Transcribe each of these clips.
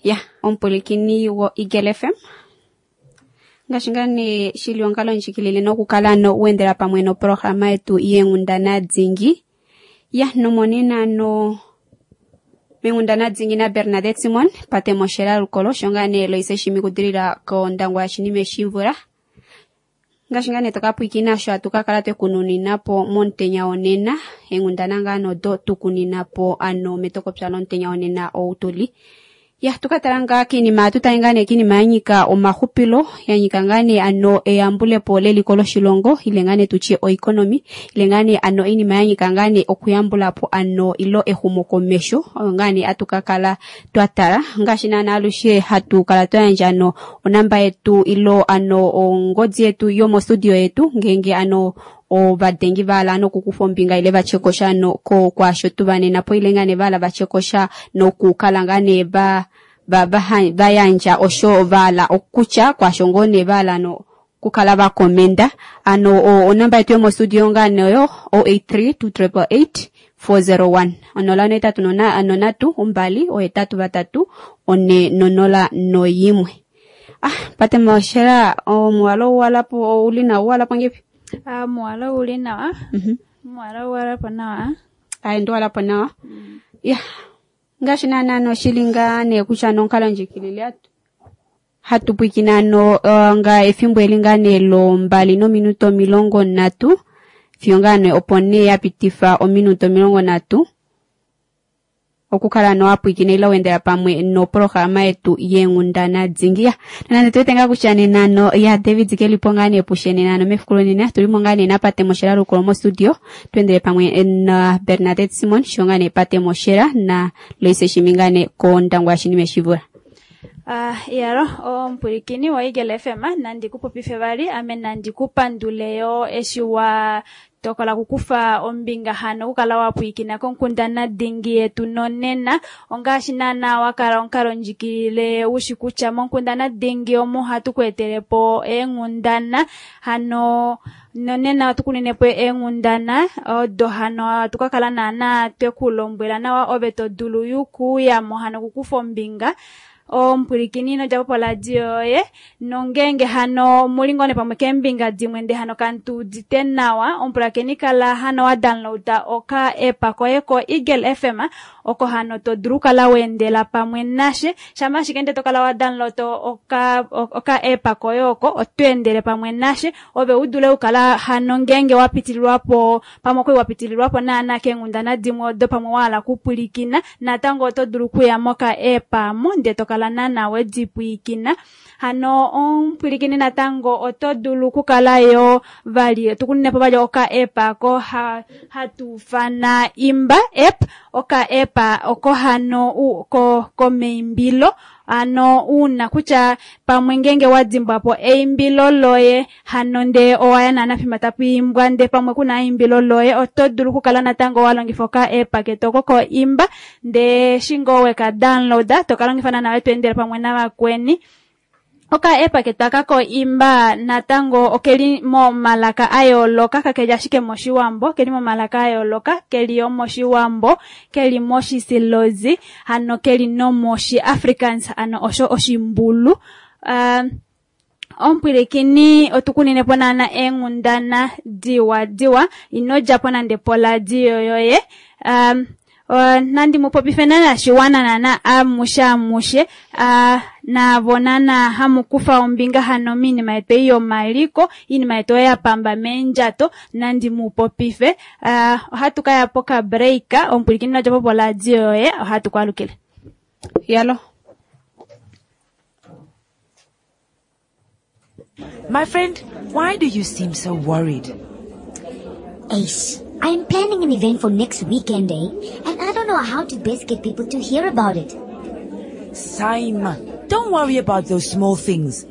Ya omupwilikini wo-Eagle FM ngaashi ngaa nee shili onkalo ndjikilile nokukala no uendela pamwe noprograma yetu yeenghundana dingi. Ya nomonena no menghundana dingi na Bernadette Simon pate moshela lukolo sho ngaa nee Loise Shimi kudilila kOndangwa yashinime shimvula. Ngaashi ngaa nee toka pwiikina sho atu ka kala twekununina po momutenya wonena eenghundana ngaa nodo tukunina po ano metokopya lomutenya wonena ou tuli. Ya tuka tala ngaa kiinima atu tale ngaa nee kiinima ya nyika omahupilo ya nyika ngaa nee ano eyambulepo leliko loshilongo ile ngaa nee tutye oeconomy ile ngaa nee ano iinima ya nyika ngaa nee okuyambulapo ano ilo exumokomesho oyo ngaa nee atu ka kala twa tala ngaashi naana alushe hatu kala twa yandja ano onamba yetu ilo ano ongodi yetu yomostudio yetu ngeenge ano ovadengi vahala ano okukufa ombinga ile vatye kosha ano kwaasho tuvanena po ile ngaa nee vahala vatye kosha nokukala ngaa nee va yandja osho vahala okutya kwaasho ngoo nee vahala ano okukala vakomenda ano onamba yetu yomostudio ngaa nee oyo 083 288 401 083 3 2 8 401. Ah, pate moshela omuwalo uwalapo ouli nawa uwalapo ngepi? Ah, muwalo uli nawa. Muwalo uwalapo nawa. Ayi ndiwalapo nawa. Ya ngaashi naana noshili ngaa nee kutya nonkalo ndjikilile atu hatu pwikina ano nga efimbo eli ngaa nee lombali nominuto 30 fiyo ngaa nee opo nee ya pitifa ominuto 30 okukala no wapwikina ile wendela pamwe noprograma yetu yeenghundana dingi. Ya nonande tuwete ngaa kutya nena no ya David kelipo ngaa nee pushe nena no mefiku lonena tulimo ngaa nee napate moshela lukolo mostudio tuendele pamwe na Bernadette Simon sho ngaa nee pate moshela na Loise Shimi ngaa nee kOndangwa yashinime shivula. Iyalo omupwilikini wa Eagle FM nandi kupopife vali ame nandi kupandule yo eshi wa tokola kukufa ombinga hano okukala wa pwiikina konkundana dingi yetu nonena ongaashi naana wakala omukalo ndjikilile ushi kutya monkundana dingi omo hatu ku etelepo eenghundana hano nonena otukunenepo eenghundana odo hano atu kakala naana twekulombwela nawa ove to dulu yukuyamo hano kukufa ombinga omupwilikini nodjapo poradio yoye nongenge hano muli ngoo pamwe keembinga dimwe nde hano kantuudite nawa omupulakeni kala hano wa downloada oka app koye ko Eagle FM oko hano to dulu kala weendela pamwe nashe shama ashike nde tokala wa download oka app koye oko otweendele pamwe nashe ove udule ukala hano ngenge wapitililwapo pamwe okwe wapitililwapo naana keenghundana dimwe odo pamwe wahala kupwilikina natango oto dulu kuya moka app amo nde tokala naana wedipwiikina hano omupwilikini natango oto dulu kukala yo vali tukunenepo vali oka app ako hatuufana Imba app oka app oko hano komeimbilo ano uuna kutya pamwe ngenge wadimbwapo eimbilo loye hano nde owaya naana fimba tapu imbwa nde pamwe kuna eimbilo loye oto dulu kukala natango walongifa oka app ketu oko ko Imba nde shingo weka downloada tokalongifa naana wetweendele pamwe navakweni. Oka app ketu aka ko Imba natango okeli momalaka ayooloka kakeli ashike moshiwambo keli momalaka ayooloka keli yo moshiwambo keli moshisilozi hano keli nomoshi Afrikaans ano osho oshimbulu. Omupwilikini otukunenepo naana eenghundana diwa diwa ino djapo nande poradio yoye. Nandi mupopife naana shiwana naana amushe amushe navo naana hamukufa ombinga hano miinima yetu ei yomaliko iinima yetu oyo yapamba meendjato nandi mupopife. Ohatu kaya poka break omupwilikini ino djapo poradio yoye ohatu kwalukile. Yalo. My friend, why do you seem so worried? Ace, I'm planning an event for next weekend, eh? And I don't know how to best get people to hear about it. Saima, don't worry about those small things.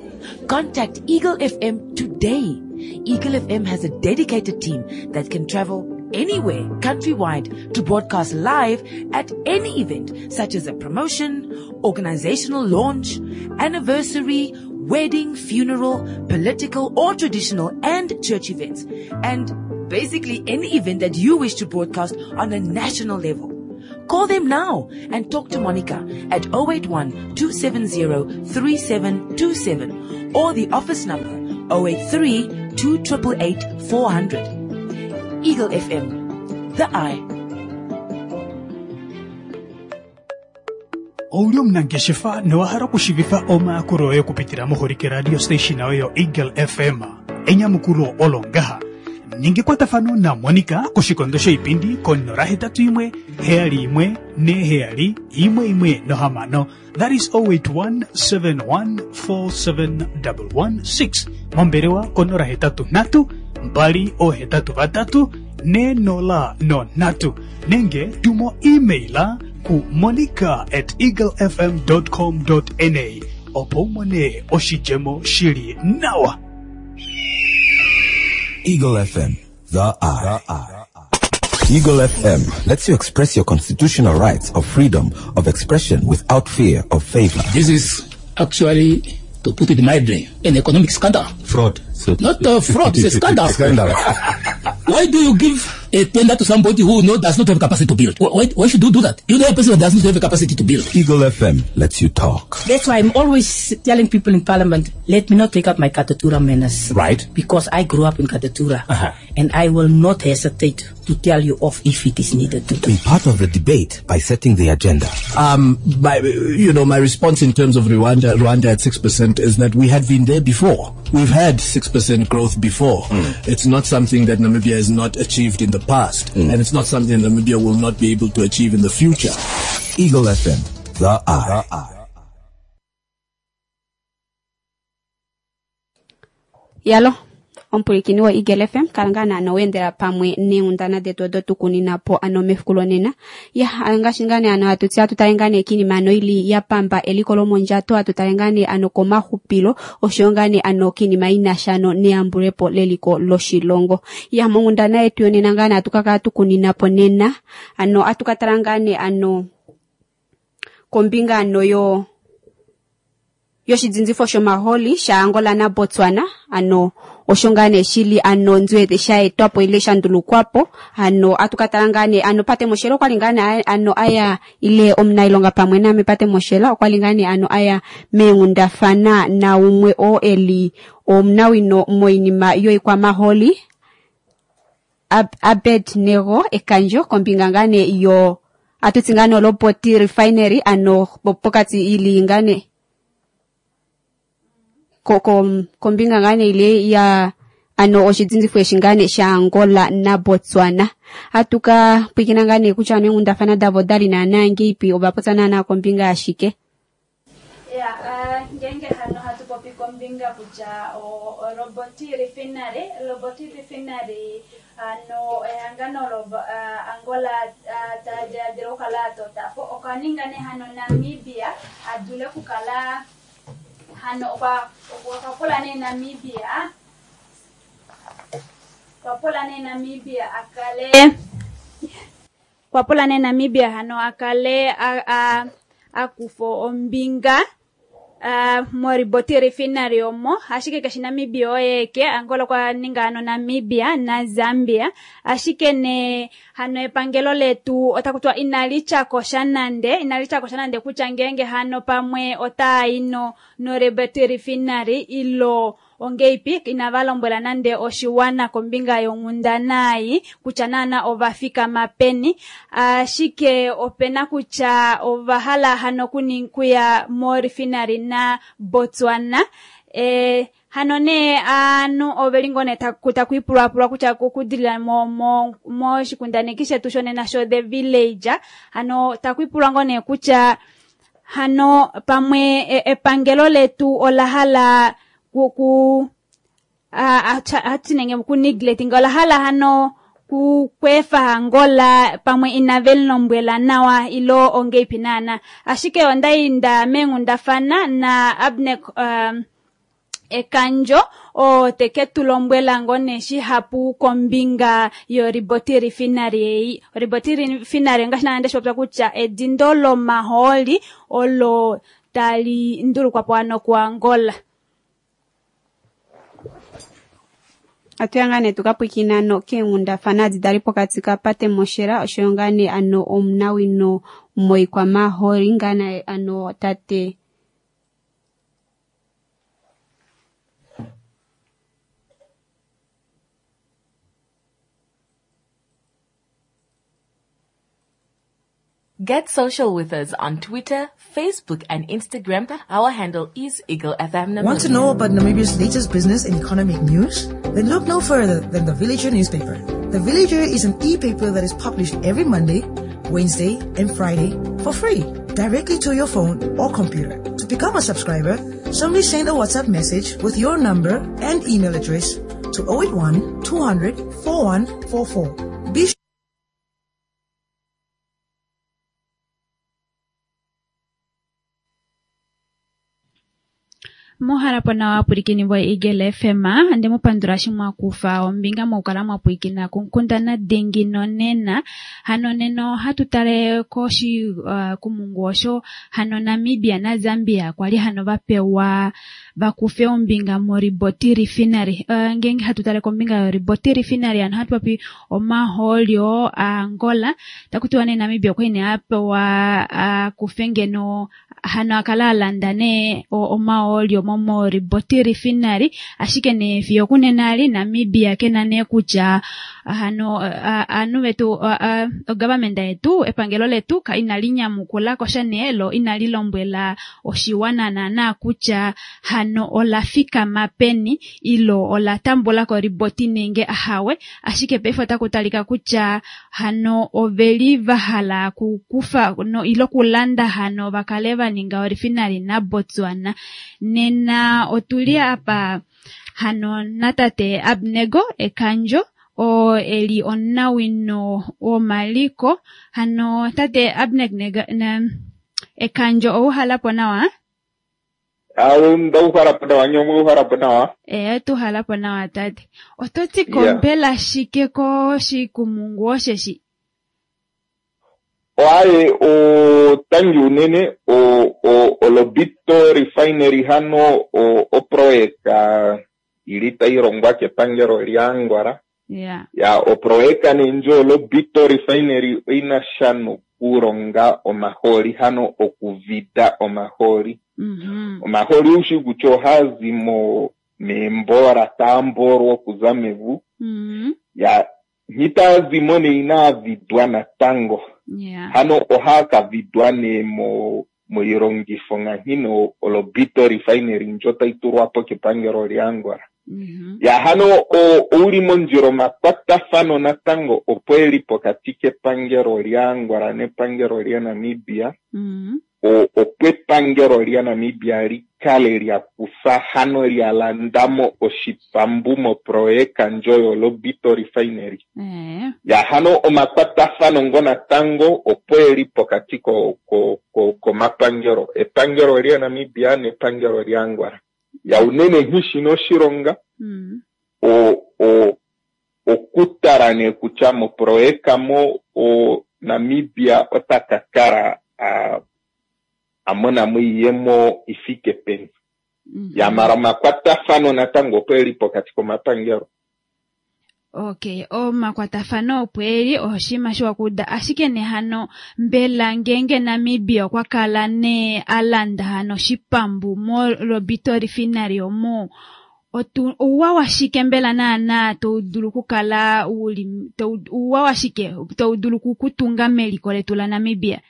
Contact Eagle FM today. Eagle FM has a dedicated team that can travel anywhere countrywide to broadcast live at any event, such as a promotion, organizational launch, anniversary, wedding, funeral, political or traditional and church events, and basically any event that you wish to broadcast on a national level. Call them now and talk to Monica at 081 270 3727 or the office number 083 288 400. Eagle FM, the eye. Ouli omunangeshefa nowa hala okushiivifa omayakulo oye okupitila moholike radio station yoye yoEagle FM? Enyamukulo olo ngaha. Ninga ekwatafano naMonica koshikondo shoipindi ko 081 71 47 116. That is 0817147116. Mombelewa ko 083 283 403 nenge tumo emaila ku monica@eaglefm.com.na opo u mone oshidjemo shili nawa. Eagle FM, the eye. Eagle FM lets you express your constitutional rights of freedom of expression without fear of favor. This is actually, to put it mildly, an economic scandal. Fraud. So Not a fraud, it's a scandal. Scandal. Why do you give a tender to somebody who does not have capacity to build? Why should you do that? You know a person who does not have a capacity to build. Eagle FM lets you talk. That's why I'm always telling people in Parliament, let me not take up my Katutura manners. Because I grew up in Katutura. And I will not hesitate to tell you off if it is needed to do. Be part of the debate by setting the agenda. My response in terms of Rwanda at 6% is that we had been there before. We've had 6% growth before. It's not something that Namibia has not achieved in the past, and it's not something that Namibia will not be able to achieve in the future. Eagle FM, the eye. Yalo, omupulikini wo Eagle FM, kala ngaa naana weendela pamwe neenghundana detu odo tukunina po ano mefiku lonena. Ya, ngaashi ngaa nee ano hatu tsi hatu tale ngaa nee kiinima ano ili ya pamba eliko lomondjato, hatu tale ngaa nee ano komaxupilo, oshoyo ngaa nee ano kiinima ina sha ano neyambulepo leliko loshilongo. Ya, monghundana yetu yonena ngaa nee hatu ka kala tukunina po nena, ano hatu ka tala ngaa nee ano kombinga ano yo yoshidzinzifo shomaholi sha Angola na Botswana, ano osho ngaa nee shili ano nzwete sha etwapo ile sha ndulukwapo, ano atukatala ngaa nee ano Pate Moshela okwali ngaa nee ano aya ile omunailonga pamwe name Pate Moshela okwali ngaa nee ano aya meenghundafana na umwe oo eli omunawino moinima yoikwamaholi Abednego Ekandjo kombinga ngaa nee yo atutsi ngaa nee olopoti refinery ano pokati ili ngaa nee kombinga ngaa nee ile ya ano oshidzinzifo eshi ngaa nee sha Angola na Botswana. Atuka pwikina ngaa nee kutya ano eenghundafana davo dali naana ngeipi, ova popya naana kombinga ashike. Ya, ngenge hano hatu popi kombinga kutya o Roboti refinery, Roboti refinery ano ehangano lo Angola tadiladila okukala atotapo okaninga nee hano Namibia adule okukala hano okwa pula nee Namibia, okwa pula nee Namibia akale, okwa pula nee Namibia hano akale akufo ombinga moriboti refinery omo, ashike keshi Namibia oyeke, Angola kwa ninga hano Namibia na Zambia, ashike ne hano epangelo letu otakutwa inalicha kosha nande, inalicha kosha nande kutya ngenge hano pamwe ota ino no riboti refinery ilo ongeipi inavalombwela nande oshiwana kombinga yonghundanayi kutya naana ovafika mapeni, ashike opena kutya ovahala hano kuya mo refinery na Botswana. Hano ne anu oveli ngone takuipulwapulwa kutya kukudilila mo shikundaneki shetu shonena sho The Village, hano takuipulwa ngone kutya hano pamwe epangelo letu olahala ku, atinenge ku neglecting olahala hano ku kwefa Angola pamwe inavelombwela nawa ilo ongeipi nana, ashike ondainda menghundafana na Abner Ekandjo o teke tulombwela ngone shihapu kombinga yo Riboti refinery ei. Riboti refinery ngaashi nande shopya kutya edindo lomaholi olo tali ndulukwapo ano ku Angola. Atuya ngaa nee tukapwikina ano keenghundafana adi dali pokati kapate Moshela oshoyo ngaa nee ano omunawino moikwamaholi ngaa nee ano tate Get social with us on Twitter, Facebook, and Instagram. Our handle is Eagle FM Namibia. Want to know about Namibia's latest business and economic news? Then look no further than the Villager newspaper. The Villager is an e-paper that is published every Monday, Wednesday, and Friday for free, directly to your phone or computer. To become a subscriber, simply send a WhatsApp message with your number and email address to 081 200 4144. Be Muhalapo nawa apwilikini vo Eagle FM ande mupandula shi mwakufa ombinga mokukala mwapwilikina kunkundana dingi nonena. Hano nena ohatu tale koshi kumungu osho hano Namibia na Zambia kwali hano vapewa vakufe ombinga moRiboti Refinery. Ngenge hatu tale kombinga yoRiboti Refinery hano hatu popi omahooli Angola takutiwa nee Namibia okwali nee apewa akufe ngeno hano akala alanda nee omahooli moRiboti Refinery, ashike nee fiyo kunena ali Namibia kena nee kutya hano anu vetu government yetu epangelo letu ka inali nyamukula kosha nee lo inali lombwela oshiwana naana kutya hano olafika mapeni ilo ola tambula ko Riboti nenge ahawe, ashike paife otaku talika kutya hano oveli vahala kukufa no ilo kulanda hano vakale vaninga orefinery na Botswana. Nena otuli apa hano natate Abnego Ekandjo o eli omunawino womaliko. Hano tate Abnego Ekandjo ouhalapo nawa? Ndauhalapo nawa, nyomwe ouhalapo nawa. Tuhalapo nawa tate. Oto ti kompela shike koshikumungu osheshi? Oaye otangi unene o Lobito Refinery hano oproyeka ili tailongwa kepangelo lyaAngola. Ya oproyeka nee ndjo Lobito Refinery oina sha nokulonga omahooli hano okuvida omahooli. Omahooli oushi kutya ohaazi meembola taamboolwa okuza mevu. Ya nghitaazimo nee inaavidwa natango. Hano ohaakavidwa nee moilongifo nganghino oLobito Refinery ndjo taitulwapo kepangelo lyaAngola. Ya hano ouli mondjila omakwatafano natango opo eli pokati kepangelo lyaAngola nepangelo lyaNamibia. Opo epangelo lyaNamibia likale lyakufa hano lyalandamo oshipambu moproyeka ndjo yoLobito Refinery. Ya hano omakwatafano ngo natango opo eli pokati komapangelo, epangelo lyaNamibia nepangelo lyaAngola. Ya unene nghishina oshilonga okutala nee kutya moproyeka mo Namibia otaka kala amonamo oiyemo ifike peni. Ya mala omakwatafano natango opo eli pokati komapangelo. Okay, omakwatafano opo eli oshinima shiwa kuuda, ashike nee hano mbela ngenge Namibia okwa kala nee alanda hano oshipambu moLobito Refinery omo ouwa washike mbela naana taudulu okukala uli ouwa washike taudulu okutunga meliko letu laNamibia?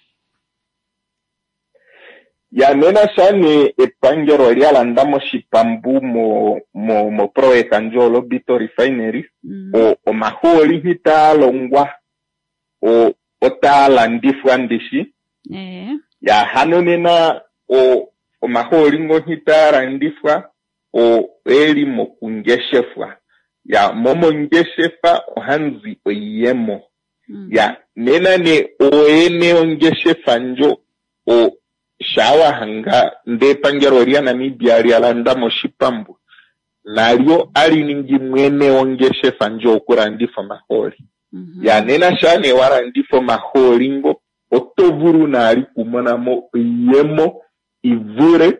Ya nena shane epangelo lyalanda moshipambu moproyeka ndjo Lobito Refinery, omahooli nghitaalongwa otaalandifwa ndishi. Ya hano nena omahooli ngo nghitaalandifwa oeli mokungeshefwa. Ya momongeshefa ohamuzi oiyemo. Ya nena ne oyene ongeshefa ndjo shawahanga nde epangelo lyaNamibia lyalanda moshipambu nalyo aliningi mwene wongeshefa ndjo okulandifa omahooli. Ya nena sha nee walandifa omahooli ngo oto vulu naali kumonamo oiyemo ivule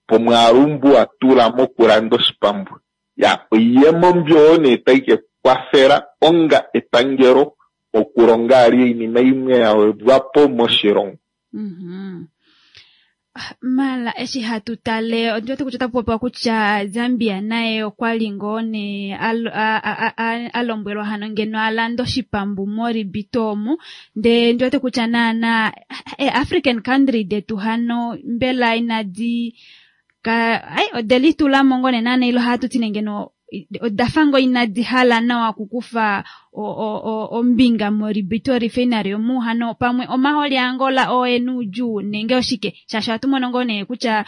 pomwaalu mbu watula mokulanda oshipambu. Ya oiyemo mbyo nee tai ke kwafela onga epangelo okulonga ali oinima imwe ya wedwapo moshilongo. Mala eshi hatu tale ondiwete kutya otapu popiwa kutya Zambia naye okwa li ngoo nee a lombwelwa hano ngeno a lande oshipambu moRibito omu, ndee ndiwete kutya naana African country detu hano mbela inadi ai ode litulamo ngoo nee naana ilo hatu ti nee ngeno odafa ngoo inadi hala nawa okukufa ombinga moRibito refinery omu, hano pamwe omahooli aAngola oo ena oudjuu nenge oshike, shaashi ohatu mono ngoo nee kutya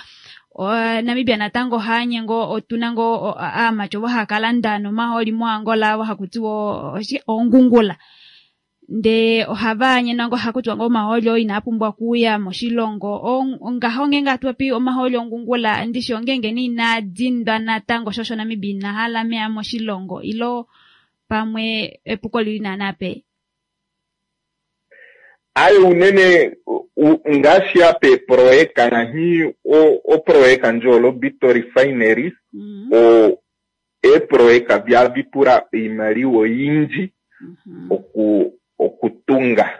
Namibia natango ohaanye ngoo otuna ngoo aamati ovo haya kalanda nomahooli moAngola ovo haku tiwa oshike oongungula, ndee ohava anye ngoo haku tiwa ngoo omahooli oo inaa pumbwa okuuya moshilongo. Ngaho ngeenge hatu popi omahooli ongungula ndishi ongeenge nee inaa dindwa natango shosho Namibia ina hala meya moshilongo ilo pamwe epuko lili naana pe? Aye unene ngaashi apa eeproyeka ngaashi oproyeka ndjo yoLobito Refinery, eeproyeka vyavipula oimaliwa oyindji okutunga.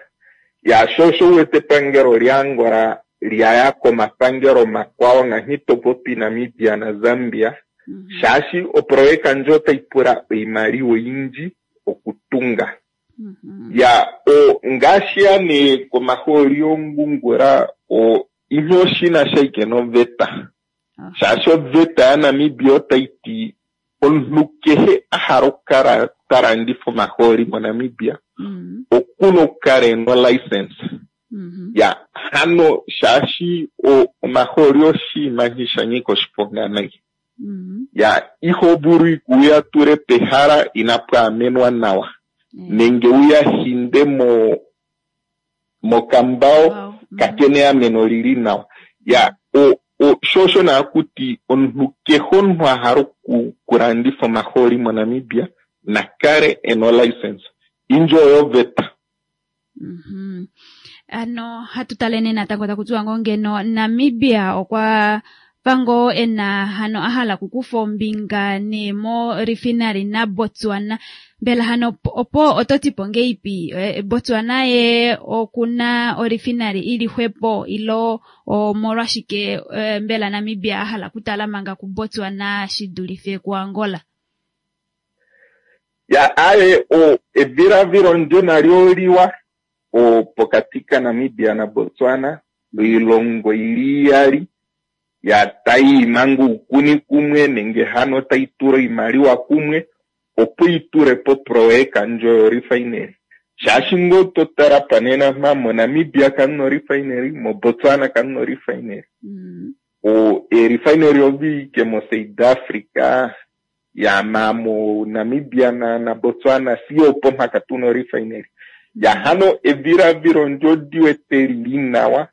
Ya sho osho uwete epangelo lyaAngola lyaya komapangelo makwao ngaashi topopi Namibia naZambia, shaashi oproyeka ndjo otai pula oimaliwa oyindji okutunga. Ya ngaashi ya nee komahooli ongungula ihe oshina shaike noveta, shaashi oveta yaNamibia otai ti omunhu kehe a hala okukala ta landifa omahooli moNamibia okuna okukala ena olicense. Ya hano shaashi omahooli oshinima sha nyika oshiponga nai. Ya iho vulu ikuya tule pehala inapu amenwa nawa nenge uya hinde mokambao kakene eameno lili nawa. Ya sho osho naakuti omunhu kehe omunhu a hala okulandifa omahooli moNamibia nakale ena olicense. Indjo oyo oveta. Ano hatu tale nee natango taku tiwa ngoo ngeno Namibia okwa pango ena hano a hala okukufa ombinga nee mo refinery naBotswana. Mbela hano opo oto tipo ngeipi Botswana ye okuna orefinery ili xwepo ilo omolwashike mbela Namibia a hala okutala manga kuBotswana shi dulife kuAngola? Ya aye evilavilo ndyo nalyo oliwa pokati kaNamibia naBotswana, oilongo ili iyali ya tai manga oukuni kumwe nenge hano tai tula oimaliwa kumwe opo itule po proyeka ndjo yorefinery. Shaashi ngoo totala panena mpa moNamibia kamuna orefinery, moBotswana kamuna orefinery. Erefinery odhi moSouth Africa ya ma moNamibia naBotswana siyo opo mpaka tuna orefinery. Ya hano evilavilo ndyo diwete lili nawa,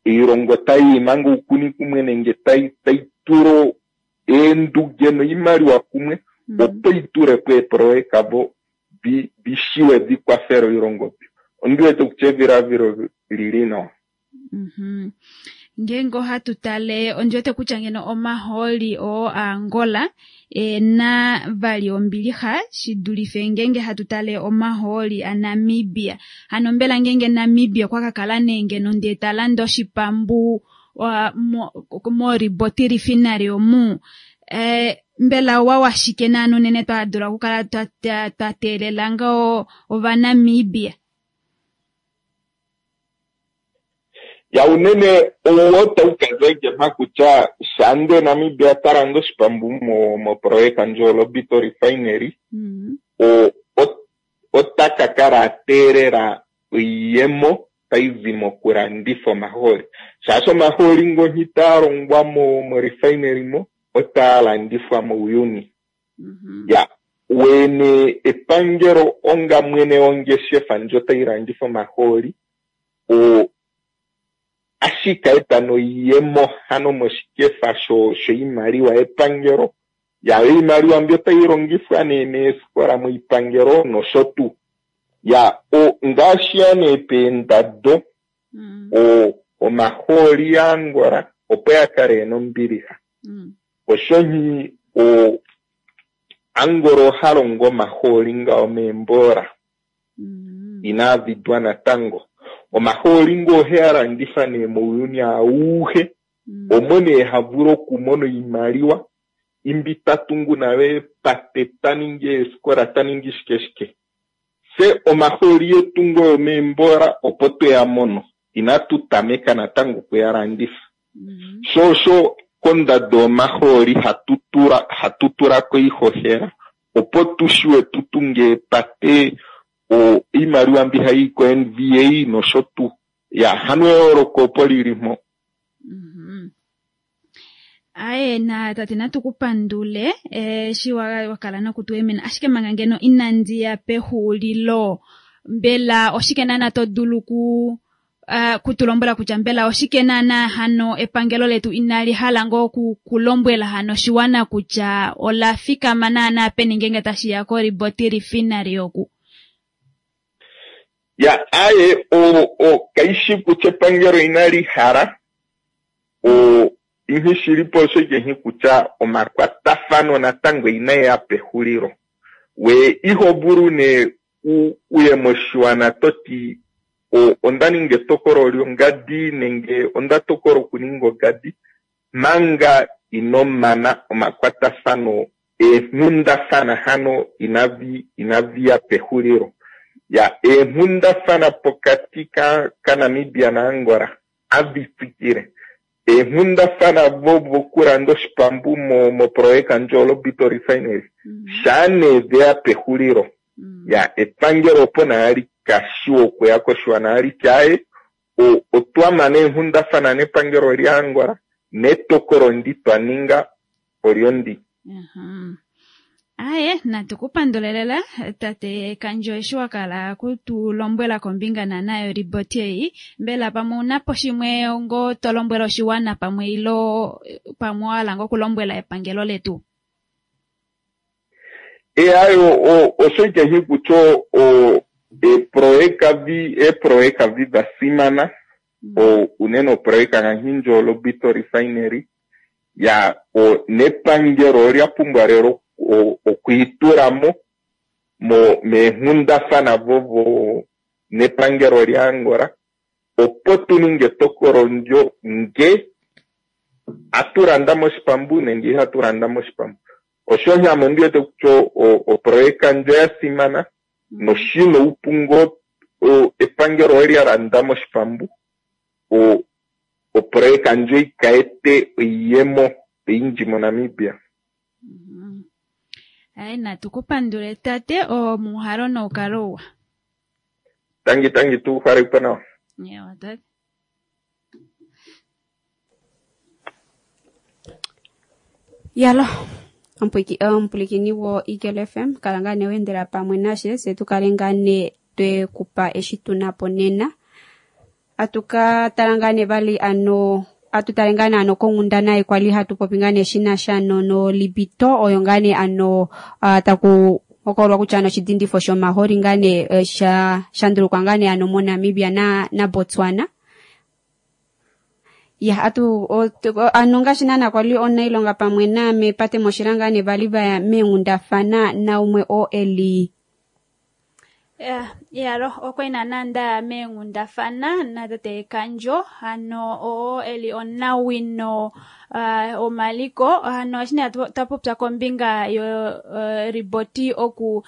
oilongo tai manga oukuni kumwe nenge tai tula eenduge noimaliwa kumwe opo itule po eeproyeka vo vishiwe vikwafele oilongo mbyo. Ondiwete kutya evilavilo lili nawa. Ngeenge ohatu tale ondiwete kutya ngeno omahooli oo aAngola ena vali ombilixa shi dulife ngeenge hatu tale omahooli aNamibia. Hano mbela ngeenge Namibia okwa ka kala nee ngeno ndee ta lande oshipambu moRiboti refinery omu, mbela owa washike naana unene twa dula okukala twa teelela ngoo Ovanamibia? Ya unene owo taukaza mpa kutya shande Namibia ta landa oshipambu moproyeka ndjo Lobito Refinery, ota ka kala a teelela oiyemo taizi mokulandifa omahooli, shaashi omahooli ngo itaa longwa morefinery mo otaa landifwa mouyuni. Ya wene epangelo onga mwene wongeshefa ndjo tai landifa omahooli ashika eta noiyemo hano moshikefa shoimaliwa yepangelo. Ya oimaliwa mbyo tai longifwa nee meefikola moipangelo nosho tuu. Ya ngaashi ya nee peendado omahooli yaAngola opo ya kale ena ombilixa. Osho nhi Angola oha longo omahooli ngao meembola inaa vidwa natango. Omahooli ngoo ohe a landifa nee mouyuni auhe, omo nee havulu okumona oimaliwa imbi tatungu nayo eepate, taningi eefikola, taningi shike shike. Fye omahooli etu ngoo yomeembola opo tweya mono, inatu tameka natango okuya landifa. Sho osho kondado yomahooli hatu tula ko oihohela opo tushiwe tutunge eepate, oimaliwa mbi hai ko NVA nosho tuu. Ya, hano eyooloko opo lili mpo. Aye, na tate natu kupandule eshi wakala nokutuemena, ashike manga ngeno inandi ya pexulilo, mbela oshike naana to dulu kutulombwela kutya mbela oshike naana hano epangelo letu inali hala ngoo kulombwela hano oshiwana kutya ola fikama naana peni ngeenge tashi ya koRiboti Refinery oku? Ya, aye, kaishi kutya epangelo inali hala, inhi shilipo osho ike kutya omakwatafano natango inaeya pexulilo. We iho vulu nee uye moshiwana toti onda ninga etokolo lyongadi nenge onda tokola okuninga ogadi manga ino mana omakwatafano eenghundafana hano inavi ya pexulilo. Ya, eenghundafana pokati kaNamibia naAngola avi tsikile. Eenghundafana vokulanda oshipambu moprojeka ndjo Lobito Refinery shaa nee veya pexulilo. Ya, epangelo opo naali kashiwa okuya koshiwana ali tyaye otwa mana eenghundafana nepangelo lyaAngola netokolo ndi twa ninga olyo ndi. Aye, natu kupandule lela tate Kandjo eshi wakala kutulombwela kombinga naana yoriboti ei. Mbela pamwe unapo shimwe ngo to lombwela oshiwana pamwe ilo pamwe wahala ngo okulombwela epangelo letu? Ayo osho ike kutya eeproyeka vi da simana, unene oproyeka ngaashi ndjo Lobito Refinery, ya nepangelo olya pumbwa lelo okwiitulamo meenghundafana vovo nepangelo lyaAngola opo tu ninge etokolo ndyo nge atulanda moshipambu nenge ihatu landa moshipambu. Osho ame ondi wete kutya oproyeka ndjo ya simana noshina oupu ngoo epangelo olya landa moshipambu oproyeka ndjo ikaete oiyemo oyindji moNamibia. Aye, natu kupandule tate, omuhalo noukalo uwa. Tangi tangi, tu halepo nawa. Ewa tate. Yalo omupulikini wo Eagle FM, kala ngaa nee wendela pamwe nashe se tukale ngaa nee twekupa eshi tunapo nena. Atuka tala ngaa nee vali ano atu tale ngaa nee ano konghundana kwali hatu popi ngaa nee shinasha nolibito oyo ngaa nee ano taku hokololwa kutya ano oshidindifo shomaholi ngaa nee sha ndulukwa ngaa nee ano moNamibia na Botswana. Ya, atu ano ngaashi naana kwali onailonga pamwe naame Pate Moshila ngaa nee vali vaya meenghundafana naumwe oo eli Yalo okwali naana ndaya meenghundafana natate Kandjo hano oo eli onawino omaliko hano eshi nee twapopya kombinga yo riboti oku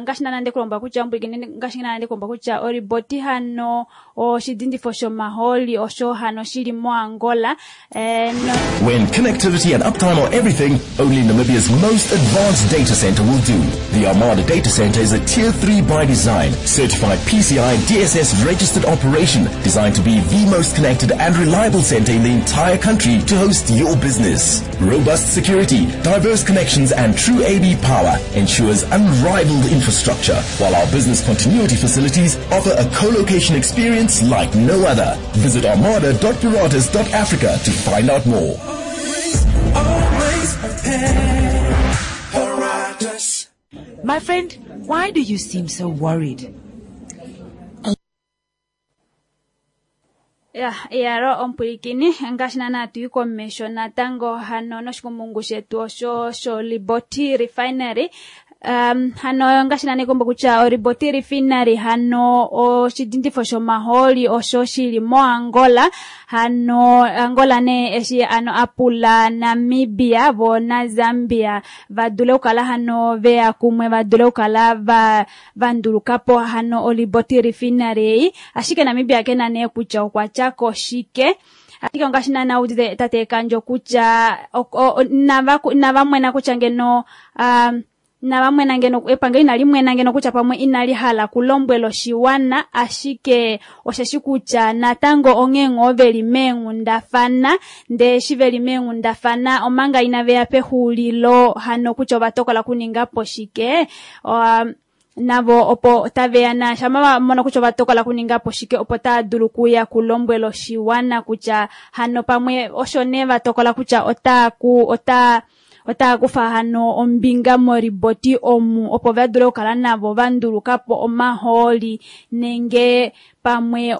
ngaashi naana ndekulombwela kutya ngaashi naana ndekulombwela kutya oriboti hano oshidindifo shomaholi osho hano shili moAngola no. When connectivity and uptime are everything, only Namibia's most advanced data center will do. The Armada Data Center is a Tier 3 by design, certified PCI DSS registered operation designed to be the most connected and reliable center in the entire country to host your business. Robust security, diverse connections and true AB power ensures unrivaled infrastructure, while our business continuity facilities offer a co-location experience like no other. Visit armada.paratus.africa to find out more. Always prepared. Paratus. My friend, why do you seem so worried? Ya, iyalo omupwilikini ngaashi naana tui komesho natango hano noshikumungu shetu osho sholiboti refinery. Hano ngaashi naana ikombo kutya oliboti refinery hano oshidindifo shomahooli osho shili moAngola. Hano Angola nee eshi ano apula Namibia vo naZambia vadule okukala hano veya kumwe vadule okukala vandulukapo hano oliboti refinery ei, ashike Namibia kena nee kutya okwa tyako shike. Ashike ongaashi naana udite tate Ekandjo kutya inava mwena kutya ngeno inava mwena ngeno epangelo inali mwena ngeno kutya pamwe inali hala kulombwela oshiwana, ashike osheshi kutya natango onghee ngoo veli meenghundafana, ndee eshi veli meenghundafana omanga inaveya pexuulilo hano kutya ova tokola kuningapo shike, navo opo taveya na shama vamona kutya ova tokola kuningapo shike opo tava dulu kuya kulombwela oshiwana kutya hano pamwe osho nee vatokola kutya otaya kufa hano ombinga moriboti omu opo vadule okukala navo vandulukapo omahooli nenge pamwe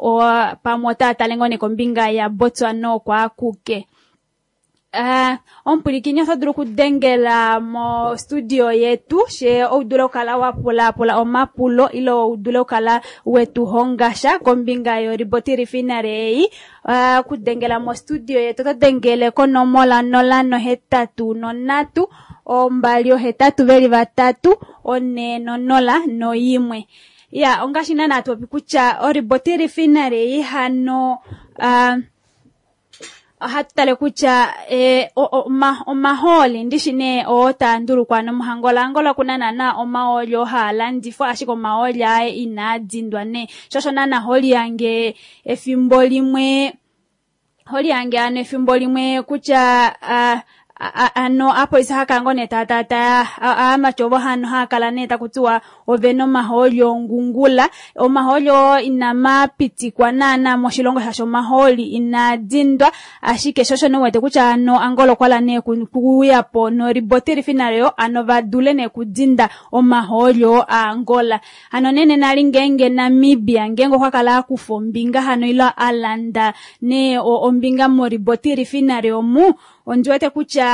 pamwe otaya tale ngoo nee kombinga yaBotswana oko akuke. Omupwilikini oto dulu okudengela mostudio yetu she oudule okukala wapulapula omapulo ile oudule okukala wetuhonga sha kombinga yoriboti refinery ei. Okudengela mostudio yetu oto dengele konomola 083 283 401. Ya, ongaashi naana hatu popi kutya oriboti refinery ei hano ohatu tale kutya omahooli ndishi nee oo taa ndulukwa nomuhangola. Angola okuna naana omahooli oo haa landifwa, ashike omahooli aye inaa dindwa nee, sho osho naana holi yange efimbo limwe holi yange ano efimbo limwe kutya ano apolisi hakala ngoo nee taya aamati ovo hano haakala nee takutiwa ovena omahooli ongungula. Omahooli oo inama pitikwa naana moshilongo shaashi omahooli inaa dindwa, ashike sho osho nee uwete kutya ano Angola okwala nee kuuyapo noriboti refinery yo ano vadule nee kudinda omahooli oo aAngola. Hano nene nali ngeenge Namibia ngeenge okwa kala akufa ombinga hano ile alanda nee ombinga moriboti refinery omu, ondi wete kutya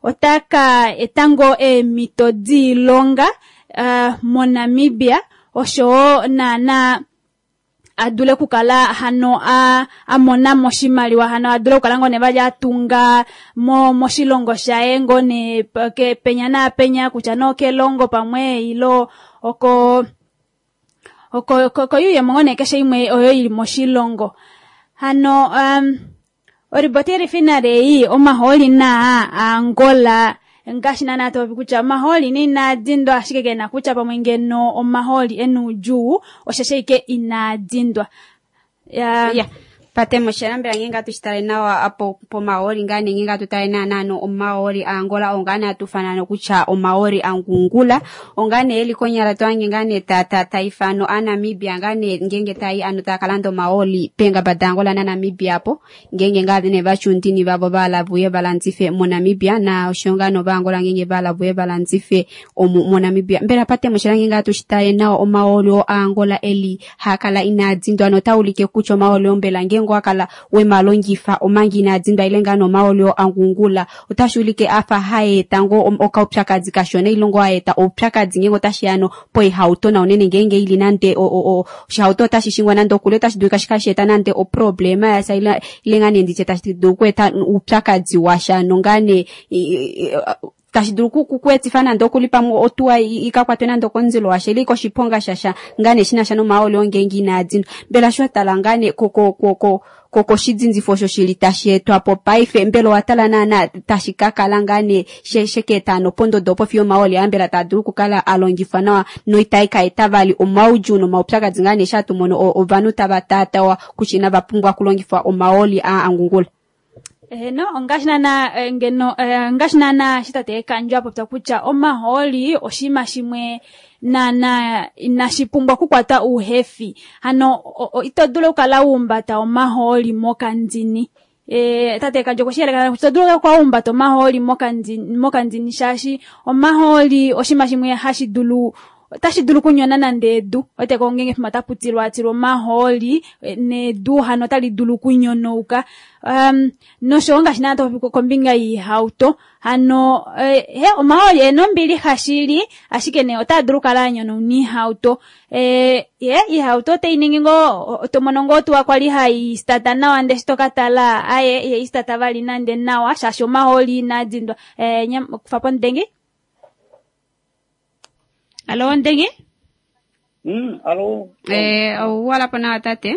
otaka eta ngoo eemhito diilonga moNamibia oshowo naana adule okukala hano amona mo oshimaliwa, hano adule okukala ngoo nee vali atunga moshilongo shaye ngoo nee penya naapenya kutya nee okelongo pamwe ilo oko koyuuyemo ngoo nee keshe imwe oyo ili moshilongo. Hano oriboti refinery ei omahooli naa aAngola ngaashi naana topopi kutya omahooli nee inaa dindwa, ashike kena kutya pamwe ngeno omahooli ena oudjuu osheshi ashike inaa dindwa. Ya, patemo shela mbela ngenge atu shitale nawa apo pomahooli ngaa nee ngenge atu tale naana no omahooli aAngola ongaa nee atu ifana kutya omahooli angungula, ongaa nee eli konyala tohange ngaa nee taifano aNamibia ngaa nee ngenge tai ano taa kalanda omahooli peengaba daAngola naNamibia apo ngenge ngaa nee vachundini vavo vahala vuye valandife moNamibia na osho ngaa novaangola ngenge vahala vuye valandife omu moNamibia. Mbela patemo shela ngenge atu shitale nawa omahooli oo aAngola eli haakala inaa dindwa notaulike kutya omahooli oo mbela ngenge owakala wemalongifa omanga inaa dindwa ile ngaa nomahooli oo angungula otashi ulike afa haeta ngoo okaupyakadi kashona ile ngoo haeta oupyakadi ngenge otashi ya no poihauto na unene ngenge ili nande oshihauto otashi shingwa nande okule otashi dulika shikale eta nande oproblema yasha ile ngaa nee nditye tashi dulu okweeta uupyakadi washa nongaa nee tashi dulu kuetifa nande okuli pamwe otuwa ikakwatwe nande okomundilo washa ile koshiponga shasha ngaa nee shinasha nomahooli oo ngenge inaa dindwa. Mbela sho watala ngaa nee koshidindifo osho shili tashi etwapo paife, mbela owatala naana tashi kakala ngaa nee shekeeta ano pondodo opo fiyo omahooli aa mbela taa dulu okukala alongifwa nawa noitai ka eta vali omaudjuu nomaupyakadi ngaa nee eshi hatu mono ovanhu tava taatawa kutya inava pumbwa okulongifwa omahooli aa angungula? Eheno, ongaashi naana ngeno ngaashi naana eshi tate Ekandjo apopya kutya omahooli oshinima shimwe naana inashi pumbwa okukwata uuhefi. Hano ito dulu okukala wuumbata omahooli mokandini. Tate Ekandjo okwe shi yeleka ito dulu okukala wuumbata omahooli mokandini shaashi omahooli oshinima shimwe hashi dulu Otashi dulu okunyona nande edu ote ko ngenge fima tapu tilwatilwa omahooli nedu hano otali dulu okunyonauka. Noshowo ngaashi naana topopi kombinga yiihauto hano he omahooli ena ombilixa shili ashike nee otaa dulu okukala a nyonauna iihauto. Ye iihauto otai ningi ngoo to mono ngoo otuwa kwali hai stata nawa ndele eshi toka tala aye ihai stata vali nande nawa shaashi omahooli inaa dindwa. Kufa po omudengi. Alo omudengi? Alo. Ouwala po nawa tate.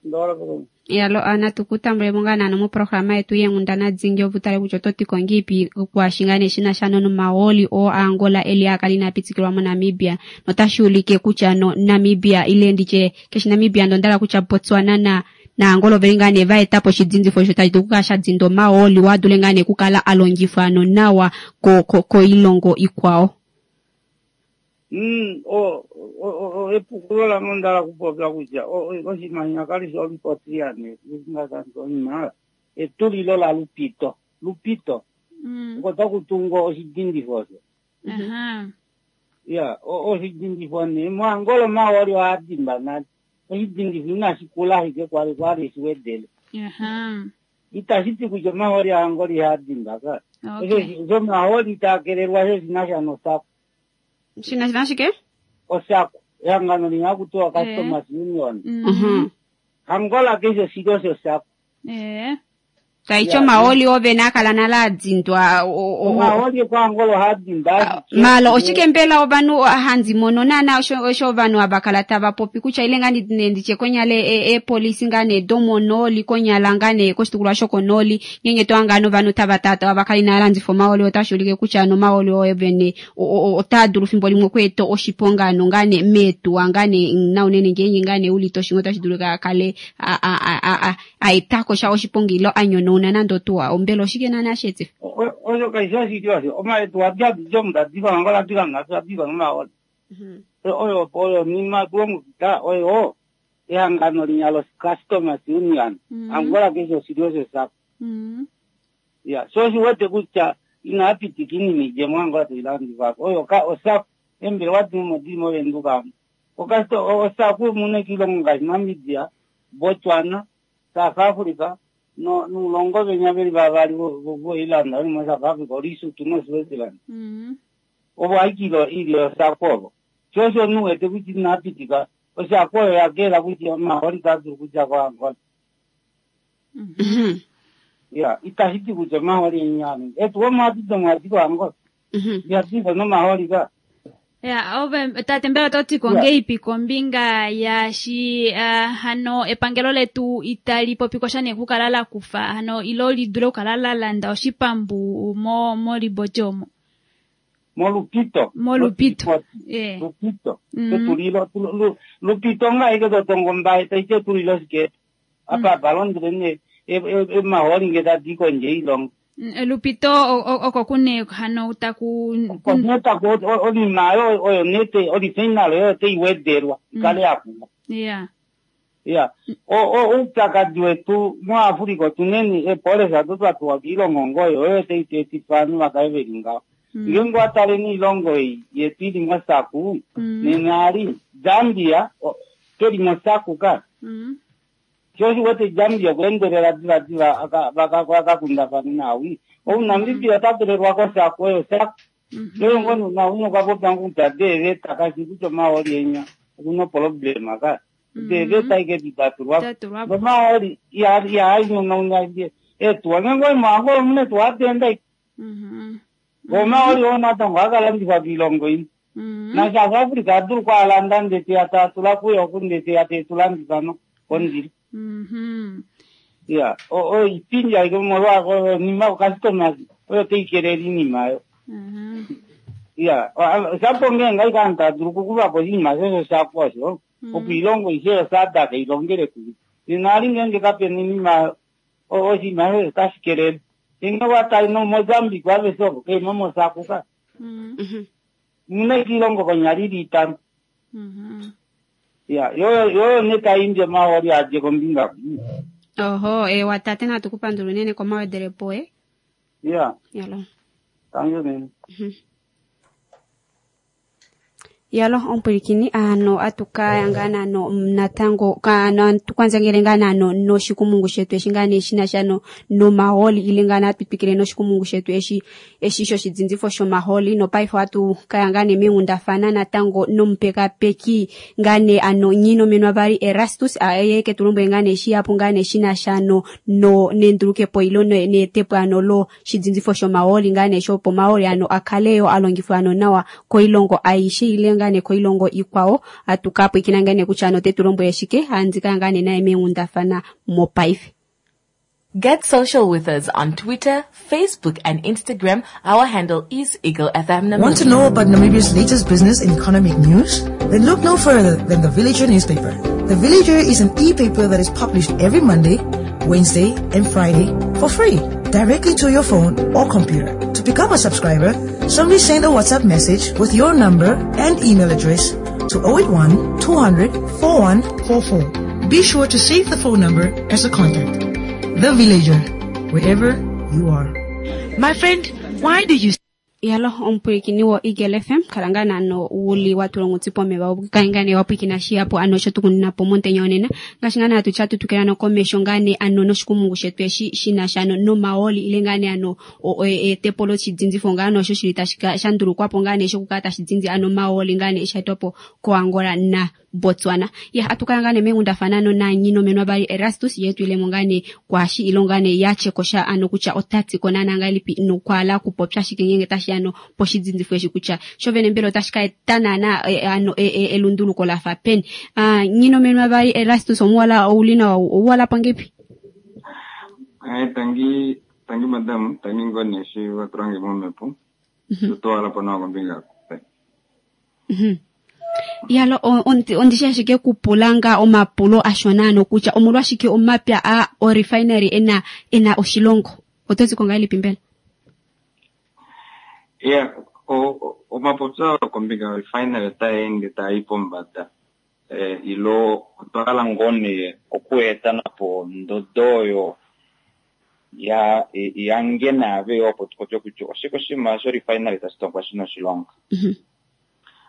Ndawala po. Yalo natu ku tambulemo ngaa naano moprograma yetu yeenghundana dingi opo utale kutya oto ti ko ngiipi kwaashi ngaa nee shi na sha nomahooli oo aAngola eli a kala inaa pitikilwa moNamibia notashi ulike kutya no Namibia ile nditye keshi Namibia ndondala kutya Botswana na naAngola oveli ngaa nee va eta po oshidindifo osho tashi dulu okukala sha dinda omahooli oo a dule ngaa nee okukala a longifwa no nawa koilongo ikwao. Epukulo lange onda hala okupopya kutya oshinima kali shi olupotria ne oshinima etulilo la Lupito. Lupito. Oko taku tungwa oshidindifo osho. Ya, oshidindifo ne moAngola omahooli ohaa dimba nale. Oshidindifo inashi kula ashike kwali kwali shiwedele. Itashi ti kutya omahooli aAngola ihaa dimba ka. Osho omahooli taa kelelwa sho shina sha nosako. Shina sha shike? Osako. Ehangano limwe haku tiwa Customers Union. Angola keshe oshilyo shosako. Taiti omahooli ove na kala nale a dindwa. Omahooli kwaAngola ohaa dindwa ashike. Malo oshike mbela ovanhu handi mono naana osho ovanhu hava kala tava popi kutya ile ngaa nditye konyala eepolisi ngaa nee domonooli konyala ngaa nee koshitukulwa shokonooli ngeenge to hanga ovanhu tava tata va kala inava landifa omahooli otashi ulike kutya nomahooli oyo vene otaa dulu fimbo limwe okweeta oshiponga no ngaa nee meetuwa ngaa nee naunene ngeenge ngaa nee uli toshingo otashi dulu a kale a etako sha oshiponga ilo a nyonauna nande otuwa. Ombela oshike naana shi etifa? Osho kashi oshili osho. Omaetuwa diomda diva Angola diva ngaashi diva nomahooli. Oyo oyo nima kulongekida oyo ehangano linya lo Customers Union. Angola keshe oshilyo shosako. Ya, so oshiwete kutya inapitika iinima idje moAngola tailandifwa. Oyo osako embelewa dimwe dili moVenduka omu. Osako muna kiilongo ngaashi Namibia, Botswana, South Africa nuulongo venya veli vavali voilanda veli mo South Africa, Lesotho noSwaziland. Ovo aikilo ili osako ovo. Sho osho nuwete kutya inapitika osako oyo yakela kutya omahooli taa dulu okudja koAngola. Ya, itashi ti kutya omahooli enyano. Etu omaadi domwadi koAngola. Ihadi nomahooli ka. Ya, ove tate mbela oto ti ko ngeipi kombinga yaashi hano epangelo letu itali popi ko sha nee okukala la kufa hano ilo li dule okukala la landa oshipambu moliboti omo. Molupito. Molupito. Lupito. Etulilo Lupito nga ike to tongo mbaye taiti etulilo shike. Apa balondele ne emahooli nge tadi kondje ilongo. Lupito oko kune hano taku netaku onima oyo oyo nete orifinal oyo teiwedelwa ikale yakula. Ya, oupyakadi wetu muAfrika otuneni epolisa ado twatuwa kiilongo ngoyo oyo teitetifa ovanhu vakale veli ngaho. Ngeenge wataleni oilongo ei yetu ili mosaku nena ali Zambia keli mosaku ka. Sho oshiwete Zambia okuendelela diva diva vakakundafana nawi. OuNamibia ota tulelwa kosaku oyo saku. Oyo ngono nawi okwa popya kutya deeveta kashi kutya omahooli enya okuna problema ka. Deeveta ike ditatulwa. Omahooli ihainyonauna etuwa ngeenge oimo omuna etuwa adenda. Omahooli oo natango akalandifwa kiilongo imwe. Na South Africa adulu okwaalanda ndele teya tatula kuyo oku ndele teya tetulandifa no kondilo. Ya, oipindi aike molwa onima customers oyo teikelele iinima yo. Ya, shapo ngeenge aike aantu tadulu okukufapo oshinima shosho shako osho, opo ilongo aishe yoSADC ilongele kumwe. Nena ali ngeenge kapena iinima oshinima shosho otashi kelele. Ngeenge watali noMozambique aveshe ovo keimo mosaku ka. Muna ike ilongo konyala ili itano. Ya, yoyo ne taimbi omahooli adje kombinga. Oho, ewa tate natu ku pandula unene komawedelepo e. Ya. Yalo. Thank you. Yalo omupwilikini ano atukaya ngaa naano natango ano tukwanzangele ngaa naano noshikumungu shetu eshi ngaa nee shinasha nomahooli ile ngaa nee atwitwikile noshikumungu shetu eshi eshi shoshidzindifo shomahooli nopaife ohatu kaya ngaa nee meenghundafana natango nomupekapeki ngaa nee ano Nghinomenwa vali Erastus ye ke tulombwele ngaa nee shihapu ngaa nee shinasha no nendulukepo ilo neetepo ano lo shidzindzifo shomahooli ngaa nee shopo omahooli ano akale yo alongifwa ano nawa koilongo aishe ile ngaa nee koilongo ikwao. Atukapwikina ngaa nee kutya ano ote tulombwele shike handika ngaa nee naye meenghundafana mopaife. Get social with us on Twitter, Facebook, and Instagram. Our handle is Eagle FM Namibia. Want to know about Namibia's latest business and economic news? Then look no further than the Villager newspaper. The Villager is an e-paper that is published every Monday, Wednesday, and Friday for free, directly to your phone or computer. To become a subscriber, simply send a WhatsApp message with your number and email address to 081 200 4144. Be sure to save the phone number as a contact. The Villager, wherever you are. My friend, why do you... Yalo omupwilikini wo Eagle FM kala ngaa naano wuli watulongo pomeva kale ngaa nee wapwikina shihapu ano osho tukuninapo montenya onena ngaashi ngaa nee hatu tya tutukila nokomesho ngaa nee ano noshikumungu shetu eshi shinasha ano nomahooli ile ngaa nee ano eetepo loshidzindzifo ngaa nee osho shili tashi shandulukwapo ngaa nee shokukala tashi dzindzi ano omahooli ngaa nee shaetwapo koAngola na Botswana. Ya atukala ngaa nee meenghundafana ano naNghinomenwa vali Erastus ye tuilemo ngaa nee kwaashi ilo ngaa nee yatyekosha ano kutya otati ko naana ngahelipi nokwala kupopya shike ngenge tashi ano poshidzindzifo eshi kutya shovene mbela otashi ka eta naana ano elunduluko lafa peni. Nghinomenwa vali Erastus omuwala ouli nawa ouwala po ngepi? Tangi tangi madam, tangi ngoo nee eshi watulange momhepo. Tutwala po nawa kombinga. Yalo ondishi ashike kupulanga omapulo ashona ano kutya omolwashike omapya a orefinery ena oshilongo otozi ko ngahelipi mbela? Yeah, omapopyo kombinga yorefinery otaeende taayi pombada. Ilo otwa kala ngoo nee okueta napo ondodo oyo ya yange naave opo tupopye kutya oshike oshinima shorefinery tashi tongwa shina oshilonga.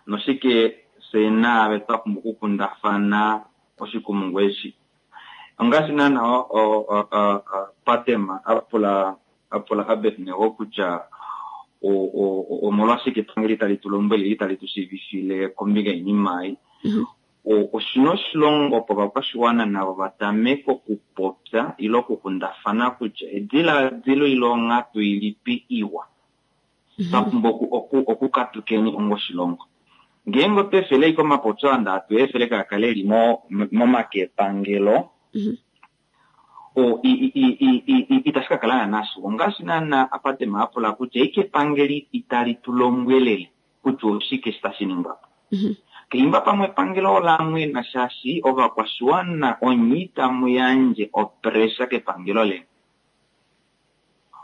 Noshike se naave twa pumbwa okukundafana oshikumungu eshi. Ongaashi naana Patema apula Abednego kutya omolwashike epangelo itali tu lombwele itali tu shiivifile kombinga yoinima ei. Oshina oshilongo opo ovakwashiwana navo vatameke okupopya ile okukundafana kutya ediladilo ile onghatu ilipi iwa twa pumbwa okukatukeni onga oshilongo. Ngeenge otwa efele ashike omapopyo aa atu efele kaakale eli momake epangelo, itashi ka kala naana shiwa. Ongaashi naana Apatema apula kutya ike epangelo itali tu lombwelele kutya oshike eshi tashi ningwa po. Keimba pamwe epangelo olamwena shaashi ovakwashiwana onye itamu yandje opressure kepangelo leni.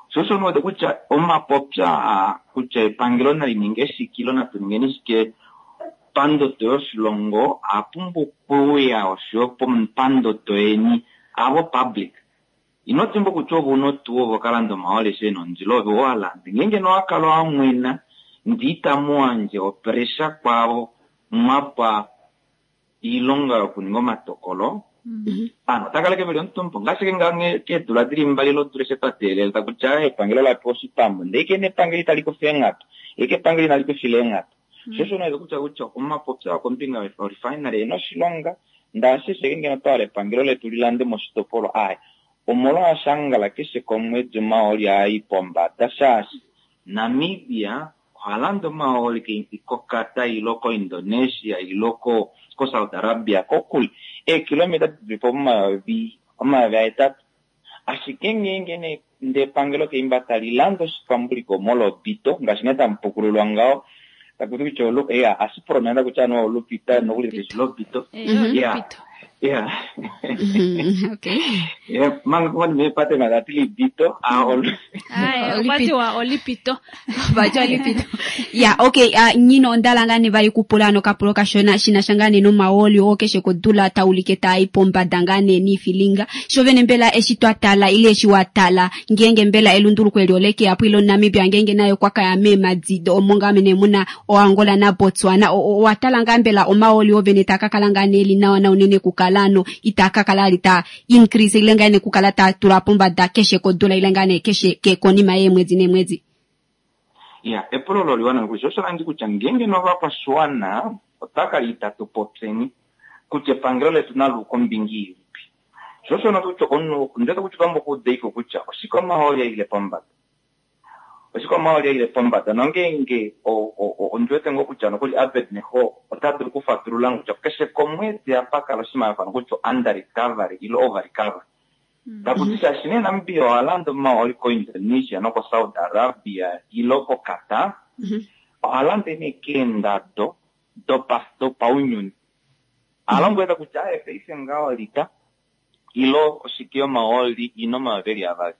Sho osho ndiwete kutya omapopyo aa kutya epangelo nali ninge shike ile natu ningeni shike pandodo yoshilongo apumbwa okuuya oshoyo pandodo yeni avo public. Ino dimbwa kutya ove una otuwa ove okalanda omahooli eshi ena ondilo ove owalanda. Ngeenge nowakala wamwena ndee itamu yandje opressure kwaavo mwapa oilonga yokuninga omatokolo, ovanhu otava kala veli omutumba. Ongaashi ngaa keedula dili mbali lodula eshi twa teelela kutya epangelo ola pewa oshipambu ndee ike nepangelo itali kufa eenghatu, ike epangelo inali kufila eenghatu. Sho osho ndiwete kutya kutya omapopyo kombinga yorefinery ena oshilonga ndaashi ashike ngeno otwa hala epangelo letu lilande moshitopolwa aye omolwaashangala keshe komwedi omahooli aayi pombada shaashi Namibia ohalanda omahooli koQatar ilo koIndonesia ilo koSaudi Arabia kokule eekilometa dilipo 8000. Ashike ngeenge ndee epangelo keimba tali landa oshipambuliko molobito ngaashi nee tamupukululwa ngaho takuti kutya ashi pronounce kutya anuwa olupita nokuli keshi lobito. Ya. Ya. Okay. Yeah, manga ngoni mepate ngakati libito a ol Aye, okwatiwa olipito. Vati olipito. Ya, okay, nyino ondala ngane vali kupula nokapulo kashona shinasha ngane nomaoli oo keshe kodula taulike tai pombada ngane niifilinga. Sho vene mbela eshi twatala ile eshi watala ngenge mbela elunduluko eli oleke apo ilo Namibia ngenge nayo kwakaya meemadi omo ngaa mene muna oAngola naBotswana. Owatala ngaa mbela omaoli ovene takakala ngaa ne eli nawa na unene kukala ano itakakala ali ta increase ile ngane kukala ta tula pombada keshe kodula ile ngane keshe ke konima yeemwedi neemwedi. Ya, epulo olo liwana nokuli sho osho landi kutya ngenge novakwashiwana otwakala itatu popyeni kutya epangelo letu naluuka ombinga ilipi. Sho osho nokutya omunhu ndete kutya pamwe okuudeiko kutya oshike omahooli aile pombada. Oshike omahooli aile pombada nongeenge ondiwete ngoo kutya nokuli Abednego ota dulu okufatulula kutya keshe komwedi apa kala oshimaliwa fano kutya under recovery ile over recovery. Takuti shaashi nee Namibia oha landa omahooli koIndonesia nokoSaudi Arabia ile koQatar, oha landa nee keendado dopaunyuni. Alombwela kutya aye paife ngaho lita ilo oshike yomahooli ina omayovi eli avali.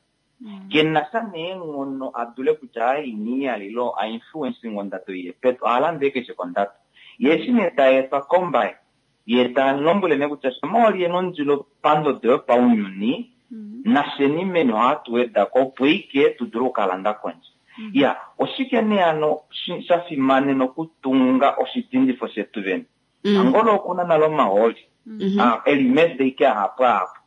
Kena sha neenghono a dule kutya aye ini iyalilo a influencing ondado iye pedu, oha landa keshe kondado. Ye eshi nee ta etwa kombaye, ye ta lombwele nee kutya sho omahooli ena ondilo pandodo yopaunyuni, nafyeni meni ohatu wedako opo ike tu dule okukalanda kondje. Ya, oshike nee ano sha fimanena okutunga oshidindifo shetu vene? Angola okuna nale omahooli. Eli mede ike ahapu ahapu.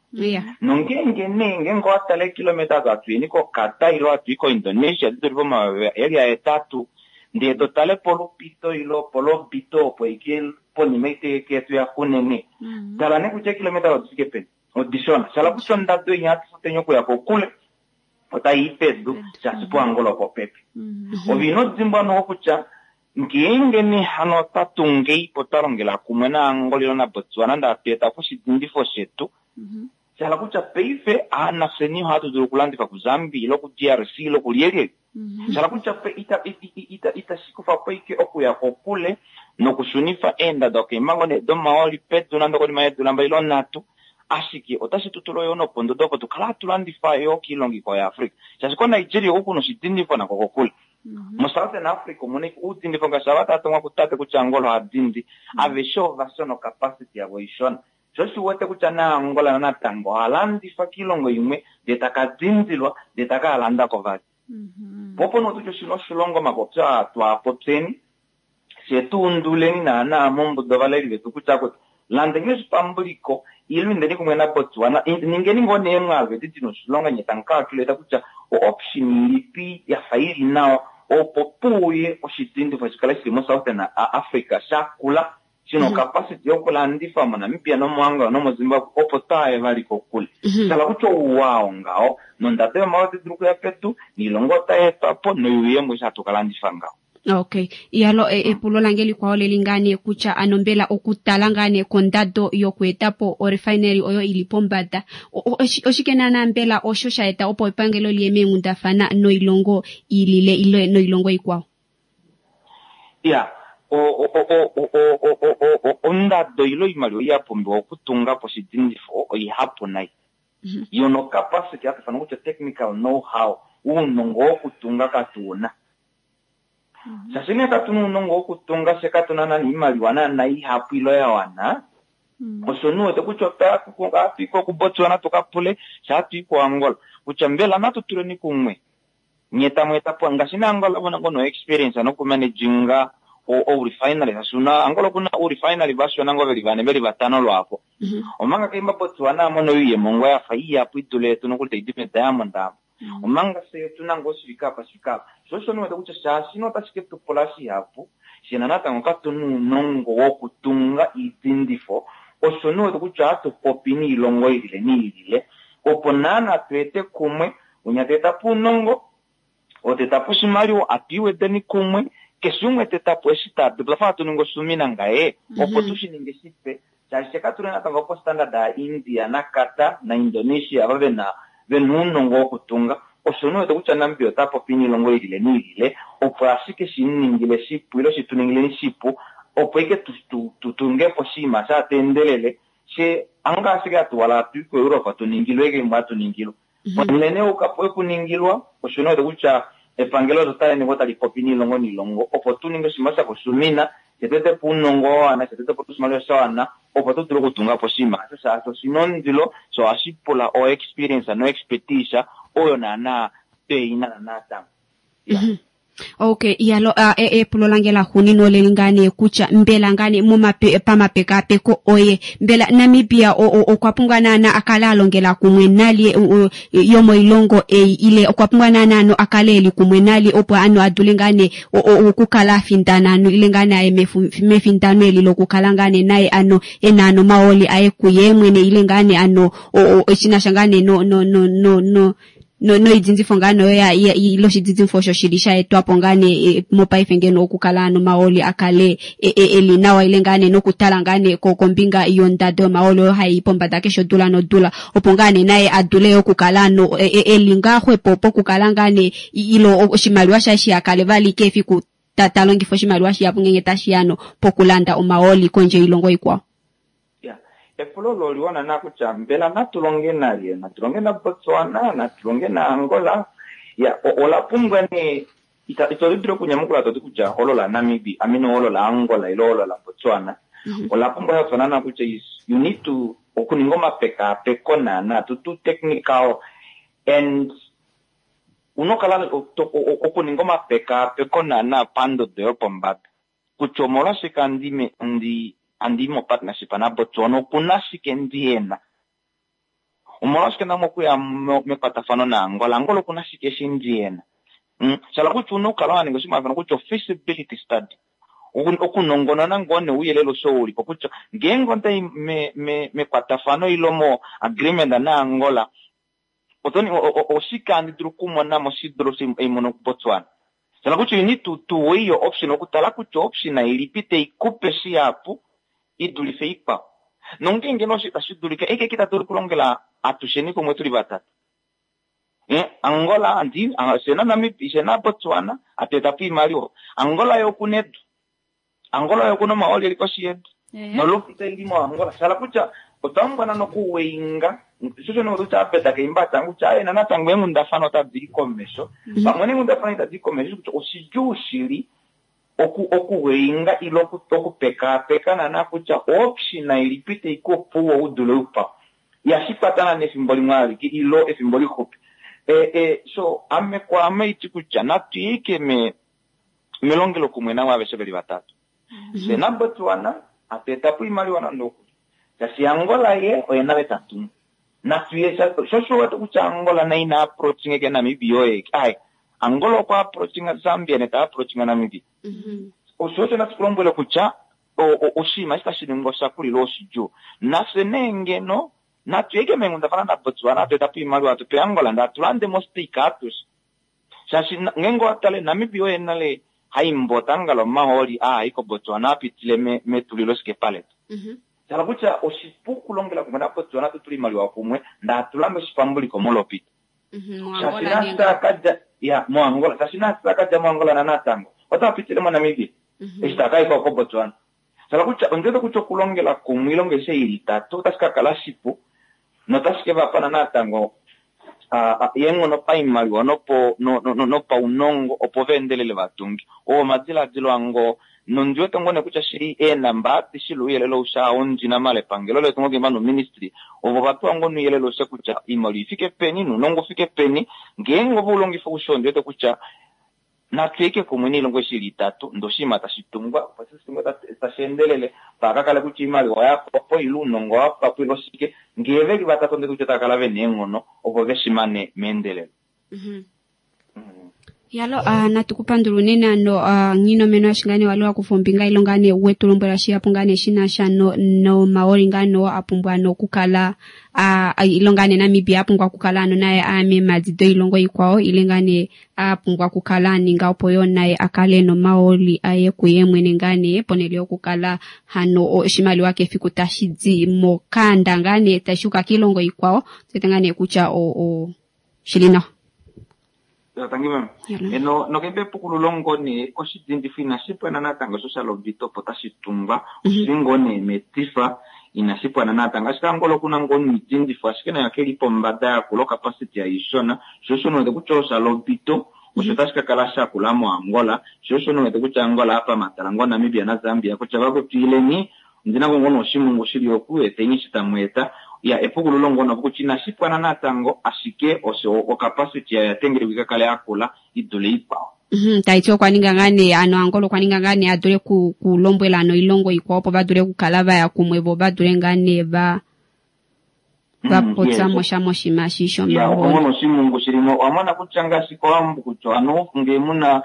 Nongeenge nee ngeenge owa tala eekilometa odo hatu yeni koQatar ile hatu i koIndonesia di dule pomayovi eli ahetatu, ndee to tale polupito ile polobito opo ike ponima ite yetu ya kunene. Tala nee kutya eekilometa odi fike peni. Odishona. Shala kutya ondado ei hatu futeni okuya kokule otai i pedu shaashi poAngola opopepi. Ove ino dimbwa noho kutya ngeenge nee hano otwa tungeipo twa longela kumwe naAngola ile naBotswana nande hatu eta po oshidindifo shetu, shala kutya paife nafyeni ohatu dulu okulandifa kuZambia ile kuDRC ile kulyelyelye. Shala kutya itashi kufa po ike okuya kokule nokushunifa eendado keemhango nee domahooli pedu nande konima yeedula mbali ile nhatu, ashike otashi tu tula yo nopondodo opo tu kale hatu landifa yo kiilongo ikwao yaAfrica. Shaashi koNigeria oku kuna oshidindifo nako kokule. MoSouthern Africa omuna uudindifo ngaashi ava tava tongwa kutate kutya Angola oha dindi, aveshe ova shona ocapacity yavo oishona. Sho shi wete kutya naAngola natango oha landifa kiilongo imwe ndee taka dindilwa ndee taka landa ko vali. Po opo nee kutya oshina oshilongo omapopyo aa twaapopyeni, fye tu unduleni naana mombuda ovaleli vetu kutya kutya landeni oshipambuliko ile indeni kumwe naBotswana, ningeni ngoo nee emwaalu edi dina oshilonga nye tamu calculate kutya o-option ilipi yafa ili nawa opo puuye oshidindifo shikale shili moSouthern Africa shakula shina ocapacity yokulandifa moNamibia nomoAngola nomoZimbabwe opo twaaye vali kokule. Shala kutya ouwa oo ngaho nondado yomahooli otai dulu okuya pedu noilonga otai etwa po noyuuyemo eshi hatu kalandifa ngaho. Okay. Yalo epulo lange likwao leli ngaa nee kutya ano mbela okutala ngaa nee kondado yokueta po orefinery oyo ili pombada, oshike naana mbela osho sha eta opo epangelo liye meenghundafana noilongo ilile ile noilongo ikwao? Ya, ondado ile oimaliwa ya pumbiwa okutunga po oshidindifo oihapu nai. Yo no capacity hatu ifana kutya technical know-how, uunongo wokutunga katuuna. Shaashi nee katuna uunongo wokutunga, fye katuna nani oimaliwa naana ihapu ile ya wana, osho nee uwete kutya ohatu i ko kuBotswana tuka pule, fye hatu i kuAngola kutya mbela natu tuleni kumwe nye tamu eta po ngaashi naAngola vona ngoo no experience nokumanaginga ourefinery, shaashi una Angola okuna ourefinery vashona ngoo veli vane veli vatano lwaapo. Omanga keimba Botswana amona oiyemo ngoo yafa ihapu idule yetu nokuli taidi mediamond apo. Omanga fye otuna ngoo shifike apa shifike apa. Sho osho niwete kutya shaashi no otashi ke tu pula shihapu, fye natango katuna uunongo wokutunga iidindifo, osho niwete kutya ohatu popi niilongo ilile niilile opo naana tu ete kumwe, unya ta eta po uunongo, oo ta eta po oshimaliwa, atu iwedeni kumwe, keshe umwe ta eta po eshi ta dulu, twafa hatu ningi osumina ngaye, opo tu shi ninge shipe, shaashi fye katuli natango po standard ya India naQatar naIndonesia ava vena uunongo wokutunga. Osho niwete kutya Namibia ota popi niilongo ilile niilile opo ashike shi ningile shipu ile shi tu ningileni shipu opo ike tu tunge po oshinima sha teendelele. She anga ashike atuwala atuyi koEurope tuningilwe egembo atuningilwa. Ponhele nee okuningilwa osho nee kutya epangelo otali ningi tali popi niilongo niilongo opo tu ninge oshinima sha koshumina shetete po uunongo wa wana shetete po oshimaliwa sha wana opo tu dule okutunga po oshinima osho shaashi oshina ondilo sho ohashi pula o experience no expertise oyo naana tweina natango. Okay, yalo epulo lange la xuunina oleli ngaa nee kutya mbela ngaa nee pamapekapeko oye mbela Namibia okwa pumbwa naana akale alongela kumwe nalye yomoilongo ei ile okwa pumbwa naana ano akale eli kumwe nalye opo ano adule ngaa nee okukala afindana ano ile ngaa nee aye mefindano eli lokukala ngaa nee naye ano ena ano omahooli aye kuye mwene ile ngaa nee ano shinasha ngaa nee no no no no no noidzinzifo ngaa noyo ile oshidzinzifo osho shili sha etwapo ngaa nee mopaife ngeno okukala ano omahooli akale eli nawa ile ngaa nee nokutala ngaa nee kombinga yondado yomahooli oyo hayi pombada keshe odula nodula opo ngaa nee naye adule okukala ano eli ngaa xwepo pokukala ngaa nee ilo oshimaliwa shaye shihakale vali kefiku ta longifa oshimaliwa shihapu ngenge tashiya ano pokulanda omahooli kondje yoilongo ikwao. Epulo olo oliwana na kutya mbela natu longe nalye, natu longe na Botswana, natu longe na Angola. Ya, ola pumbwa nee ito dulu okunyamukula toti kutya olo la Namibia, I mean olo la Angola ile olo la Botswana. Ola pumbwa ya na kutya you need to okuninga omapekapeko naana to do technical and unokala okuninga omapekapeko naana pandodo yopombada. Kutya omolwashike andi mo partnership na Botswana okuna shike ndiyena. Omolwashike ndamo okuya mekwatafano na Angola, Angola okuna shike shi ndiyena. Shala kutya una okukala waninga oshinima kutya feasibility study. Okunongonona ngoo nee ouyelele osho ulipo kutya ngeenge ondayi mekwatafano ile mo agreement na Angola oshike andi dulu okumona mo shidulu eimono kuBotswana. Shala kutya you need to weigh your option okutala kutya option ilipi taikupe shihapu idulife ikwao. Nongeenge nosho itashi dulika eke kita dulu okulongela atusheni kumwe tuli vatatu. Angola andi shena Namibia shena Botswana ateta po iimaliwa. Angola yo okuna edu. Angola yo okuna omahooli eli koshi yedu. Nolopita ili moAngola. Shala kutya otwa pumbwa nokuweinga shosho nokutya apeta keimbata kutya aye natango eenghundafana otadi i komesho. Pamwe neenghundafana itadi i komesho kutya oshidjuu shili okuweinga ile okupekaapeka naana kutya option ilipi taikupe udule ukwao. Ihashikwatana nefimbo limwe alike ilo efimbo lixupi. So ame kwaame iti kutya natuyike melongelo kumwe navo aveshe veli vatatu. Fye naBotswana ateta po iimaliwa nande okuli. Shaashi Angola ye oye nale tatungu. Natuye shosho wete kutya Angola naye ina approaching ke Namibia oye. Ai, Angola okwa approaching Zambia neta approaching Namibia. Osho osho natukulombwele kutya oshinima eshi tashi ningwa oshakulila oshidjuu. Nafye nee ngeno natuyeke meenghundafana naBotswana ateta po iimaliwa atupe Angola ndee atulande mo stake atushe. Shaashi ngeenge owatale Namibia oye nale haimbota angala omahooli aa koBotswana apitile metulilo sikepa letu. Shala kutya oshipu okulongela kumwe naBotswana tutule iimaliwa kumwe ndee atulande oshipambuliko molopita. Shaashi nasi ya moAngola, shaashi nasi takadja moAngola natango ota pitile moNamibia. Eshi takaika koBotswana. Shala kutya ondiwete kutya okulongela kumwe ilongo aishe ili itatu otashi kakala shipu notashi kevapana natango eenghono paimaliwa nopaunongo opo veendelele vatunge. Oo omadiladilo ango nondiwete ngoo nee kutya shili eenamba adishe ile ouyelele aushe ondina mala epangelo letu ngoo keimba noministry ovo vapewa ngoo nouyelele aushe kutya oimaliwa ifike peni nounongo ufike peni ngeenge ove ulongifa aushe ondiwete kutya natuyeke kumwe niilongo eshi ili itatu ndee oshinima tashi tungwa opo shitungwe tashi endelele paakakale kutya iimaliwa oyapwapo ile uunongo owapwapo ile oshike ngee veli vatatu ondiwete kutya otava kala vena eenghono opo veshimane meendelelo. Yalo natu kupandula unene ano nghinomeno ashingane wali wakufa ombinga ile ngaa nee wetu lombwela shihapu ngaa nee shinasha nomahooli ngaa noo apumbwa ano okukala ile ngaa nee Namibia apumbwa okukala ano naye aya meemadi doilongo ikwao ile ngaa nee apumbwa okukala aninga opo yoo naye akale nomahooli aye kuye mwene ngaa nee ponhele yokukala hano oshimaliwa kefiku tashi di mokanda ngaa nee tashi uka kiilongo ikwao tuwete ngaa nee kutya shili nawa. Tangi meme. Eno nokembe epukululo ngoo nee oshidindifo inashi pwana natango sho sha lobita opo tashi tungwa oshili ngoo nee metifa. Inashi pwana natango ashike Angola okuna ngoo noidindifo ashike nayo keli pombada yakula ocapacity aishona sho osho wete kutya osha lobito osho tashi ka kala shakula moAngola sho osho wete kutya Angola apa matala ngoo Namibia naZambia kutya vakwetu ileni ondina ngoo noshimungu shili oku eteni eshi tamu eta ya epukululo ngono kutya inashi pwana natango ashike osho ocapacity yayo yatengelekwa ikakale yakula idule ikwao. Taiti okwa ninga ngaa nee ano Angola okwa ninga ngaa nee adule kulombwela ano oilongo ikwao opo vadule okukala vaya kumwe vo vadule ngaa nee va vapopya mosha moshima shi shomahooli. Opo oshimungu shilimo owamona kutya ngaashi kOwambo kutya ano ngee muna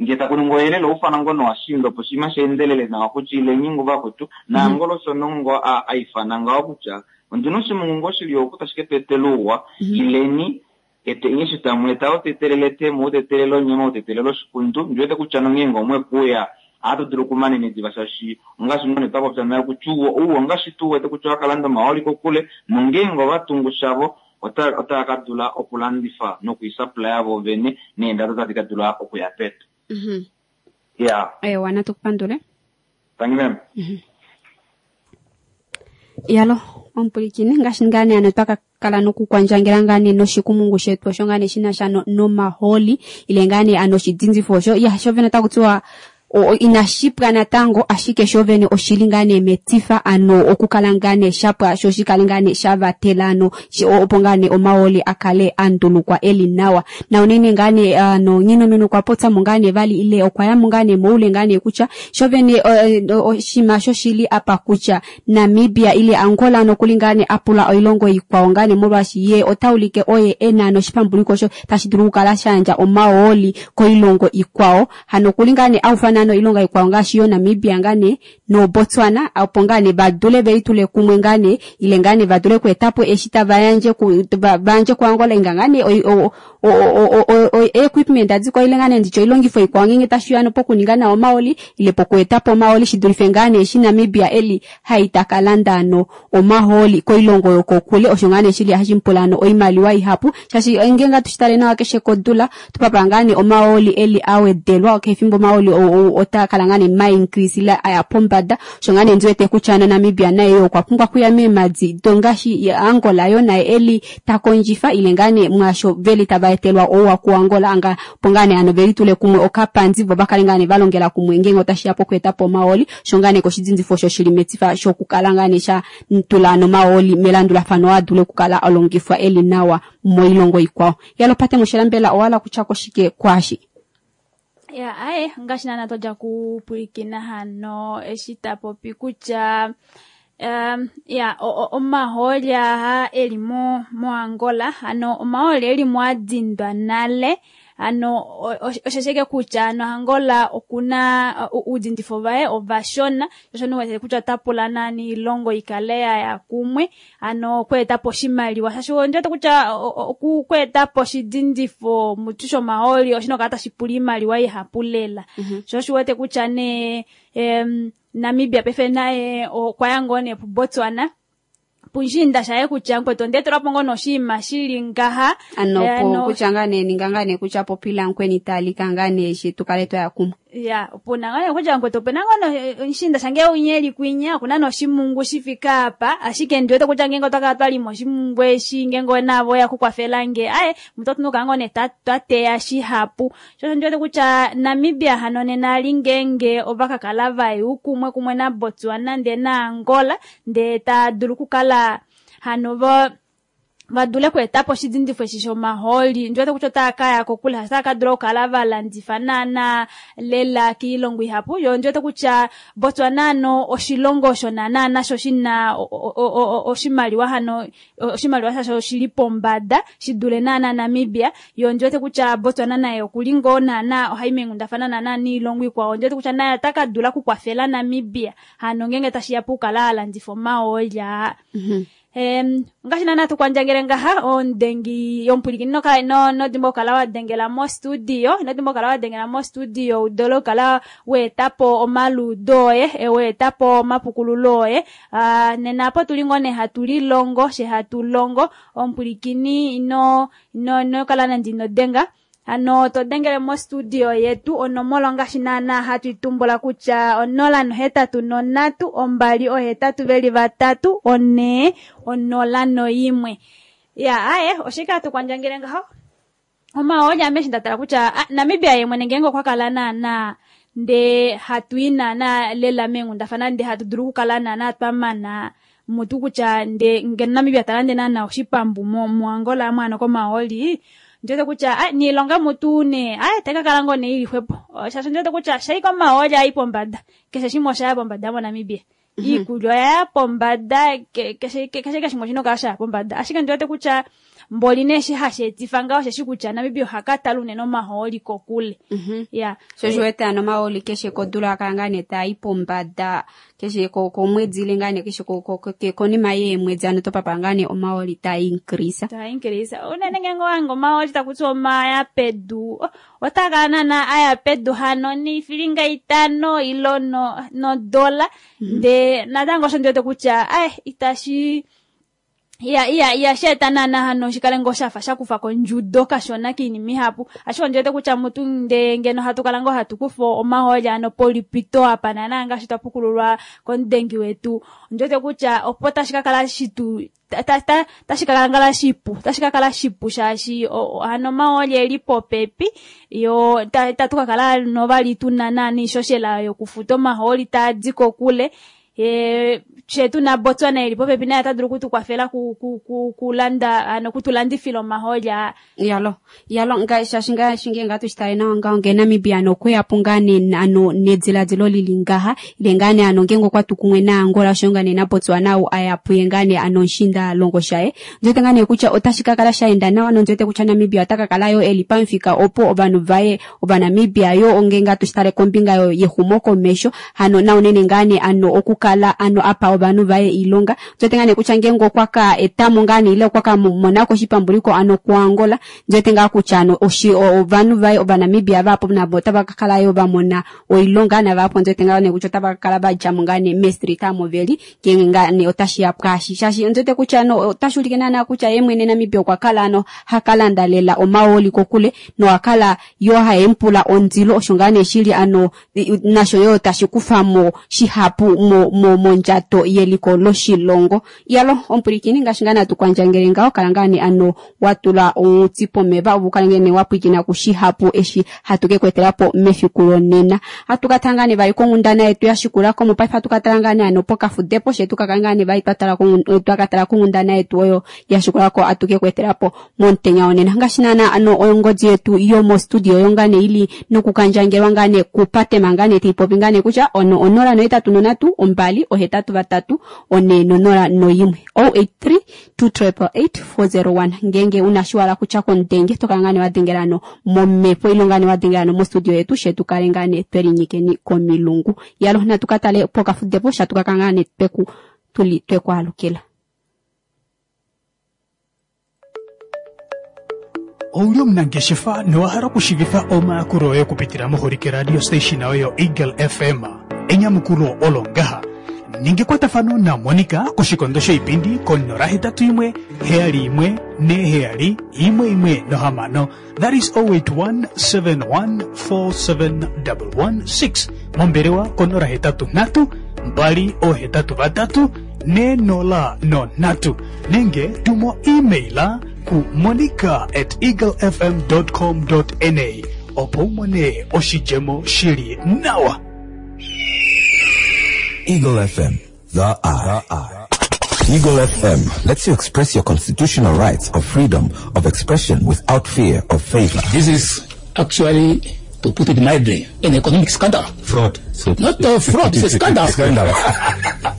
ngee taku ningwa oyelele oufana ngono washinda opo oshinima sheendelele nawa kutya ileni ngo vakwetu naAngola osho nongo aifana ngaho kutya ondina oshimungu ngoo shili oku tashi ke tu etela ouwa ileni eteni eshi tamu eta otetelele etemo otetelele onyama otetelele oshikundu ndiwete kutya nongeenge omwe kuya ohatu dulu okumanene diva shaashi ongaashi ngoo nee twapopya nale kutya ouwa ongaashi tu wete kutya owakalanda omahooli kokule nongeenge ovatungu shavo otava ka dula okulandifa nokwiisapulaya vo vene neendado otadi ka dula okuya pedu. Ya. Ewa, natu kupandule. Thank you ma'am. Yalo, omupwilikini ngaashi ngaa nee ano twaka kala nokukwandjangela ngaa nee noshikumungu shetu osho ngaa nee shina sha nomahooli ile ngaa nee ano oshidindifo osho ya sho vene otaku tiwa inashi pwa natango ashike sho vene oshili ngaa nee metifa ano okukala ngaa nee shapwa sho shikale ngaa nee sha vatela ano opo ngaa nee omahooli a kale a ndulukwa eli nawa na unene ngaa nee ano Nghinomene okwa popya mo ngaa nee vali ile okwa ya mo ngaa nee moule ngaa nee kutya sho vene oshinima shoshili apa kutya Namibia ile Angola nokuli ngaa nee a pula oilongo ikwao ngaa nee molwaashi ye ota ulike oye e na noshipambuliko osho tashi dulu okukala sha yandja omahooli koilongo ikwao. Hano okuli ngaa nee a ufana noilonga ikwao ngaashi yo Namibia ngaa nee noBotswana opo ngaa nee va dule ve litule kumwe ngaa nee ile ngaa nee va dule okweeta po eshi tava yandje ku, va yandje kuAngola inga ngaa nee equipment adikwa ile ngaa nee nditye oilongifo ikwao ngeenge tashi ya pokuninga nawa omahooli ile pokueta po omahooli shi dulife ngaa nee eshi Namibia eli hai taka landa ano omahooli koilongo yokokule osho ngaa nee shili hashi mupula ano oimaliwa ihapu shaashi ngeenge atu shi tale nawa keshe kodula tupapa ngaa nee omahooli eli a wedelwa kefimbo omahooli otaa kala ngaa nee ma increase ile aya pombada osho ngaa nee ndiwete kutya ano Namibia naye okwa pumbwa kuya meemadi dongaashi Angola yo naye eli ta kondjifa ile ngaa nee mwaasho veli tava etelwa ouwa kuAngola anga opo ngaa nee ano veli tule kumwe okapandi vo vakale ngaa nee valongela kumwe ngeenge otashi ya pokueta po omahooli osho ngaa nee koshidindifo osho shili metifa shokukala ngaa nee sha tula ano omahooli melandulafano a dule okukala alongifwa eli nawa moilongo ikwao. Yalopate moshilambela owala kutya koshike kwashi. Ya, aye, ngaashi naana twadja kupwilikina hano eshi ta popi kutya ya omahooli aha eli moAngola ano omahooli eli mo adindwa nale ano oshesheke kutya ano Angola okuna uudindifo vaye ovashona osho niwete kutya ota pula nani ilongo ikale ya kumwe ano okweeta po oshimaliwa shaashi ondiwete kutya okweeta po oshidindifo mutu shomahooli oshina okukala tashi pula iimaliwa ihapu lela. Sho oshiwete kutya nee Namibia paife naye okwa ya ngoo nee puBotswana punshinda shaye kutya nkwetu ondeetelwapo ngoo noshinima shili ngaha ano po kutya ngaa nee ninga ngaa nee kutya popila nkweni talika ngaa nee shi tukale twaya kumwe. Ya, opuna ngaa nee kutya nkwetu opena ngoo nshinda shange unyeli kwinya okuna noshimungu shifika apa ashike ndiwete kutya ngeenge otwakala twalima oshimungu eshi ngeenge navo ya kukwafela nge aye mutu otunuka ngoo nee twateya shihapu. Sho ndiwete kutya Namibia hano nena ali ngeenge ovakakala vaye kumwe kumwe na Botswana ndee na Angola ndee tadulu okukala hano vadule okweetapo oshidindifo eshi shomahooli ndiwete kutya otaya kaya kokule otaya kadula okukala valandifa naana lela kiilongo ihapu. Yo ndiwete kutya Botswana ano oshilongo osho naana nasho shina oshimaliwa hano oshimaliwa shasho oshili pombada shidule naana Namibia. Yo ndiwete kutya Botswana naye okuli ngoo naana ohayi meengundafana naana niilongo ikwao ndiwete kutya naye ota kadula okukwafela Namibia hano ngeenge tashiya pokukala alandifa omahooli aa. Ngaashi naana tukwandjangele ngaha ondengi yomupulikini nodimba okukala wadengela mostudio inodimba okukala wadengela mostudio udole okukala weetapo omaluudo oye weetapo omapukululo oye nena apo tuli ngoo nee hatu lilongo she hatu longo omupulikini ino kala nande ino denga. Hano to dengele mostudio yetu onomola ongaashi naana hatu itumbula kutya 083 2 8 4 01. Ya aye oshike hatu kwandjangele ngaho? Omahooli ame eshi nda tala kutya Namibia ye mwene ngeenge okwa kala naana ndee hatu i naana lela meenghundafana ndee hatu dulu okukala naana twa mana mutu kutya ndee ngeno Namibia ta lande naana oshipambu moAngola amu hano komahooli, ndiwete kutya niilonga mutu nee tayi ka kala ngoo nee ili xwepo. Shaashi ndiwete kutya shaika omahooli ai pombada, keshe shimwe oshaya pombada moNamibia. Iikulya oyaya pombada, keshe shimwe oshina okukala shaya pombada. Ashike ndiwete kutya mboli nee eshi hashi etifa ngaho osheshi kutya Namibia oha ka tala unene omahooli kokule. Ya. Sho shi wete ano omahooli keshe kodula akala ngaa nee taa i pombada, keshe komwedi ile ngaa nee keshe konima yeemwedi ano topapa ngaa nee omahooli taa increase. Taa increase. Unene ngeenge owange omahooli taku tiwa omaya pedu, otaa kala naana aya pedu hano niifilinga 5 ilo nodola. Ndee natango osho ndiwete kutya itashi ihashi eta naana hano shikale ngoo shafa shakufa kondjudo kashona kiinima ihapu. Ashike ondiwete kutya mutu ndee ngeno hatu kala ngoo hatu kufa omahooli ano polipito apa naana ngaashi twa pukululwa komudengi wetu, ondiwete kutya opo tashi ka kala shitu tashi ka kala shipu, tashi ka kala shipu shaashi hano omahooli eli popepi, yo tatu ka kala novali tuna naana iishoshela yokufuta omahooli taa di kokule. Shetu na Botswana eli popepi naye ota dulu okutukwafela kulanda, ano kutulandifila omahooli aa. Yalo, yalo, shaashi ngaashi ngeenge hatu shi tale nawa ngaho, ngee Namibia ano okweya po ngaa nee ano nediladilo lili ngaha, ile ngaa nee ano ngeenge okwa tu kumwe naAngola oshoyo ngaa nee naBotswana ou aya puye ngaa nee ano oshiinda longo shaye, ndiwete ngaa nee kutya otashi ka kala sha enda nawa, nondiwete kutya Namibia ota ka kala yo eli pamufika opo ovanhu vaye Ovanamibia yo ongeenge hatu shi tale kombinga yexumokomesho, hano naunene ngaa nee ano okukala ano apa ovanhu vaye oilonga. Ndiwete ngaa nee kutya ngeenge okwa ka etamo ngaa nee ile okwa ka monako oshipambuliko ano kuAngola, ndiwete ngaa kutya ano ovanhu vaye Ovanamibia vahapu navo otava ka kala yo va mona oilonga, navahapu ndiwete ngaa nee kutya otava ka kala va dja mo ngaa nee meestreet omo veli, ngeenge ngaa nee otashi ya pwaashi. Shaashi ndiwete kutya ano otashi ulike naana kutya ye mwene Namibia okwa kala ano ha ka landa lela omahooli kokule, nowa kala yo haye mu pula ondilo, osho ngaa nee shili ano nasho yo tashi kufa mo shihapu mondjato yeliko loshilongo. Iyalo omupwilikini, ngaashi ngaa natu kwandjangele ngaho, kala ngaa nee ano wa tula onghuti pomeva opo u kale ngaa nee wa pwilikina kushihapu eshi hatu ke ku etela po mefiku lonena. Hatu ka tala ngaa nee vali konghundana yetu ya shikula ko, mopaife hatu ka tala ngaa nee ano pokafudepo, she tu ka kala ngaa nee vali twa ka tala konghundana yetu oyo ya shikula ko atu ke ku etela po momutenya wonena. Ngaashi naana ano ongodi yetu yomostudio oyo ngaa nee ili nokukandjangelwa ngaa nee kupatema ngaa nee taipopi ngaa nee kutya ono 083 283 401 083 2888 401. Ngeenge una shi wala kutya komudenge to kala ngaa nee wa dengela ano momhepo ile ngaa nee wa dengela ano mostudio yetu, she tu kale ngaa nee tweli nyikeni komilungu. Yalo natu ka tale pokafudepo sha tu ka kala ngaa nee tuli twekwaalukila. Ouli omunangeshefa nowa hala okushiivifa omayakulo oye okupitila moholike radio station oyo Eagle FM? Enyamukulo olo ngaha. Ninga ekwatafano naMonica koshikondo shoipindi ko 081 71 47 116. That is 081 71 47 116. Mombelewa ko 083 2 83 403 nenge tumo email ku monica@eaglefm.com.na opo u mone oshidjemo shili nawa. Eagle FM, the eye. Eagle FM lets you express your constitutional rights of freedom of expression without fear of favor. This is actually, to put it mildly, an economic scandal. Fraud. So Not a fraud, it's a scandal. Scandal.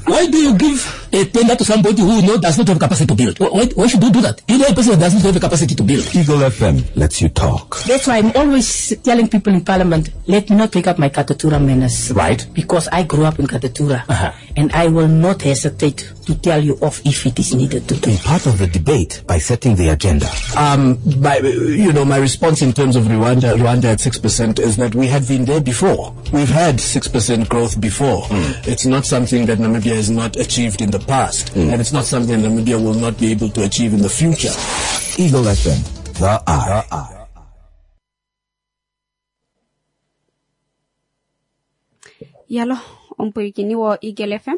Why do you give a tender to somebody who does not have capacity to build? Why should you do that? You know a person that does not have the capacity to build. Eagle FM lets you talk. That's why I'm always telling people in Parliament, let me not take up my Katutura manners. Right. Because I grew up in Katutura. And I will not hesitate to tell you off if it is needed to. Be part of the debate by setting the agenda. My response in terms of Rwanda at 6% is that we have been there before. We've had 6% growth before. It's not something that Namibia has not achieved in the past, and it's not something Namibia will not be able to achieve in the future. Eagle FM, the eye. Yalo omupwilikini wo Eagle FM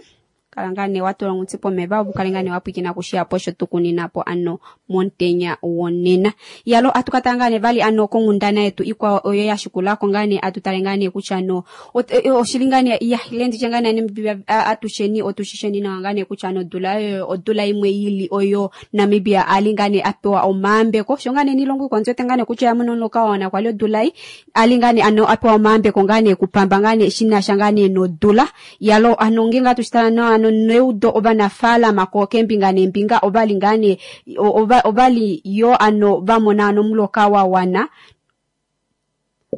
kala ngaa nee wa tula ongutsi pomeva opo kale ngaa nee wa pwilikina kushihapo osho tukunina po ano momutenya wonena. Yalo atu ka tala ngaa nee vali ano konghundana yetu ikwao oyo ya shikulako ngaa nee atu tale ngaa nee kutya ano oshili ngaa nee ya ile nditye ngaa nee Namibia atusheni otushisheni nawa ngaa nee kutya ano odula oyo odula imwe ili oyo Namibia ali ngaa nee a pewa omaambeko sho ngaa nee niilongo ikwao ndiwete ngaa nee kutya oya mona omuloka wa wana kwali odula ei ali ngaa nee ano a pewa omaambeko ngaa nee kupamba ngaa nee shinasha ngaa nee nodula yalo ano ngeenge atu shitala nawa ano neudo ovanafaalama ko keembinga neembinga ovali ngaa nee ovali yo ano vamona ano omuloka wa wana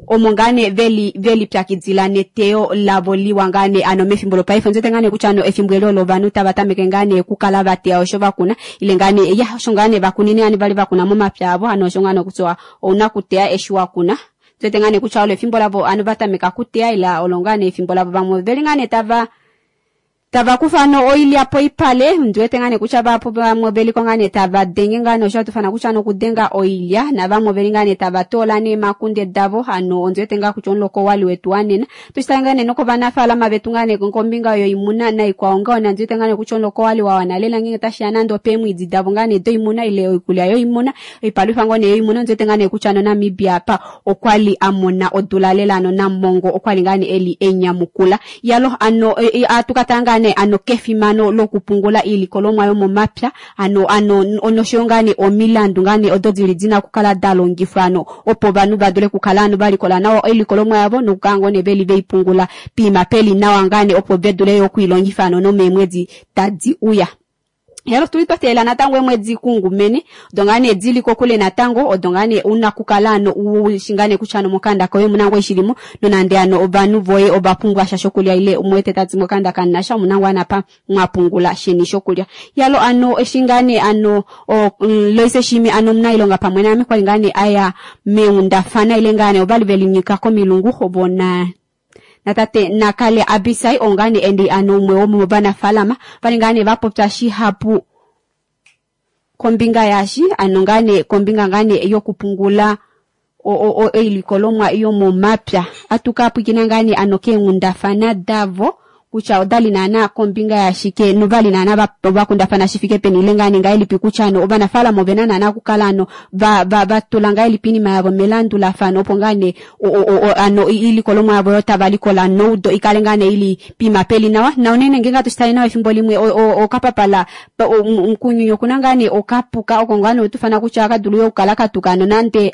omo ngaa nee veli velipyakidila neteyo lavo liwa ngaa nee ano mefimbo lopaife ondiwete ngaa nee kutya ano efimbo eli olo ovanhu tava tameke ngaa nee okukala vateya osho vakuna ile ngaa nee ya osho ngaa nee vakunine yani vali vakuna momapya avo ano osho ngaa nee kutya ouna kuteya eshi wakuna ndiwete ngaa nee kutya olo efimbo lavo ano vatameka kuteya ila olo ngaa nee efimbo lavo vamwe oveli ngaa nee tava tava kufa ano oilya poipale ndiwete ngaa nee kutya vahapu vamwe oveliko ngaa nee tava denge ngaa nee osho hatufana kutya ano okudenga oilya navamwe oveli ngaa nee tava toola neemakunde davo ano ondiwete ngaa kutya omuloko owali wetu wanena tushitale ngaa nee nokovanafaalama vetu ngaa nee kombinga yoimuna naikwao ngaho nandiwete ngaa nee kutya omuloko owali wa wana lela ngeenge tashiya nande opeemwiidi davo ngaa nee doimuna ile oikulya yoimuna oipalwifa ngoo nee yoimuna ondiwete ngaa nee kutya ano Namibia apa okwali a mona odula lela ano Namongo okwali ngaa nee eli enyamukula yalo ano atu ka tala ngaa nee ano kefimano lokupungula iilikolomwa yomomapya ano ano noshoyo ngaa nee omilandu ngaa nee odo dili dina okukala da longifwa ano opo ovanhu va dule okukala ano va likola nawa oilikolomwa yavo nokukala ngoo nee veli veipungula piima peli nawa ngaa nee opo ve dule yo okuilongifa ano nomeemwedi tadi uya. Helo tuli twa teelela natango eemwedi kungumene odo ngaa nee dili kokule natango odo ngaa nee una kukala ano ushi ngaa nee kutya ano mokanda koye omuna ngoo shilimo nonande ano ovanhu voye ova pumbwa sha shokulya ile umuwete tati mokanda kamunasha omuna ngoo anapa mwa pungula sheni shokulya. Yalo ano eshi ngaa nee ano Loise Shiimi ano omunailonga pamwe naame kwali ngaa nee aya meenghundafana ile ngaa nee ovali velinyika komilungu ovo na natate Nakale Abisai oo ngaa nee endi ano umwe womovanafaalama vali ngaa nee va popya shihapu kombinga yaashi ano ngaa nee kombinga ngaa nee yokupungula oilikolomwa yomomapya. Atu ka pwiikina ngaa nee ano keenghundafana davo kutya odali naana kombinga yashike novali naana vakundafana shifike peni ile ngaa nee ngahelipi kutya ano ovanafaalama ovena naana okukala ano vatula ngahelipi iinima yavo melandulafano opo ngaa nee ano iilikolomwa yavo oyo tava likola noudo ikale ngaa nee ili piima peli nawa na unene ngeenge atushitale nawa efimbo limwe okapapala mukunyunyu okuna ngaa nee okapuka oko ngaa nee otufana kutya akadulu yo okukala katuka ano nande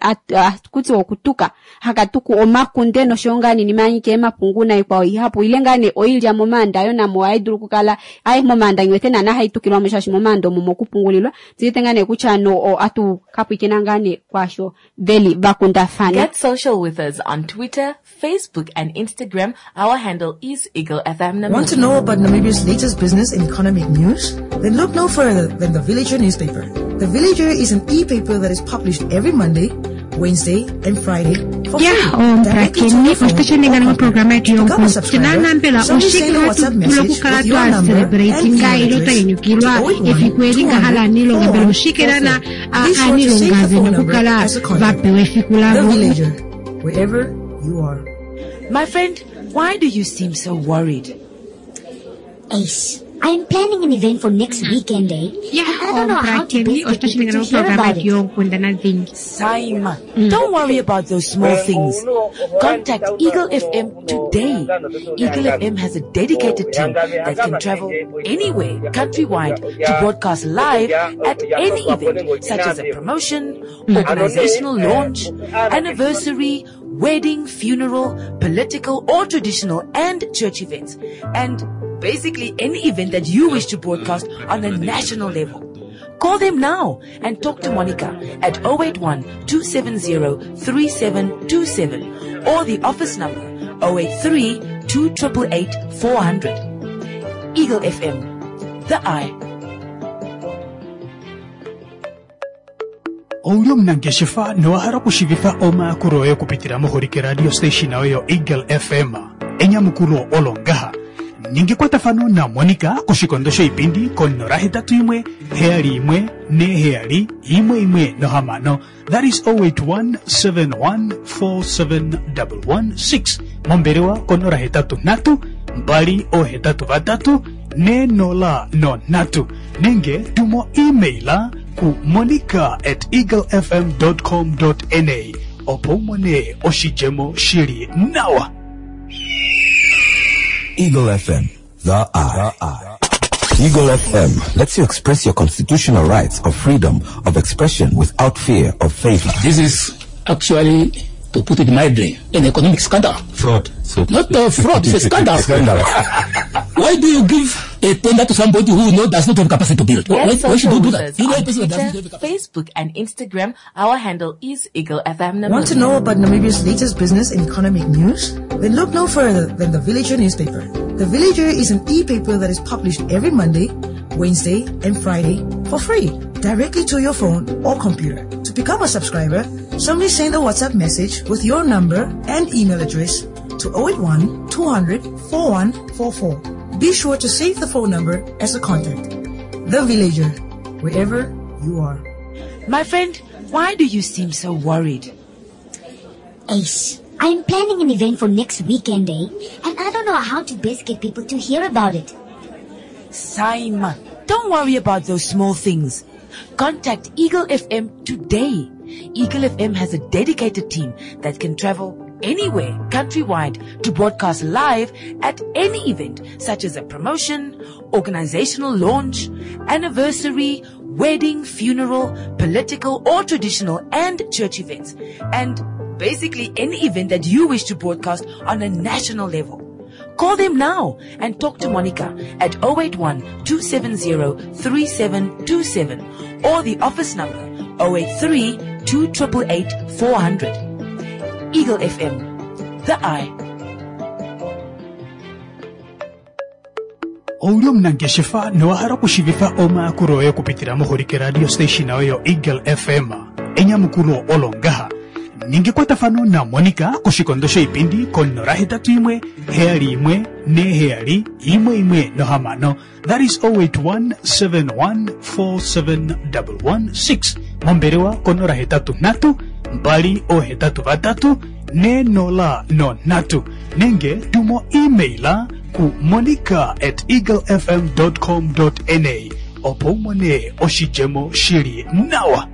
kutya okutuka hakatuku omakunde noshoyo ngaa nee iinima yanyika eemapungu naikwao ihapu ile ngaa nee oilya momaanda yo namo ohayi dulu okukala ai momaanda ngiwete naana hai tukilwamo shaashi momaanda omo mokupungulilwa ndiwete ngaa nee kutya ano atu ka pwiikina ngaa nee kwaasho veli vakundafana. Get social with us on Twitter, Facebook and Instagram. Our handle is Eagle FM Namibia. Want to know about Namibia's latest business and economic news? Then look no further than the Villager newspaper. The Villager is an e-paper that is published every Monday, Wednesday and Friday for Ya, free. Directly to omupulakeni your phone osho ninga or noprograma yetu computer. To become a yonkundi subscriber, naana mbela simply oshike send a hatu WhatsApp dulu message okukala with your twa number and celebratinga email ile twa address nyanyukilwa to 081 efiku eli ngaha laaniilonga mbela oshike naana 200 44. Be sure to save aaniilonga the vena phone number okukala as a va contact. pewa efiku The lavo? Villager, wherever you are. My friend, why do you seem so worried? Ace, I'm planning an event for next weekend, eh? Ya, And I don't know how to omupulakeni best get osho people ninga to hear noprograma about yetu it. yoonkundana dhingi. Saima, don't worry about those small things. Contact Eagle FM today. Eagle FM has a dedicated team that can travel anywhere countrywide to broadcast live at any event, such as a promotion, organizational launch, anniversary, wedding, funeral, political or traditional and church events, and basically any event that you wish to broadcast on a national level. Call them now and talk to Monica at 081 270 3727 or the office number 083 2888 400. Eagle FM, the eye. Ouli omunangeshefa nowa hala okushiivifa omayakulo oye okupitila moholike radio station oyo Eagle FM? Enyamukulo olo ngaha. Ninga ekwatafano naMonica koshikondo shoipindi ko 081 71 47 116. That is 081 71 47 116. Mombelewa ko 083 283 4003 nenge tumo emaila ku monica@eaglefm.com.na opo u mone oshidjemo shili nawa. Eagle FM, the eye. Eagle FM lets you express your constitutional rights of freedom of expression without fear of favor. This is actually, to put it mildly, an economic scandal. Fraud. So Not a fraud, it's a scandal. Scandal. Why do you give a tender to somebody who does not have capacity to build? Get Why social should you do with that? us You know a on person that doesn't Twitter, have capacity. Facebook, and Instagram. Our handle is Eagle FM Namibia. Want to know about Namibia's latest business and economic news? Then look no further than the Villager newspaper. The Villager is an e-paper that is published every Monday, Wednesday, and Friday for free, directly to your phone or computer. To become a subscriber, simply send a WhatsApp message with your number and email address to 081 200 4144. Be sure to save the phone number as a contact. The Villager, wherever you are. My friend, why do you seem so worried? Ace, I'm planning an event for next weekend, eh? And I don't know how to best get people to hear about it. Saima, don't worry about those small things. Contact Eagle FM today. Eagle FM has a dedicated team that can travel anywhere countrywide to broadcast live at any event such as a promotion, organizational launch, anniversary, wedding, funeral, political or traditional and church events. And basically any event that you wish to broadcast on a national level. Call them now and talk to Monica at 081 270 3727 or the office number 083 288 400. Eagle FM, the eye. Ouli omunangeshefa nowa hala okushiivifa omayakulo oye okupitila moholike radio station oyo Eagle FM. Enyamukulo olo ngaha. Ninga ekwatafano naMonica koshikondo shoipindi ko 081 71 47 116. That is 081 7147116. Mombelewa ko 083 283 4003 nenge tumo emaila ku monica@eaglefm.com.na opo u mone oshidjemo shili nawa.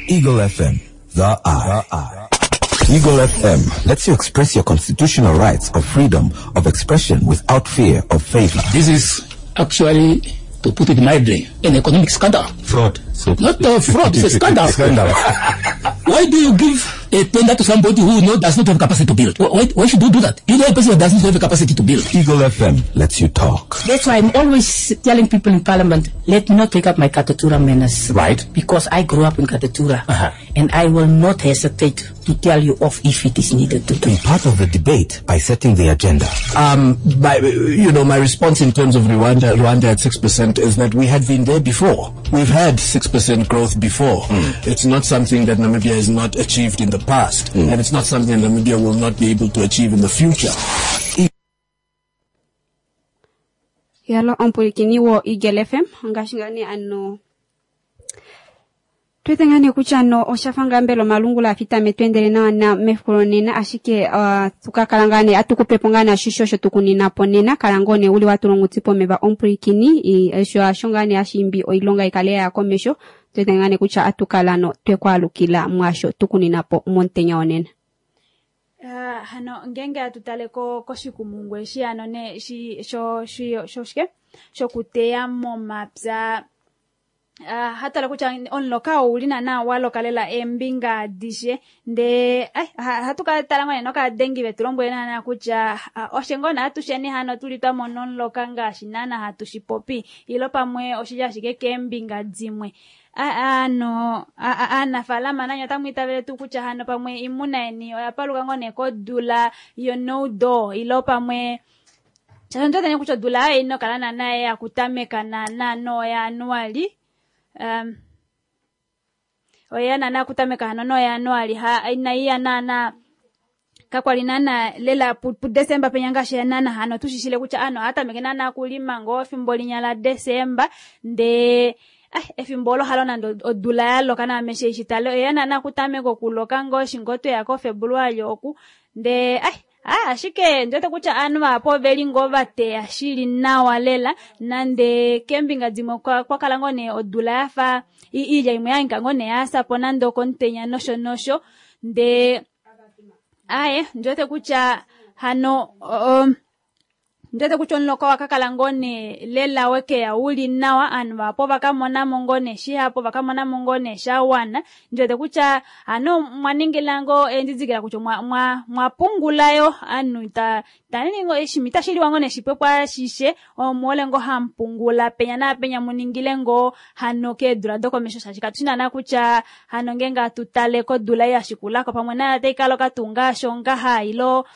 Eagle FM, the eye. Eagle FM lets you express your constitutional rights of freedom of expression without fear of favor. This is actually, to put it mildly, an economic scandal. Fraud. So Not a fraud, it's a scandal. Scandal. Why do you give a tender to somebody who does not have capacity to build? Why should you do that? You know a person that doesn't have the capacity to build. Eagle FM lets you talk. That's why I'm always telling people in Parliament, let me not take up my Katutura manners. Right. Because I grew up in Katutura. And I will not hesitate to tell you off if it is needed to do. Be part of the debate by setting the agenda. My response in terms of Rwanda at 6% is that we had been there before. We've had 6% growth before. It's not something that Namibia has not achieved in the past, and it's not something that Namibia will not be able to achieve in the future. Yalo omupulikini wo Eagle FM, ngaashi ngaa nee ano twete ngaa nee kutya no oshafa ngaa mbela omalungula afitame twendele nawa na mefiku lonena, ashike tukakala ngaa nee atukupepo ngaa nashisho osho tukunina po nena, kala ngoo nee uli watulongutsi pomeva omupulikini, osho asho ngaa nee ashimbi oilonga ikale ya komesho, twete ngaa nee kutya atukala no twekwalukila mwasho tukunina po momutenya wonena. Hano ngenge atutale koshikumungu eshi ano ne shi sho shi sho shike shokuteya momapya. Hatala kutya omuloka ouli naana walokalela eembinga adishe ndee hatu ka tala ngoo nee nokadengi vetu lombwele naana kutya oshe ngoo nee atusheni hano tuli twamona omuloka ngaashi naana hatu shipopi ilo pamwe oshili ashike keembinga dimwe. Ano, aanafaalama nanyo otamu itavele tuu kutya hano pamwe iimuna yeni oya paluka ngoo nee kodula yo no do ilo pamwe shaashi otu wete kutya odula oyo inokala naana ya kutameka naana noyanuali. Oya naana kutameka hano noyanuali ha inaiya naana kakwali naana lela pu Desemba penya ngaashi naana hano tushishile kutya ano hatameke naana kulima ngoo efimbo linya la Desemba ndee Efimbo olo halo nande odula ya loka naame eshi tale oya naana kutameka okuloka ngoo eshi ngoo tweya koFebruali oku ndee ashike ndiwete kutya aanhu vahapu oveli ngoo vateya shili nawa lela nande keembinga dimwe kwa kala ngoo nee odula yafa iilya imwe yahangika ngoo nee yasapo nande okomutenya nosho nosho ndee aye ndiwete kutya hano ndiwete kutya omuloka wakakala ngoo nee lela wekeya uli nawa aanhu vahapu ovakamonamo ngoo nee shihapu ovakamonamo ngoo nee shawana ndiwete kutya hano mwaningila ngoo eendidikila kutya mwapungulayo aanhu taningi eshimi itashiliwa ngoo nee shipwepwa ashishe omuhole ngoo hamupungula penya naapenya muningile ngoo hano keedula dokomesho shaashi katushi naana kutya hano ngeenge atutale kodula ei yashikulako pamwe nayo otai kaloka tuu ngaashi ongaha ilo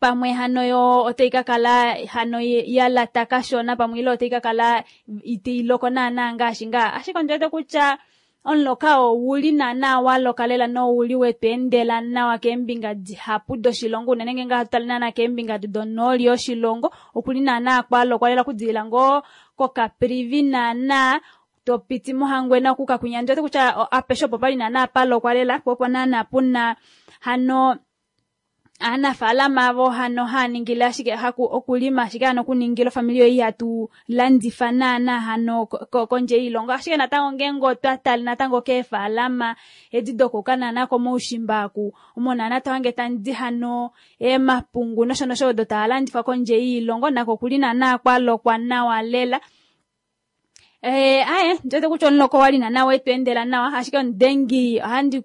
pamwe hano yo otai kakala hano yalata kashona pamwe ilo otai kakala iteiloko naana ngaashi ngaa ashike ondiwete kutya omuloka ouli naana waloka lela nouli wetweendela nawa keembinga dihapu doshilongo unene ngeenge hatu tale naana keembinga donooli yoshilongo okuli naana kwalokwa lela okudilila ngoo koKaprivi naana topiti mOhangwena okuka kwinya ndiwete kutya apeshe opo pali naana palokwa lela po opo naana puna hano aanafaalama avo hano haaningile ashike okulima ashike hano okuningila ofamili yoye ihatu landifa naana hano kondje yoilongo ashike natango ngeenge otwa tale natango keefaalama edi dokuka naana komaushimba aku omo naana tohange tandi hano emapungu nosho nosho odo taalandifwa kondje yoilongo nako okuli naana kwalokwa nawa lela. Aye ndiwete kutya omuloka owali naana wetweendela nawa ashike omudengi ohandi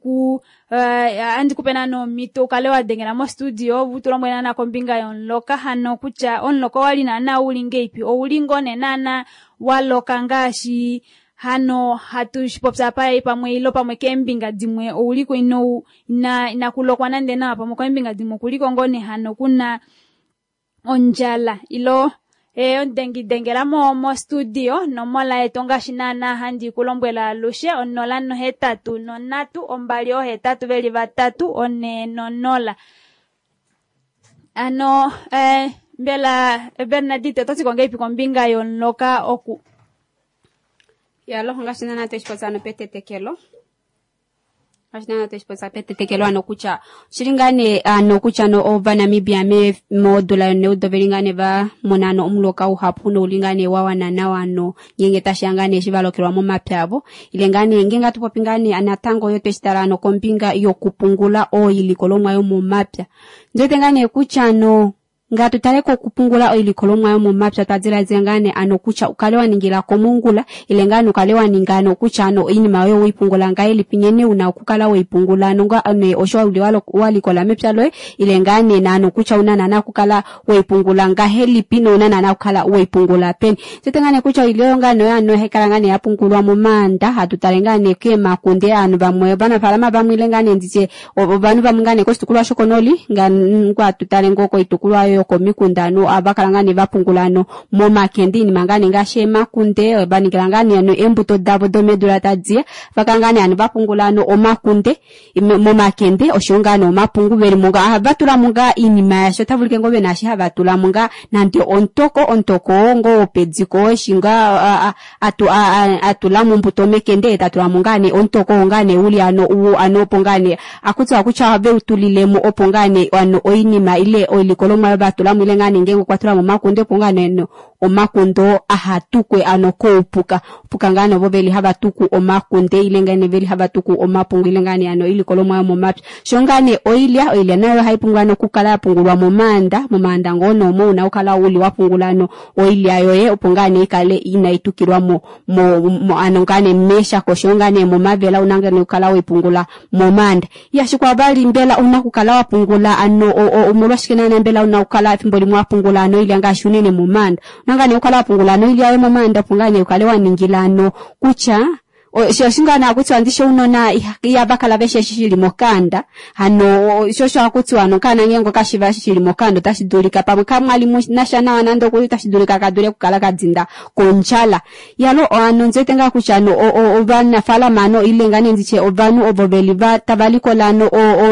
kupe naana omhito ukale wadengela mostudio utulombwele naana kombinga yomuloka hano kutya omuloka owali naana uli ngeipi ouli ngoo nee naana waloka ngaashi hano hatu shipopya apa pamwe ilo pamwe keembinga dimwe ouliko inakulokwa nande nawa pamwe keembinga dimwe okuliko ngoo nee hano kuna ondjala ilo omudengi dengela mo studio nomola yetu ngaashi naana handi kulombwela alushe 083 283 440. Ano mbela Bernadette ototi kongeipi kombinga yomuloka oku yalo ngaashi naana tweshipopya ano petetekelo ngaashi naana tweshipopya petetekelo ano kutya oshili ngaa nee ano kutya no ovanamibia modula yoneudo veli ngaa nee va mona ano omuloka uhapu nouli ngaa nee wawana nawa ano ngeenge tashiya ngaa nee eshi valokelwa momapya avo ile ngaa nee ngeenge atupopi ngaa nee natango yo tweshitala ano kombinga yokupungula oilikolomwa yomomapya ndiwete ngaa nee kutya ano ngatu tale kokupungula oilikolomwa yomomapya twadiladila ngaa nee ano kutya ukale waningila komongula ile ngaa ukale waninga ano kutya ano oinima oyo weipungula ngahelipi nghene una okukala weipungula ano nee osho uli walikola mepya loye ile ngaa nee naano kutya una naana okukala weipungula ngahelipi nouna naana okukala weipungula peni. Tete ngaa nee kutya oilya oyo ngaa nee ano haikala ngaa nee yapungulwa momaanda hatu tale ngaa nee keemakunde aanhu vamwe ovanafaalama vamwe ile ngaa nee nditye ovanhu vamwe ngaa nee koshitukulwa shokonoli ngaa tutale ngoo koitukulwa yo komikunda ano avakala ngaa nee vapungula ano momakende iinima ngaa nee ngaashi emakunde vaningila ngaa nee ano eembuto davo domedula tadiya vakala ngaa nee ano vapungula ano omakunde momakende oshowo ngaa nee omapungu velimo ngaa ohavatulamo ngaa iinima yasho otavulike ngoo vena eshi havatulamo ngaa nande ontoko oo ngoo wopediko eshi ngaa atulamo ombuto mekende etatulamo ngaa nee ontoko oo ngaa nee uli ano ano opo ngaa nee akutiwa kutya ohaveutulilemo opo ngaa nee ano oinima ile oilikolomwa yo vatulamo ile ngaa nee ngeenge okwatulamo omakunde opo ngaa nee omakundo ahatukwe ano koupuka puka ngaa nee ovo veli havatuku omakunde ile ngaa nee veli havatuku omapungu ile ngaa nee ano oilikolomwa yomomapya sho ngaa nee oilya nayo haipungulwa nokukala yapungulwa momaanda ngoo noomo una okukala uli wapungula ano oilya yoye opo ngaa nee ikale inaitukilwa mo ano ngaa nee meshako sho ngaa nee momavela una ngaa nee okukala weipungula momaanda. Yashikwa vali mbela una okukala wapungula ano omolwashike naana mbela una okukala efimbo limwe wapungula ano oilya ngaashi unene momaanda una ngaa nee okukala wapungula ano oilya yoye momaanda opo ngaa nee ukale waningila ano kutya Sho osho ngaa nee hakutiwa ndishi ounona ihava kala veshi eshi shili mokanda. Hano sho osho hakutiwa hano okaana ngeenge okashiva eshi shili mokanda otashi dulika pamwe kamwali nasha nawa nande okuli otashi dulika kadule okukala kadinda kondjala. Yalo hano ondiwete ngaa kutya hano ovanafaalama hano ile ngaa nee nditye ovanhu ovo veli tava likola hano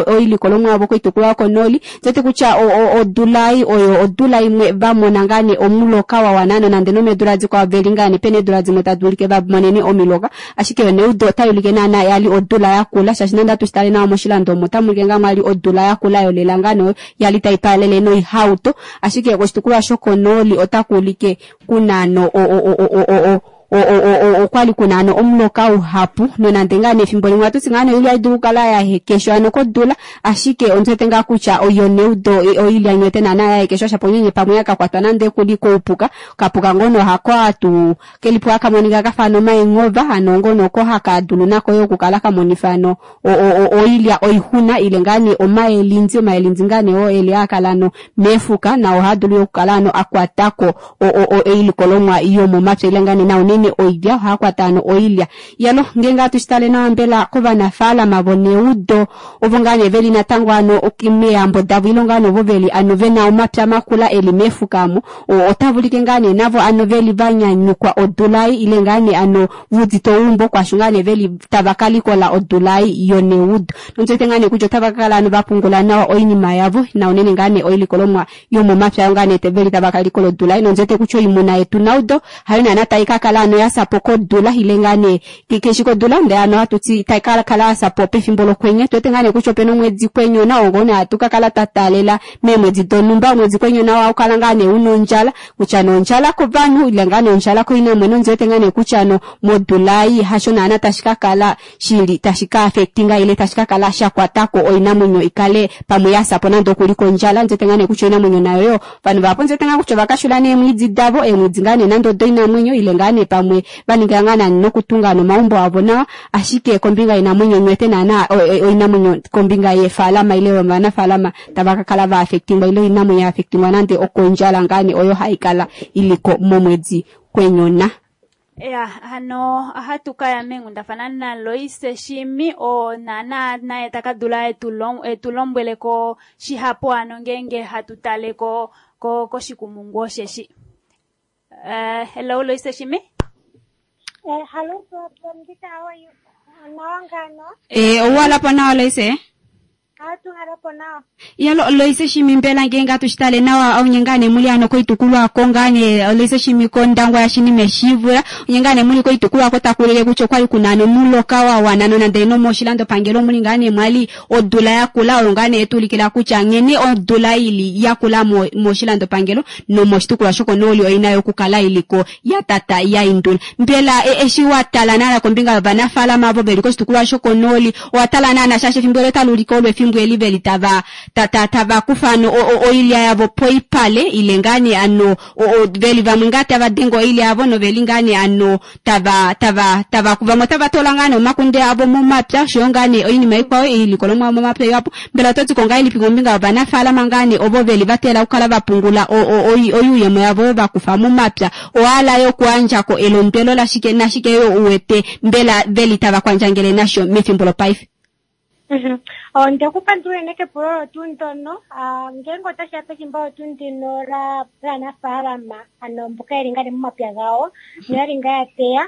oilikolomwa yavo koitukulwa yokonooli, ondiwete kutya odula ei oyo odula imwe vamona ngaa nee omuloka wa wana nonande nomeedula dikwao veli ngaa nee pena eedula dimwe tadi ulike vamonene omiloka, ashike yo neudo otai ulike naana yali odula yakula, shaashi nande atu shitale nawa moshilando omo otamu ulike ngaa mwali odula yakula yolela ngaa nee yali tai paalele noihauto, ashike koshitukulwa shokonooli otaku ulike kuna ano okwali kuna ano omuloka uhapu, nonande ngaa nee efimbo limwe ohatuti ngaa nee oilya dulu okukala ya hekeshwa ano kodula, ashike ondiwete ngaa kutya oyo neudo oilya nywete naana ya hekeshwa shapo nyenye pamwe yakakwatwa nande kuli koupuka, okapuka ngono hako atu kelipo haka monika kafa ano omaenghova, hano ngono oko haka dulu nako yo okukala kamonifa ano oilya oixuna ile ngaa nee omaelindi, omaelindi ngaa nee oo eli haakala ano meefuka nao ohaadulu yo okukala ano akwatako oilikolomwa yomomapya ile ngaa nee na unene oilya ohaakwata ano oilya. Yalo ngeenge hatu shitale nawa mbela kovanafaalama voneudo ovo ngaa nee veli natango ano meeyambo davo ile ngaa nee ovo veli ano vena omapya makula eli meefuka amo, otavulike ngaa nee navo ano veli vanyanyukwa odula ei ile ngaa nee ano vuudite ouumbo kwasho ngaa nee veli tava kalikola odula ei yoneudo. Nondiwete ngaa nee kutya otava kakala ano vapungula nawa oinima yavo na unene ngaa nee oilikolomwa yomomapya ayo ngaa nee veli tava kalikola odula ei. Nondiwete kutya oimuna yetu naudo hayo naana tai kakala ano yasapo kodula ile ngaa nee keshi kodula ndee ano hatuti tai kakala yasapo pefimbo lokwenye. Tuwete ngaa nee kutya opena omwedi kwenyona oo nee hatu kakala twa taalela meemwedi donhumba, omwedi kwenyona oo haukala ngaa nee una ondjala, kutya nee ondjala kovanhu ile ngaa nee ondjala koinamwenyo. Ondiwete ngaa nee kutya ano modula ei hasho naana tashi kakala shili tashi ka affectinga ile tashi kakala sha kwatako oinamwenyo ikale pamwe yasapo nande okuli kondjala. Ondiwete ngaa nee kutya oinamwenyo nayo yo ovanhu vahapu ondiwete ngaa kutya ovakashula neemwiidi davo, eemwiidi ngaa nee nande odoinamwenyo ile ngaa nee pamwe vaninga ngaa nani nokutunga nomaumbo avo nawa, ashike kombinga yoinamwenyo nywete naana oinamwenyo kombinga yeefalama ile yovanafaalama tava kakala va affectingwa ile oinamwenyo ya affectingwa nande okondjala ngaa nee oyo haikala iliko momwedi kwenyona. Ya, hano ohatu kaya meenghundafana naLoise Shiimi oo naana naye taka dula etu lombweleko shihapu ano ngeenge hatu tale koshikumungu osheshi. Hello Loise Shiimi. Hello, Brandita, how are you? Nawa ngano? Owala po nawa Loise? Hatu halapo nawa. Ya, Loise Shiimi mbela ngeenge hatu shitale nawa onye ngaa nee muli ano koitukulwa ko ngaa nee Loise Shiimi kOndangwa yashinime Shivula, onye ngaa nee muli koitukulwa ko takuulike kutya okwali kuna ano omuloka wa wana nonande nomoshilandopangelo muli ngaa nee mwali odula yakula oyo ngaa nee yetuulikila kutya nghene odula ili yakula moshilandopangelo nomoshitukulwa shokonooli oina yokukala iliko ya tata ya indula. Mbela eshi wa tala naana kombinga yovanafaalama avo veli koshitukulwa shokonooli, owa tala naana shaashi efimbo elo otali ulike olo efimbo eli veli tava tava kufa ano oilya yavo poipale ile ngaa nee ano veli vamwe ngaa tava denge oilya yavo noveli ngaa nee ano tava tava tava vamwe otava toola ngaa nee omakunde avo momapya oshoyo ngaa nee oinima ikwao oilikolomwa yomomapya ihapu. Mbela oto ti ko ngahelipi kombinga yovanafaalama ngaa nee ovo veli va teelela okukala va pungula oyuuyemo yavo oyo va kufa momapya, owahala yo okuyandjako elondwelo lashike nashike yo uwete mbela veli tava kwandjangele nasho mefimbo lopaife? Onde ku pandula unene kepulo olo tuu ndono. Ngeenge otashi ya pefimbo olo tuu ndino laanafaalama, ano mboka yeli ngaa nee momapya gawo noyali ngaa ya teya,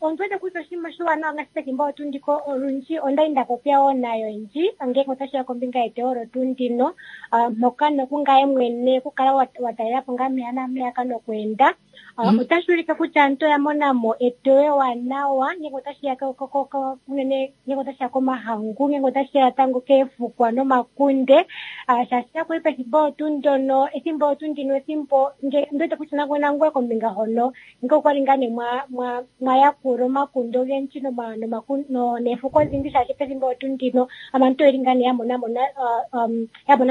ondi wete kutya oshinima oshiwanawa ngaashi pefimbo olo tuu ndiko olundji onda li nda popya wo nayo oyendji ngeenge otashi ya kombinga yeteyo olo tuu ndino, mpoka nokungaye mwene okukala wa talela po ngaa mpeya nampeyaka nokweenda. Otashi ulike kutya aantu oya mona mo eteyo ewanawa ngeenge otashi ya unene ngeenge otashi ya komahangu, ngeenge otashi ya tango keefukwa nomakunde. Shaashi nakuli pefimbo olo tuu ndono, efimbo olo tuu ndino, efimbo ndi wete kutya nangoye kombinga hono nge okwali ngaa nee mwa yakula omakunde ogendji neefuko odhindji, shaashi pefimbo olo tuu ndino abantu oyeli ngaa nee ya mona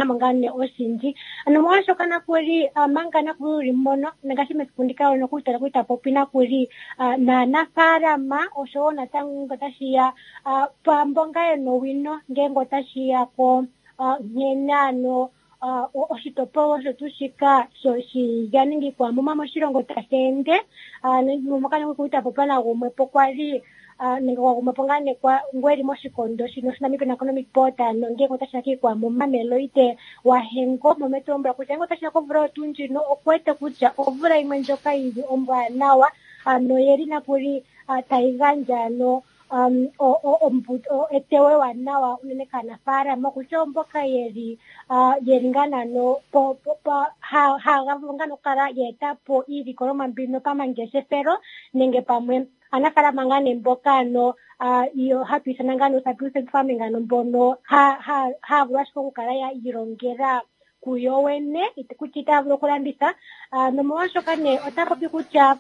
mo ngaa nee oshindji. Ano molwashoka nakuli, manga nakuli uli mono, ngaashi mesiku ndika nokuli tala kuli tapopi nakuli, naanafaalama oshowo natango nge otashi ya, kwaamboka yena owino ngeenge otashi ya ko, nkene ano, oshitopolwa osho tuu shika shilya nenge iikwamuma moshilongo tashi ende. Moka nokuli tapopi nagumwe po kwali, nenge gwa gumwa po ngaa nee ngu eli moshikondo shino shaNamibian Economic Board nongele otashi ya kiikwamuma Meloide Wahengo mometu lombwela kutya ngele otashi ya komvula oyo tuu ndjino okuwete kutya omvula yimwe ndjoka yili ombwanawa noyeli nakuli tayi gandja ano eteyo ewanawa unene kaanafaalama kutya oomboka yeli yeli ngaa naano haga vulu ngaa nokukala ya eta po iilikolomwa mbino pamangeshefelo nenge pamwe aanafaalama ngaa nee mboka ano iyo hatu ithana ngaa nee subsistence farming ano mbono haya vulu ashike okukala ya ilongela kuyo wene kutya itaya vulu okulanditha. Nomolwashoka nee ota popi kutya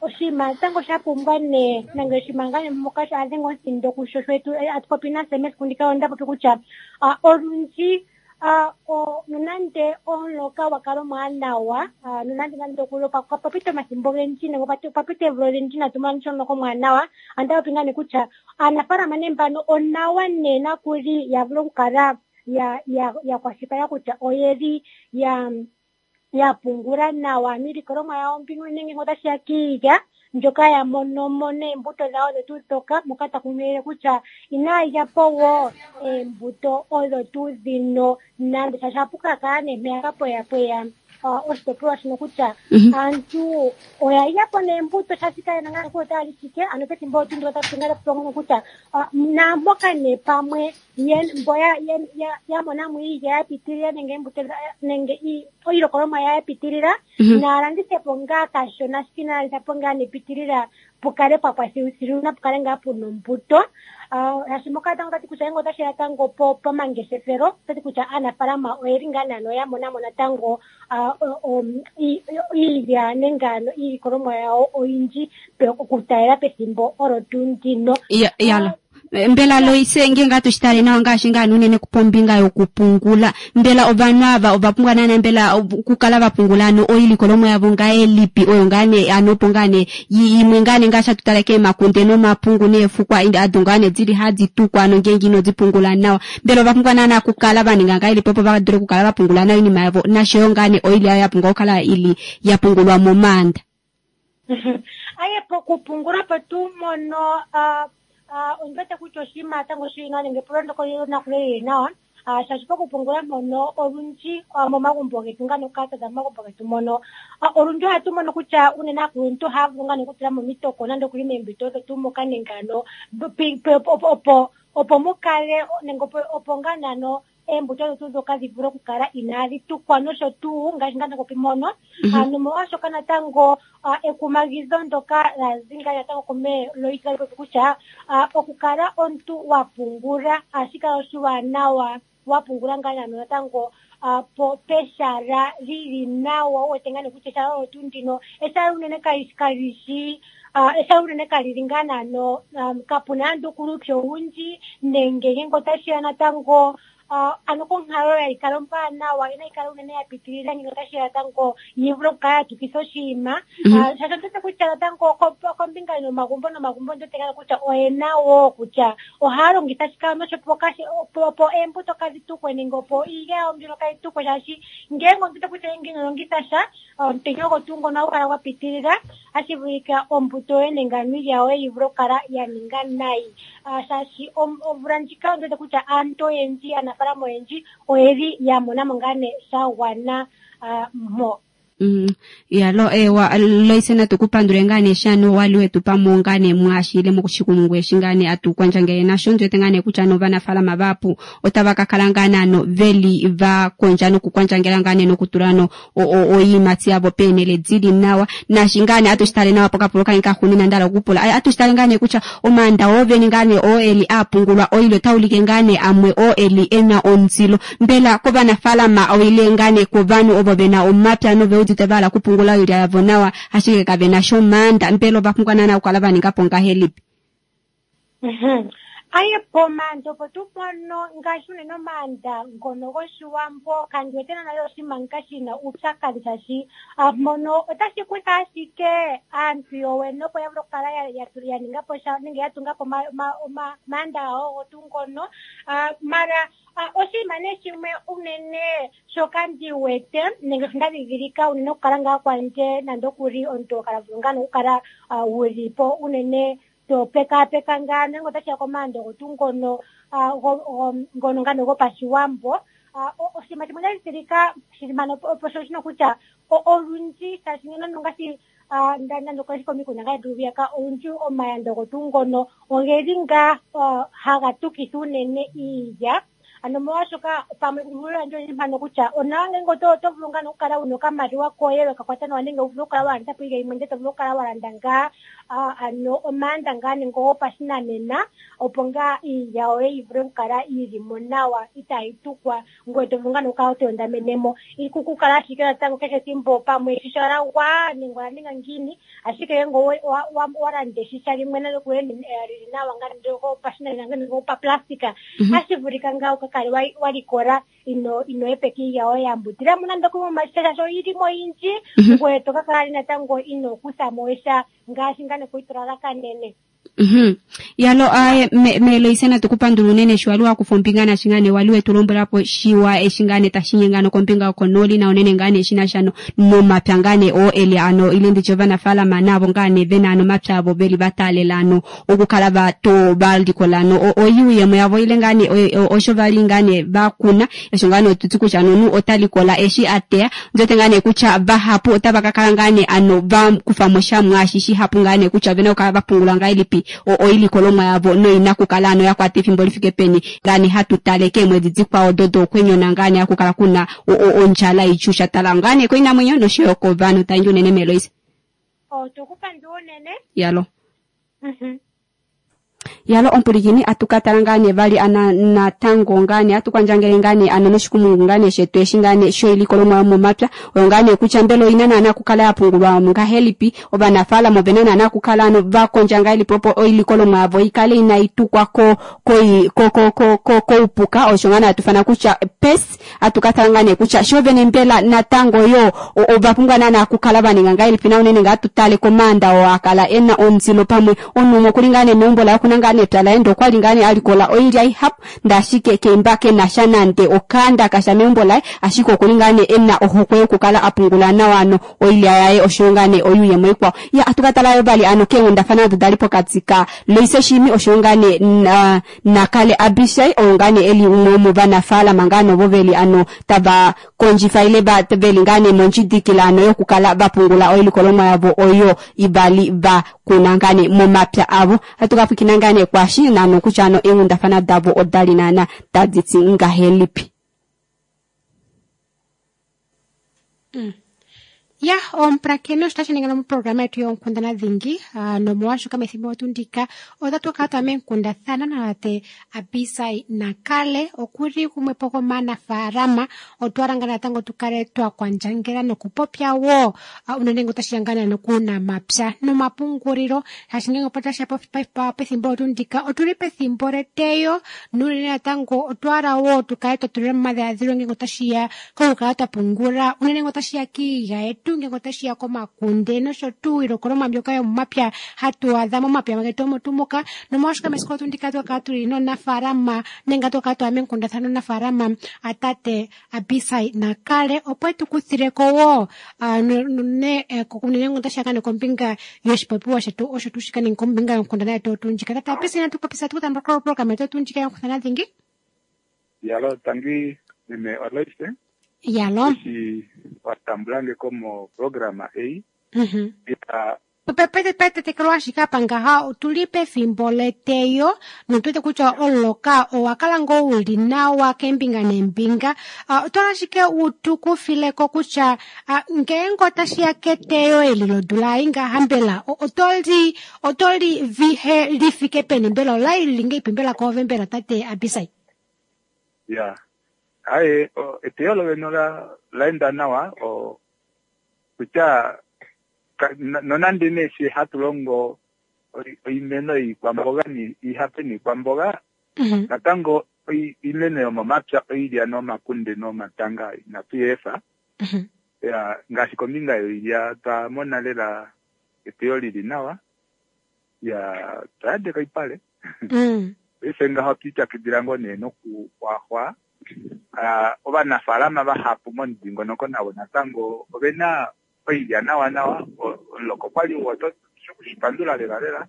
oshinima natango sha pumbwa nee nenge oshinima ngaa nee moka a dhenga omuthindo kusho sho atu popi nase mesiku ndika onda popi kutya olundji nonande omuloka gwa kala omwaanawa, nonande nande okuli opwa pita omathimbo ogendji nenge opwa pita oomvula odhindji inatu mona sha omuloka omwaanawa, onda popi ngaa nee kutya aanafaalama nee mbano onawa nee nakuli ya vule okukala ya kwashilipaleka kutya oyeli ya pungula nawa miilikolomwa yawo mbino nenge otashi ya kiilya ndjoka ya mono mo neembuto dhawo odho tuu ndhoka, moka ta kunkilile kutya inaya lya po wo eembuto odho tuu dhino nande, shaashi ohapu ka kala nee mpeyaka pweya pweya oshitopolwa shino kutya aantu oya lya po neembuto shaashi kaye na ngaa kutya otaya li shike. Ano pethimbo olyo tuu ndyoka otatu longo kutya naamboka nee pamwe mbo ya mona mo iilya ya pitilila nenge eembuto nenge iilikolomwa ya pitilila, naya landithe po ngaa kashona, ashike inaya landitha po ngaa nepitilila, pukale pwa pwa thiluthilu napukale ngaa puna ombuto. Shaashi moka natango otati kutya ngele otashi ya natango pomangeshefelo, otati kutya aanafaalama oyeli ngaa naano ya mona mo natango iilya nenge ano iilikolomwa yawo oyindji okutalela pethimbo olo tuu ndino. Yala. Mbela Loise ngenge atu shitale nawa ngaashi ngaa unene pombinga yokupungula, mbela ovanhu ava ova pumbwa naana mbela okukala va pungula ano oilikolomwa yavo ngahelipi oyo ngaa nee ano opo ngaa nee imwe ngaa nee ngaashi hatu tale keemakunde nomapungu neefukwa ado ngaa nee dili hadi tukwa ano ngenge ino di pungula nawa, mbela ova pumbwa naana okukala va ninga ngahelipi opo va dule okukala va pungula nawa oinima yavo nasho yo ngaa nee oilya yayo ya pumbwa okukala ili ya pungulwa momaanda? Aye, pokupungula po tuu mono ondi wete kutya oshinima natango shili nawa nenge epulo ndyoka oli na lili nawa, shaashi pokupungula mpono olundji momagumbo getu ngaa nokukala twaza momagumbo getu mono olundji ohatu mono kutya unene aakuluntu ohaya vulu ngaa okutula mo omitoko nande okuli meembito odho tuu moka nenge ano opo mu kale nenge opo ngaa naano eembuto odho tuu ndhoka dhi vule okukala inaadhi tukwa nosho tuu ngaashi ngaa nda popi mpono. Nomolwaashoka natango ekumagidho ndyoka la zi ngaa natango kume Loise tali popi kutya okukala omuntu wa pungula ohashi kala oshiwanawa wa pungula ngaa naano natango po peshala lili nawa, wu wete ngaa nee kutya eshala olyo tuu ndino eshala unene kali shi eshala unene kali li ngaa naano kapuna nande uupyu owundji nenge ngenge otashi ya natango ano konkalo ya ikala ombwaanawa inayi kala unene ya pitilila ngele otashi ya natango yi vule okukala ya tukitha oshinima. Shaashi ondi wete kutya natango kombinga nomagumbo nomagumbo ondi wete ngaa kutya oyena wo kutya ohaya longitha shike ano opo eembuto kadhi tukwe nenge opo iilya yawo mbyono kayi tukwe, shaashi ngele ondi wete kutya ngele ino longitha sha omutenya ogo tuu ngono ohagu kala gwa pitilila, ohashi vulika ombuto yoye nenge ano iilya yoye yi vule okukala ya ninga nayi. Shaashi omvula ndjika ondi wete kutya aantu oyendji, aanafaalama oyendji oyeli ya mona mo ngaa nee sha gwana mo. Yalo ewa Loise natu ku pandule ngaa nee shano wali wetu pa mo ngaa nee mwaashile moshikumungu eshi ngaa nee atu kwandjangele nasho. Ndi wete ngaa nee kutya novanafaalama vahapu otava ka kala ngaa naano veli va kondja nokukwandjangela ngaa nee nokutula no oiimati yavo peenhele dili nawa. Naashi ngaa nee atu shi tale nawa pokapulo kange kaxuunina nda hala okupula, atu shi tale ngaa nee kutya omaanda oo vene ngaa nee oo eli a pungulwa oilya ota ulike ngaa nee amwe oo eli e na omundilo. Mbela kovanafaalama oile ngaa nee kovanhu ovo ve na omapya nove udite va hala okupungula oilya yavo nawa ashike kave na sha omaanda, mbela ova pumbwa naana okukala va ninga po ngahelipi? Aye, pomaanda opo tuu mpono ngaashi unene omaanda ngono gOshiwambo kandi wete naana oshinima nka shi na uupyakadhi, shaashi mpono otashi kutha ashike aantu yowene opo ya vule okukala ya ninga po sha nenge ya tunga po omaanda gawo ogo tuu ngono. Mara oshinima nee shimwe unene shoka ndi wete nenge sho nda dhidhilika unene okukala ngaa kwandje nande okuli omuntu okala vulu ngaa nokukala wuli po unene To pekaapeka ngaa nenge otashi ya komaando gotu ngono ngono ngaa gopashiwambo. Oshinima shimwe tashi tilika shili mpano opo sho shino kutya olundji shaashi nando ngaashi nando ngaashi komikunda ngaa yetu hwiyaka olundji omayando gotu ngono ogeli ngaa haga tukitha unene iilya. Ano molwashoka pamwe kumbulula ndje oyindji mpano kutya onawa ngenge oto vulu ngaa nokukala wuna okamaliwa koye weka kwata nawa nenge wu vule okukala wa landitha po iilya yimwe ndele to vulu okukala wa landa ngaa ano omaanda ngaa nenge gopashinanena opo ngaa iilya yoye yi vule okukala yili mo nawa itaayi tukwa ngoye to vulu ngaa nokukala to yondamenemo ikukukala ashike natango kehe ethimbo pamwe shisha lagwa nenge ola ninga ngiini ashike ngenge wa landa eshisha limwe nale kuye lili nawa ngaa nenge gopashinanena nenge gopaplastika hashi vulika ngaa uka kale wa likola ino epeka iilya yoye ya mbutila mo nando kumwe omashisha shaashi oyili mo oyindji ngoye to ka kala natango ino kutha mo sha ngaashi ngaa nokuyi kanene. Yalo aye Meloise natu kupandula unene sho wali wakufa ombinga nashi ngane wali wetu lombwelapo shiwa eshi ngane tashi nyengano kombinga yokonooli na unene ngane shina sha nomapya ngane oo eli ano ile nditye ovanafaalama navo ngane vena ano omapya avo veli vataalela ano okukala vato valikola ano oyuuyemo yavo ile ngane osho vali ngane vakuna osho ngane otuti kutya nonu ota likola eshi ateya ndote ngane kutya vahapu otava ka kala ngane ano vakufamo sha mwaashi shihapu ngane kutya ovena okukala vapungula ngahelipi oilikolomwa yavo noina kukala ano yakwata efimbo lifike peni ngane hatu tale keemwedi dikwao dodo okwenyona ngane hakukala kuna ondjala ichusha tala ngane koinamwenyo noshoyo kovanhu tangi unene Meloise. Otokupandula unene. Yalo. Yalo ompulikini atukatala ngane vali ana natango ngane atukwandjangele ngane ano noshikumungu ngane shetu eshi ngane shoilikolomwa yomomapya oyo ngane kutya mbela oina naana kukala yapungulwa ngahelipi ovanafaalama ovena naana kukala ano vakondja ngahelipi opo oilikolomwa yavo ikale inayi tukwa koupuka osho ngane atufana kutya pes atukatala ngane kutya sho vene mbela natango yo ovapumbwa naana kukala vaninga ngahelipi na unene ngaa tutale komanda oo akala ena omuzilo pamwe onumo kuli ngane meumbo laye kuna ngane epya laye ndokwali ngane alikola oilya ihapu ndashike keimba kenasha nande okanda kasha meumbo laye ashike okuli ngane ena ohokwe yokukala apungula nawa ano oilya yaye oshoyo ngane oyuuyemo ikwao. Ya atukatala yo vali ano keenghundafana odo dali pokati ka Loise Shiimi oshoyo ngane Nakale Abishai oyo ngane eli umwe womovanafaalama ngane ovo veli ano tava kondjifa ile veli ngane mondjidikila ano yokukala vapungula oilikolomwa yavo oyo ivali va kuna ngane momapya avo. Atukapwikina ngane kwashi nano kutya ano eenghundafana davo odali naana tadi ti ngahelipi. Ya, omupulakeni osho tashi ningila moprograma yetu yoonkundana dhingi nomolwashoka methimbo tuu ndika otatu kala twa meenkundathana natate Abisai Nakale okuli gumwe po gomaanafaalama. Otwa langa natango tu kale twa kwandjangela nokupopya wo unene ngele otashi ya ngaa nokuunamapya nomapungulilo shaashi ngele otashi ya pethimbo tuu ndika otuli pethimbo leteyo nuunene natango otwa hala wo tu kale twa tulila momadhiladhilo ngele otashi ya kokukala twa pungula unene ngele otashi ya kiilya yetu ngele otashi ya komakunde nosho tuu iilikolomwa mbyoka yomomapya hatu adha momapya getu omo tuu moka. Nomolwashoka mesiku tuu ndika twakala tuli nomunafaalama nenge twakala twaya meenkundathana nomunafaalama tate Abisai Nakale opo etu kuthileko wo unene ngele otashi ya kombinga yoshipopiwa shetu osho tuu shika nenge kombinga yonkundana yetu tuu ndjika. Tate Abisai natu popisa tu kutha koprograma yetu tuu ndjika yonkundana dhingi. Yalo tangi meme Aloise. Yalo. Eshi watambulange ko programa ei. Petetekelo ashike apa ngaha otuli pefimbo leteyo notu wete kutya omuloka owa kala ngoo uli nawa keembinga neembinga. Otwala ashike utukufileko kutya ngeenge otashi ya keteyo eli lodula ei ngaha mbela otoli vihe lifike peni mbela olai lili ngeipi mbela koove mbela tate Abisai? Ya. Aye, eteyo lovene laenda nawa kutya nonande nee she hatu longo oimeno iikwamboga iihape niikwamboga natango iimeno yomomapya oilya nomakunde nomatanga inatu yeefa. Ya, ngaashi kombinga yoilya twa mona lela eteyo lili nawa. Ya, twayadeka oipale. Paife ngaho twiipyakidila ngoo nee nokuxwaxwa. Ovanafaalama vahapu momudingonoko navo natango ovena oilya nawa nawa. Omuloko kwali oto shipandula lela lela.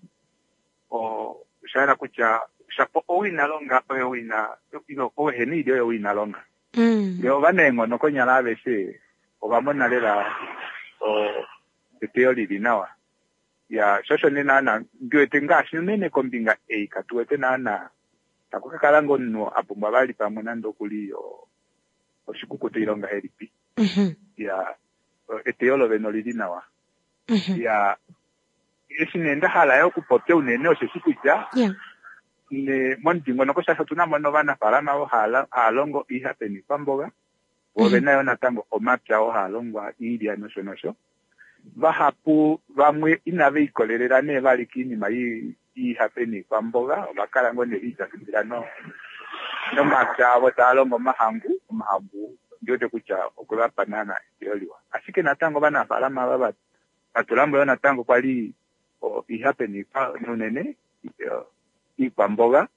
Osha yela kutya shapo ou ina longa oye ou ina ilo ou ehena oilya oye ou ina longa. Ndee ovanaenghono konyala aveshe ova mona lela eteyo lili nawa. Ya sho osho nee naana ndi wete ngaashi unene kombinga ei katu wete naana taku ka kala ngoo omunhu a pumbwa vali pamwe nande okuli oshikukuta ile ongahelipi. Ya eteyo lovene olili nawa. Ya eshi nee nda hala yo okupopya unene osheshi kutya ne momudingonoko shaashi otuna mo novanafaalama ovo hava longo oihape noikwamboga, vo ovena yo natango omapya oo haa longwa oilya nosho nosho. Vahapu vamwe inave ikolelela nee vali koinima yoihape noikwamboga, ova kala ngoo nee ve ipyakidila nomapya avo tava longo omahangu. Omahangu ondi wete kutya okwe va pa naana eteyo liwa. Ashike natango ovanafaalama ava va tula mo yoo natango kwa li oihape unene iikwamboga,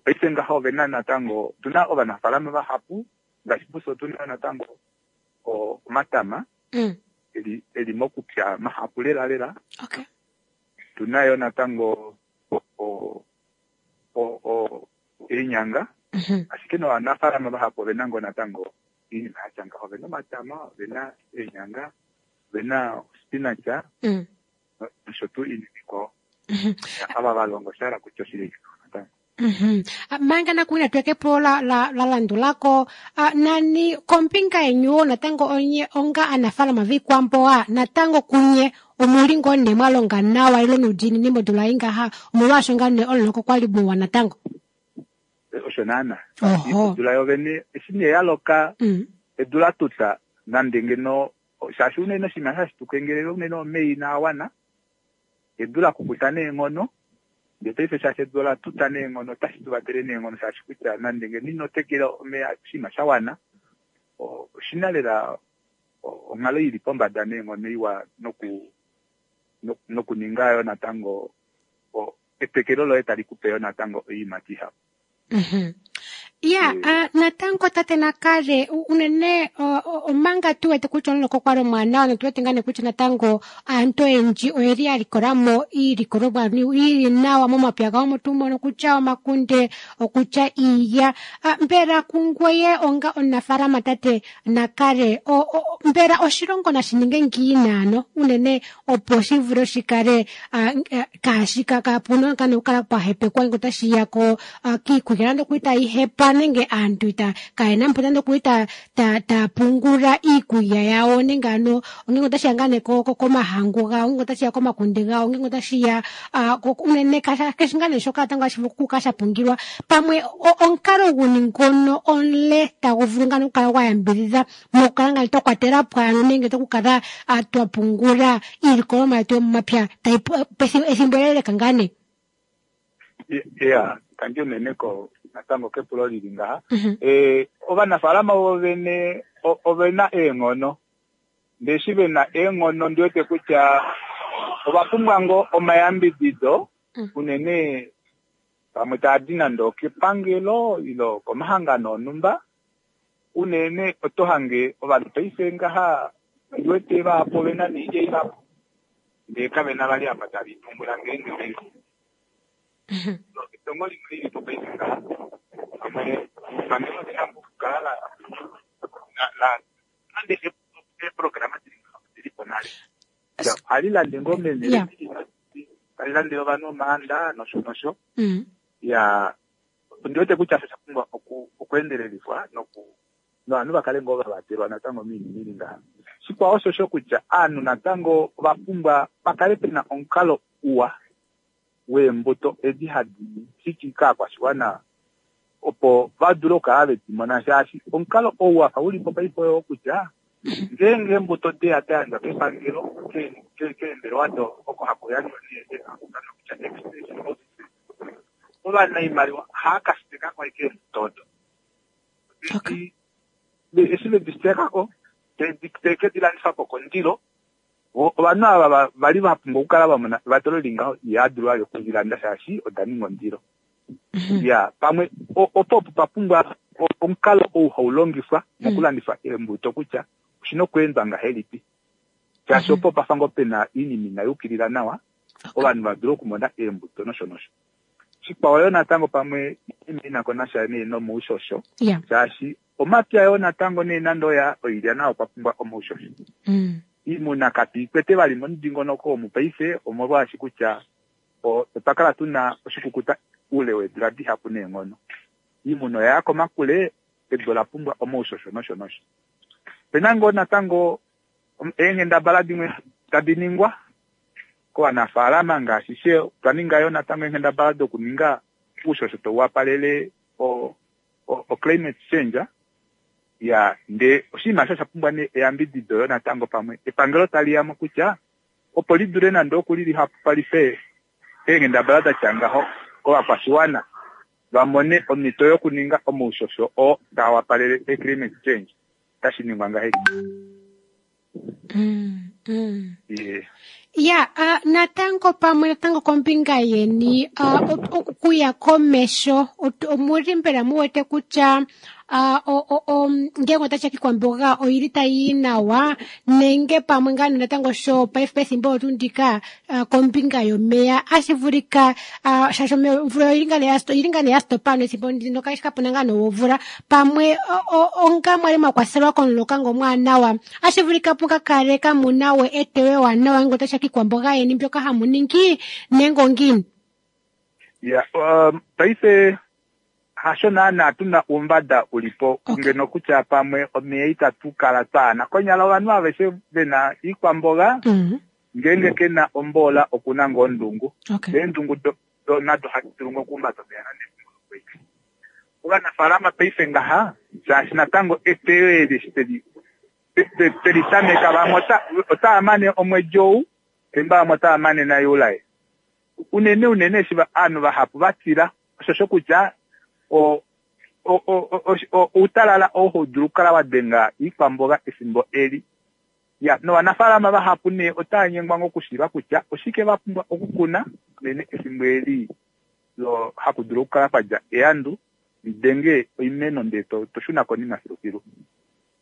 paife ngaha ove na natango, otu na ovanafaalama vahapu ngaashi pufye otu na natango omatama eli mokupya mahapu lela lela. Otu na yo natango eenyanga, ashike novanafaalama vahapu ove na ngoo natango oinima ya tya ngaho. Ove na omatama, ove na eenyanga, ove na ospinach nosho tuu oinima ikwao. Ava va longa osha hala kutya oshili natango. Manga nakuwina tuye kepulo la, la, la landulako nani kombinga yenyu wo natango onye onga anafaalama viikwamboga natango kunye omuli ngoo nee mwa longa nawa ile nuudiinini modula ei ngaha omolwaasho ngaa nee omuloka kwa li muwa natango. Osho naana. Odula yovene eshi nee ya loka edu la tuta nande ngeno shaashi unene oshinima hashi tu kengelele unene omeva inaa wana edu la kukuta neenghono ndee paife shaashi edu ola tuta neenghono otashi tu vatele neenghono shaashi kutya nande ngeno ino tekela omeya oshinima sha wana oshina lela onghalo ili pombada neenghono iwa noku nokuninga yo natango etekelo loye tali kupe yo natango oiimati ihapu. Ya, natango tate Nakale, unene omanga tu wete kutya omuloka okwa li omwaanawa notu wete ngaa nee kutya natango aantu oyendji oyeli ya likola mo iilikolomwa yili nawa momapya gawo omo tuu mono kutya omakunde, okutya iilya. Mbela kungoye onga omunafaalama tate Nakale, mbela oshilongo nashi ninge ngiini ano unene opo shi vule shi kale kaashi kapu na okukala pwa hepekwa ngele otashi ya ko kiikulya nande okuli tayi hepa nenge aantu ita kayena mpo nande okuli ta ta taya pungula iikulya yawo nenge ano ngele otashi ya ngaa nee komahangu gawo ngele otashi ya komakunde gawo ngele otashi ya unene keshi ngaa nee shoka natango hashi vulu okukala sha pungilwa pamwe omukalo guni ngono omule tagu vulu ngaa okukala gwa yambidhidha mokukala ngaa twa kwatela po ano nenge tokukala twa pungula iilikolomwa yetu yomomapya tayi ethimbo eleleka ngaa nee. Ya, tangi unene ko natango kepulo lili ngaha. Ovanafaalama vovene ovena eenghono. Ndee eshi vena eenghono ndi wete kutya ova pumbwa ngoo omayambidido unene pamwe taa di nande okepangelo ile komahangano onhumba. Unene oto hange ovanhu paife ngaha ndi wete vahapu ovena noilya ihapu ndee kavena vali apa tave i pungula ngeenge ve Etongo limwe lili po paife ngaha pamwe epangelo oli na okukala la la nande eeprograma dili ngaha odili po nale. Ohali lande ngoo meenhele dili tali landele ovanhu omaanda nosho nosho. Ya ondi wete kutya osho sha pumbwa okweendelelifwa noku novanhu va kale ngoo va vatelwa natango moinima ili ngaha. Shikwao oshosho kutya ovanhu natango ova pumbwa pa kale pena omukalo uwa weembuto edi hadi fiki kaakwashiwana opo va dule okukala ve di mona shaashi omukalo ou wafa u li po paife oyoo kutya ngeenge eembuto deya da yandjwa kepangelo keembelewa do oko haku yandjwa nee kutya extension offices ovanaimaliwa ohava ka siteka ko ashike eembuto odo. Eshi ve di siteka ko teve ke di landifa po kondilo ovanhu ava va li va pumbwa okukala va mona evatelo li ngaho ihava dulu vali okudi landa shaashi oda ninga ondilo. Ya pamwe opo opo pa pumbwa omukalo ou hau longifwa mokulandifa eembuto kutya oshina okweendwa ngahelipi shaashi opo pafa ngoo pena oinima inai yukilila nawa. Ovanhu va dule okumona eembuto nosho nosho. Shikwao yo natango pamwe ina ko nasha nee nomoushosho shaashi omapya yoo natango nee nande oya oilya nayo okwa pumbwa omoushosho. Iimuna katu ikwete vali momudingonoko omu paife omolwaashi kutya otwa kala tuna oshikukuta oule weedula dihapu neenghono. Iimuna oya ya komakule, edu ola pumbwa omoushosho nosho nosho. Opena ngoo natango eenghendabala dimwe tadi ningwa kovanafaalama ngaashi she otwa ninga yoo natango eenghendabala dokuninga oushosho tau wapalele o climate change ya ndee oshinima osho osha pumbwa nee eyambidido yo natango pamwe epangelo tali ya mo kutya opo li dule nande okuli lihapupalife eenghendabala da tya ngaho kovakwashiwana va mone omhito yokuninga omaushosho oo taa wapalele e climate change otashi ningwa ngahelipi? Yeah. Ya, natango pamwe natango kombinga yeni okuya komesho omuli mbela mu wete kutya ngenge otashi kikwamboga oili tai yi nawa nenge pamwe ngaa natango sho paife pethimbo otu ndika kombinga yomeya ashi vulika shaashi omvula oili ngaa nee ya stopa ano ethimbo ndino kapuna ngaa nowomvula pamwe onga mwali mwa kwathelwa komuloka ngo omwaanawa ashi vulika puka kale kamuna we eteyo ewanawa ngele otashi ya kiikwamboga yeni mbyoka hamu ningi nenge ongiini? Ya, paife hasho naana tuna oumbada ulipo ngeno kutya pamwe omeya itatu kala twaana. Konyala ovanhu aveshe vena iikwamboga ngeenge kena omboola okuna ngoo ondungu. Eendungu do nado ohadi dulu ngoo okuhumbata omeya nande efimbo lokwenye. Ovanafaalama paife ngaha shaashi natango eteyo eli eshi teli tameka vamwe otava mane omwedi ou fimbo vamwe otava mane naJuli. Unene unene eshi ovanhu vahapu va tila oshosho kutya outalala oo hau dulu okukala wa denga iikwamboga efimbo eli. Ya, novanafaalama vahapu nee otava nyengwa ngoo okushiiva kutya oshike va pumbwa okukuna unene efimbo eli lo haku dulu okukala kwa dja eandu li denge oimeno ndee to shuna konima filufilu.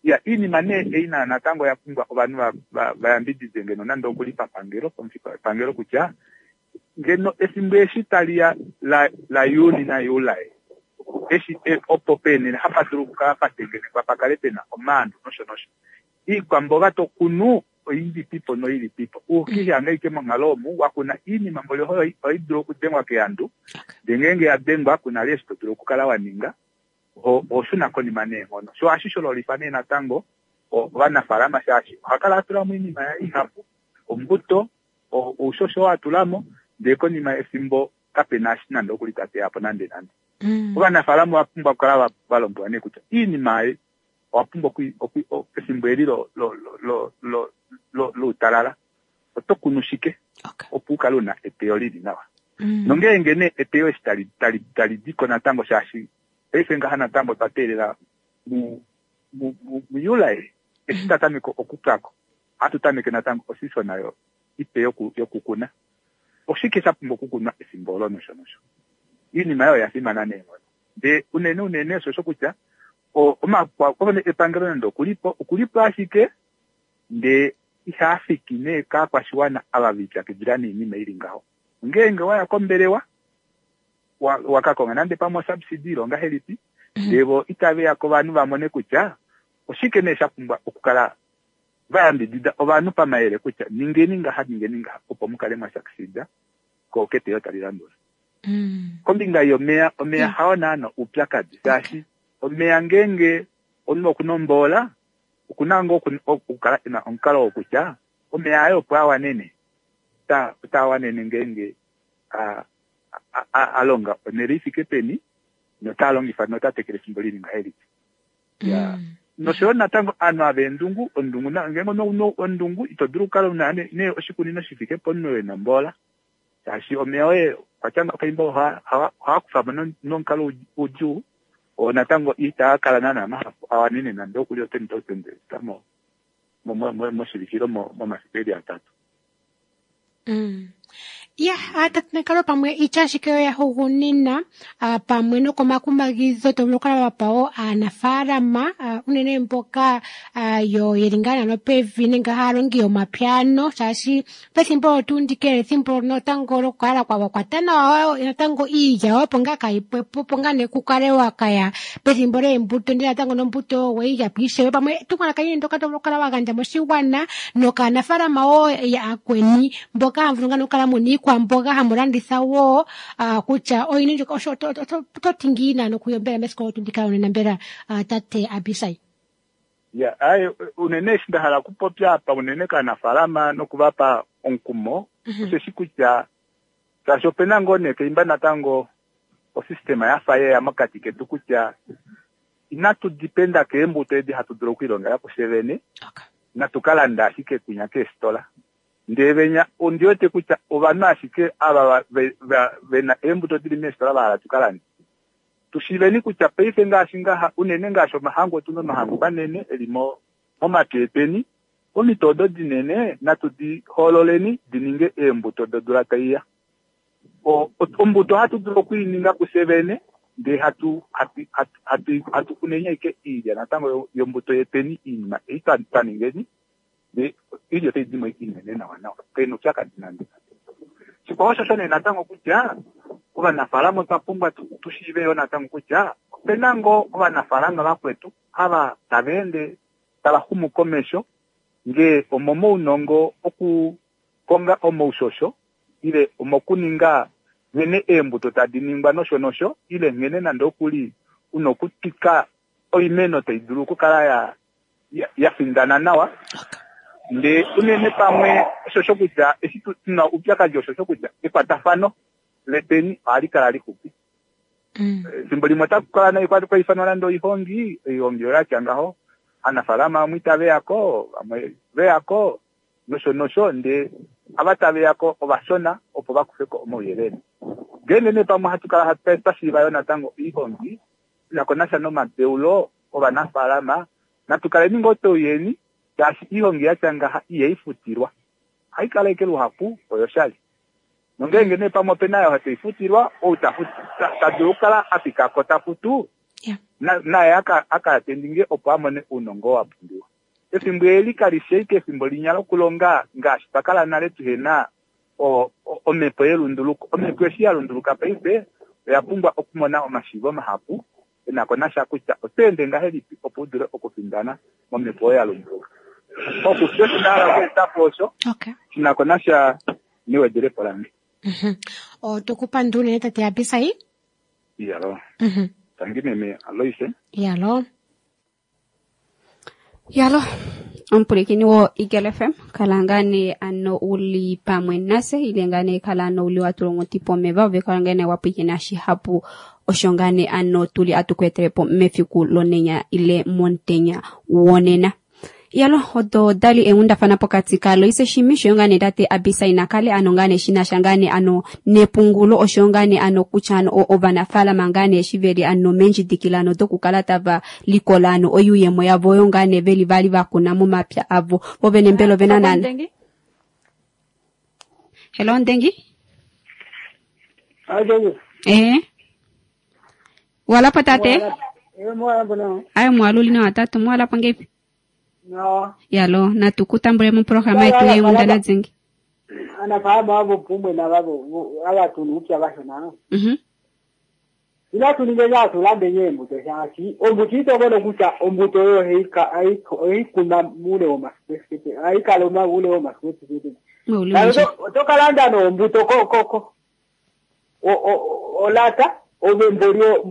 Ya, oinima nee ei nayo natango oya pumbwa ovanhu va yambidide ngeno nande okuli papangelo, pamufika wepangelo kutya ngeno efimbo eshi tali ya la Juni naJuli eshi opo peenene hapa dulu okukala pa tengenekwa pa kale pena omaandu nosho nosho. Iikwamboga to kunu oilipipo noilipipo. Ukiihanga ashike monghalo omu wa kuna iinima mboli ohai dulu okudengwa keandu, ndee ngeenge ya dengwa kuna li eshi to dulu okukala wa ninga, oho shuna konima neenghono. Sho ohashi shololifa nee natango ovanafaalama shaashi oha kala a tula mo oinima yaye ihapu, ombuto, oushosho oo a tula mo, ndee konima yefimbo kapena eshi nande okuli ta teya po nande nande. Ovanafaalama ova pumbwa okukala va lombwelwa nee kutya oinima ei owa pumbwa efimbo eli loutalala oto kunu shike opo u kale una eteyo lili nawa. Nongeenge nee eteyo eshi tali diko natango shaashi paife ngaha natango otwa teelela muJuli eshi ta tameke okupwako ohatu tameke natango osisona yo ipe yokukuna. Oshike sha pumbwa okukunwa efimbo olo nosho nosho. Oinima oyo oya fimana neenghono. Ndee unene unene osho kutya epangelo nande okulipo, okulipo ashike ndee ihaa fiki nee kaakwashiwana ava ve lipyakidila noinima ili ngaho. Ngeenge waya kombelewa wakakonga nande pamwe osubsidy ile ongahelipi, ndee vo itave ya kovanhu va mone kutya oshike nee sha pumbwa okukala va yambidida ovanhu pamayele kutya ningeni ngaha ningeni ngaha opo mu kale mwa succeeda ko keteyo tali landula. Kombinga yomeya, omeya hao naana oupyakadi shaashi omeya ngeenge omunhu okuna omboola okuna ngoo okukala ena omukalo wokutya omeya aye opo a wanene otaa wanene ngeenge a longa onhele ifike peni notaa longifa nota tekele efimbo lili ngahelipi. Ya noshoyo natango ovanhu ava eendungu, ondungu ngeenge omunhu ondungu ito dulu okukala una nee oshikunino shifike pomunhu oo ena omboola shaashi omeya oye okwatya ngaho kaimba ohaa kufa mo nomukalo udjuu oo natango itaa kala naana mahapu a wanene nande okuli o10,000 moshivikilo momafiku eli atatu. Ya, tate pamwe itya ashike yo yahugunina pamwe nokomakumagidho to vulu okukala wa pa wo aanafaalama unene mboka yo yeli ngaa nano pevi nenge haya longi yomapyano shaashi pethimbo oyo tuu ndika ethimbo natango lokukala kwa kwata nawa natango iilya opo ngaa kayi pwepo opo ngaa nee kukale wakaya pethimbo leembuto ndele natango nombuto weyi po ishewe pamwe etumwalaka lini ndoka to vulu okukala wa gandja moshigwana nokaanafaalama wo yakweni mboka hamu vulu ngaa nokukala muna iikwamboga hamu landitha wo kutya oyini ndjoka osho oto ti ngiini nokuyombela mesiku olo tuu ndika lonena mbela tate Abisai? Ya, aye unene eshi nda hala okupopya apa unene kaanafaalama nokuvapa omukumo osheshi kutya shaashi opena ngoo nee keimba natango osystema yafa yeya mokati ketu kutya inatu dipenda keembuto edi hatu dulu okwiilongela kufye vene, natu ka landa ashike kwinya keefitola. Ndee venya ondi wete kutya ovanhu ashike ava vena eembuto dili meefitola vahala tu ka lande. Tushiveni kutya paife ngaashi ngaha unene ngaashi omahangu otuna omahangu manene eli momapya etweni, omito odo dinene natu di hoololeni di ninge eembuto dodula taiya. Ombuto ohatu dulu okuininga kufye vene ndee hatu kuneni ashike iilya natango yombuto yetweni iinima ei twa ningeni ndee iilya otai dimo inene nawa nawa pena oupyakadi nande. Shikwao oshosho nee natango kutya ovanafaalama otwa pumbwa tushiive yoo natango kutya opena ngoo ovanafaalama vakwetu ava tava ende tava xumu komesho ngee omomaunongo okukonga omaushosho ile omokuninga nghene eembuto tadi ningwa nosho nosho ile nghene nande okuli una okutwika oimeno tai dulu okukala ya findana nawa. Ndee unene pamwe oshosho kutya eshi tuna oupyakadi oshosho kutya ekwatafano letweni ohali kala lixupi. Efimbo limwe otaku kala nai kwaifanwa nande oihongi, oihongi oyo yatya ngaho, aanafaalama vamwe itave yako, vamwe veyako nosho nosho, ndee ava tave yako ovashona opo vakufeko omauyelele. Ngeenge nee pamwe ohatu kala twashiiva yoo natango oihongi inako nasha nomadeulo ovanafaalama, natu kaleni ngoo touyeni shaashi oihongi yatya ngaha ihai futilwa, ohai kala ashike luhapu oyoshali. Nongeenge nee pamwe opena oyo taifutilwa, ou ta dulu okukala a fikako ta futu, naye aka atendinge opo a mone ounongo wa pumbiwa. Efimbo eli kali fi ashike efimbo linya lokulonga ngaashi twa kala nale tuhena omhepo yelunduluko. Omhepo eshi ya lunduluka paife oya pumbwa okumona omashiivo mahapu enako nasha kutya oto ende ngahelipi opo u dule okufindana momhepo oyo ya lunduluka. Pauxupi osho nda hala okweeta po osho shinako nasha newedelepo lange. Otoku pandula unene tate Abisai. Iyalo. Tangi meme Aloise. Iyalo. Yalo, omupulakeni wo Eagle FM kala ngaa nee ano uli pamwe nase ile ngaa nee kala ano uli wa tulwa onghuti pomeva ove kala ngaa nee wa pwilikina shihapu osho ngaa nee ano tuli atu ku etele po mefiku lonenya ile momutenya wonena. Yalo, odo dali eenghundafana pokati kaAloise Shimi oshoyo ngaa nee tate Abisai Nakale ano ngaa nee shinasha ngaa nee ano nepungulo oshoyo ngaa nee ano kutya ano ovanafaalama ngaa nee eshi veli ano meendjidikila dokukala tava likola ano oyuuyemo yavo oyo ngaa nee veli vali vakuna momapya avo. Vo vene mbela ovena nana. Hello Ndengi? Walapo tate? Ayo mwaluli na watatu mwalapo ngepi? No. Yalo, natukutambule mu programa yetu yeenghundana dzingi. Anafaalama avo pumwe navavo avatunu upya vashona. Ila tuninge tulande nyembuto shaashi ombuto itokono kutya ombuto oyo oikuna mule womasiku aikala ule womasiku tokalanda nombuto ko olata ove mbolio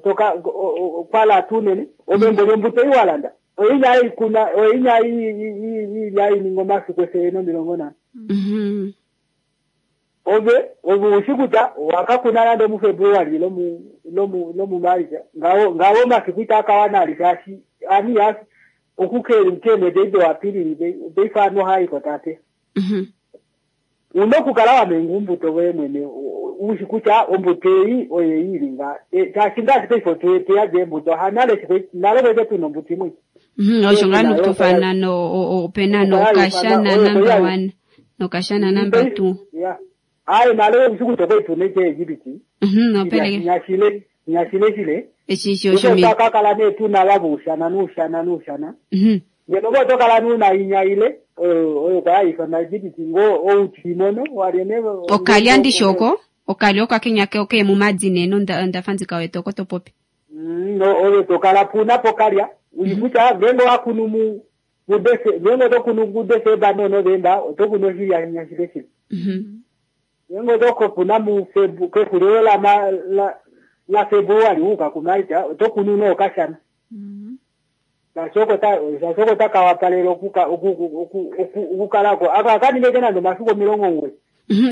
toka kwala tunene ove mbolio mbuto iwalanda oinya ikuna oinya i omasiku 140. Ove usiku ta wakakuna nande mu February lomu March ngawo masiku itakawana alishashi ani yasi okukeli mkemwe deido wapili deifano haiko tate. Unokukala wamenga umbuto wemwene ushikuta ombuto ei oyeyilinga shaashi pefo teyaje embuto hanale nale kwete tuna ombuto imwe. Osho ngaa nokutufana no opena nokashana number 1 nokashana number 2. Yeah. Aye nale usiku toko itune ke Egipti. Nopeleke. Nyashile nyashile shile. Eshi sho sho mi. Kakala ne tuna labushana nushana nushana. Ngeno ngo tokala nuna inyaile oyo kwaifa Egipti ngo outimono walene. Okalya ndishoko okalya okakenya ke oke mumadzi neno ndafanzika wetu oko topopi. No oyo tokala puna pokalya uyikuta ngengo wakunu mu mudese ngengo tokunu mudese ba no Novemba tokuno shilya nyashile shile. Ngengo toko puna mu febu kefulelo la ma la la Februari uka kumaita tokunu no kashana. Sasoko ta kawapalelo kuka okukalako akakanile nando masuku 90.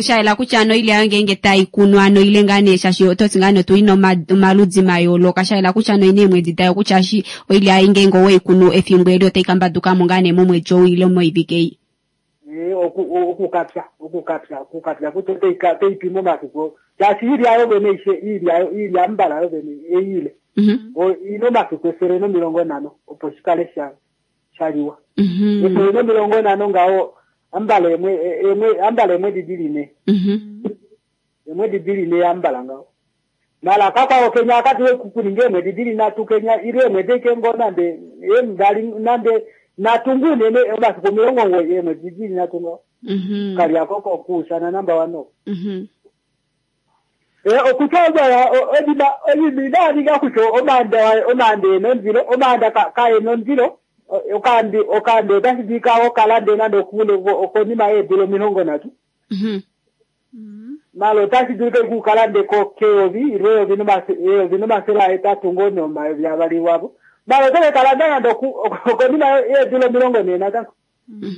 Shaela kutya ano ile ayo ngenge taikunwa ano ile ngane shashi ototi ngane otuli omaludzi mayooloka shaela kutya ano ine eemwedi dayo kutya shi oile ayo ngenge oweikunu efimbo eli otai kambadukamo ngane momwedi ou ile moivike ei. Okukapya kuti oteipima omasiku shaashi ilya yo vene ilya mbala yo vene eile ina omasiku 150 opo shikale shaliwa. 150 ngawo ambala emwe ambala emwe didiline. Emwe didiline ambala ngawo. Mala kaka okenya akati kukuninge emwe didiline atukenya iri emwe dekengo nande emdali nande natungune ne omasiku 90 emwe didiline atunga. Kali akoko kusana namba 1. Okutoba odima odimina kucho omanda omanda nonzilo omanda kae nonzilo okandi okandi otashidika okalande nando kule okonima edilo 30. Malo tashidika kukalande ko keovi irovi no nomasela etatu ngono mavali wabo. Malo tole kalande nando okonima edilo 43.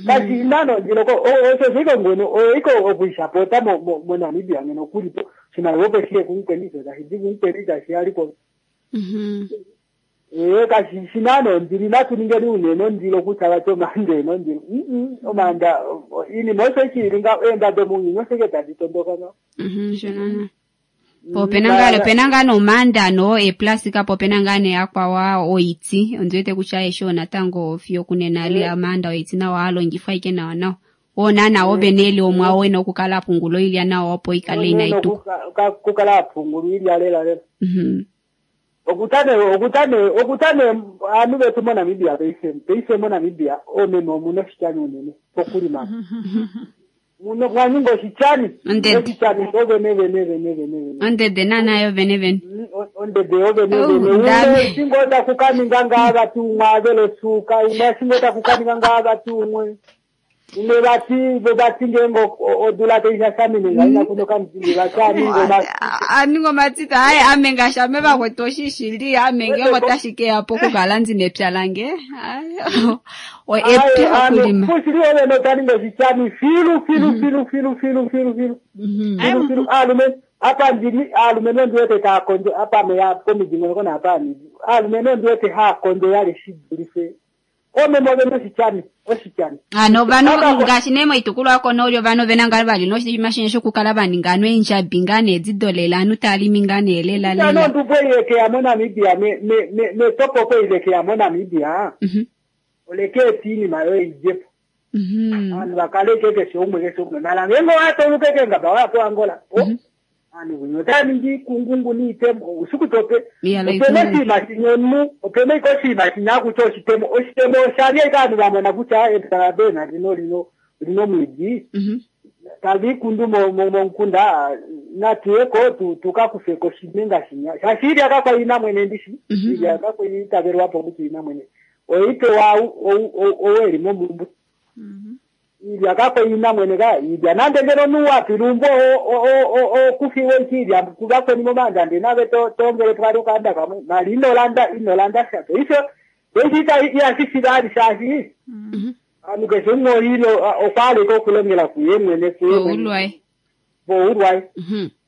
Kasi nano ndilo ko osho siko ngono oiko okuishapota mo Namibia ngeno kulipo shimaliwa opo shile kunkweniso tashidi kunkwenisa shialiko. Kasi shinano ndili natuningeni uneno ndilo kutala to mande no ndilo. Omanda ini mose chiringa enda domunyi noseke taditondoka no. Shonana. Popenanga penanga no manda no e plastika popenanga ne akwawa oiti ondiwete kutya esho natango fiyo kunena le amanda oiti na waalongifwa ike nawa nawa. Ona na obeneli omwa wena okukala pungulo ilya nawa opo ikale ina itu. Kukala pungulo ilya lela lela. Okutane anu betu mo Namibia peise mo Namibia omeme muno shichani unene pokulima. Muno mwanyingo shichani. Shichani vene vene vene vene. Ondede nana yo vene vene. Ondede yo vene vene. Singoda kukaninga ngava tumwa vele suka, umwe singoda kukaninga ngava tumwe. Umwe bati ngengo odula teisha samine ngaina kuno kamzingi bachani ngoma. Aningo matita hayi ame ngashame bakwetoshishili ame ngengo tashike apo kukala ndine lange. O epya kulima. Fushili ole no taningo shichani filu filu filu filu filu filu filu. Filu alume apa ndili alume nondiwete ta konjo apa me ya komijingo kona apa ni. Alume nondiwete ha konjo yale shidulise. Ome mobe no shichani, oshichani. Ano vano ngashi nemo itukulwa ako nolyo vano venanga vali no shimashine shokukala vaninga no enjabi ngane edzidolela anu talimi ngane elela lela. No ndubwe yeke ya mo Namibia me topo ko ileke ya mo Namibia. Oleke tini mayo ijepo. Anu bakale keke shomwe ke shomwe. Mala ngengo ato lukeke ngaba wa Angola. Anu nyota ningi kungungu ni itemo usiku tope. Opene si mashinyonu, opene ko si mashinya kucho shitemo, oshitemo sharia ikanu bamona kucha etarabe na lino lino lino mwiji. Tabi kundu mo nkunda na tueko tukakufeko shimenga shinya. Shashiri akakwa ina mwene ndishi. Iri akakwa itaberwa po kuti ina mwene. Oite wa oweri mo mumbu. Ilya kakwe ina mwene ka ilya nande ngeno nuwa pilumbo o kufiwe ilya kubakwe ni mobanda ndi nabe to tongele twali ukanda kamwe mali inolanda inolanda shato iso ita ya sisi shashi anu ke songo ilo okwale ko kulongela kuye mwene kuye ulwai bo ulwai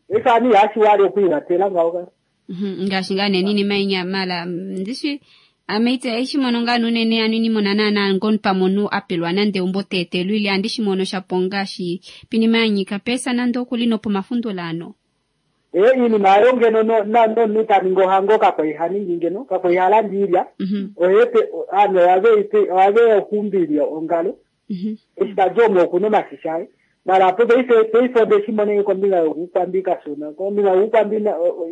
esa ni yashi wale kuivatela ngawo ngashi ngane nini mainya mala ndishi ameite eshimono nganu nene anu ni monana ngon pamonu apelwa nande umbo tete lwili andi shimono shaponga shi pinimanyika pesa nando kulino po mafundo lano. Ini mayo ngeno no na no nutaningo hango kakoihani ngeno kakoihala ndilya. Oyepe ano abe ite abe okumbilya ongalo. Estajomo kuno masishai. Mara paife paife onde kombinga yokuukwambi kashona kombinga yokuukwambi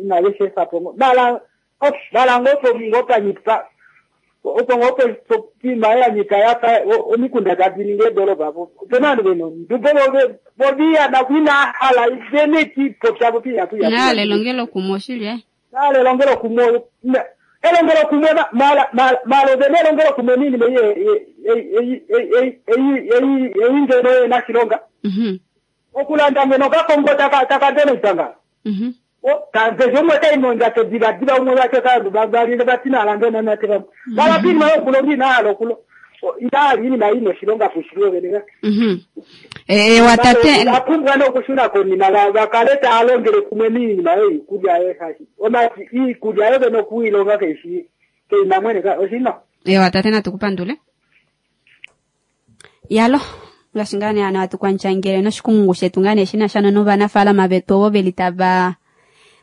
inave shefa po mara mara ngopo ngopanyipa opo ngopo pima yanyika yafa omikunda tadi ningi edoropa po opena vanhu veno ndubo voviya nakwina hala vene tipopya vopiya puya nale longelo kumwe oshili eh nale longelo kumwe elongelo kumwe mala mala vene elongelo kumwe nini meye eyingeno nashilonga okulanda ngeno kakongo takadenoitanga kanze umwe taimonja tediva umwe vake kandu valinde vatina alande nanate vamwe valapini mayokulo ndinalo kulo inali ini maino shilonga fushilwe veneka watate apumbwa nokushuna konima vakaleta alongele kumwe miinima eikulya yehashi omati iikulya yo vene okuilonga keishi keima mwene oshino watate natukupandule yalo ngaashi ngaa nee ano hatu kwandjangele noshikumungu shetu ngaa nee shina sha novanafaalama vetu ovo veli tava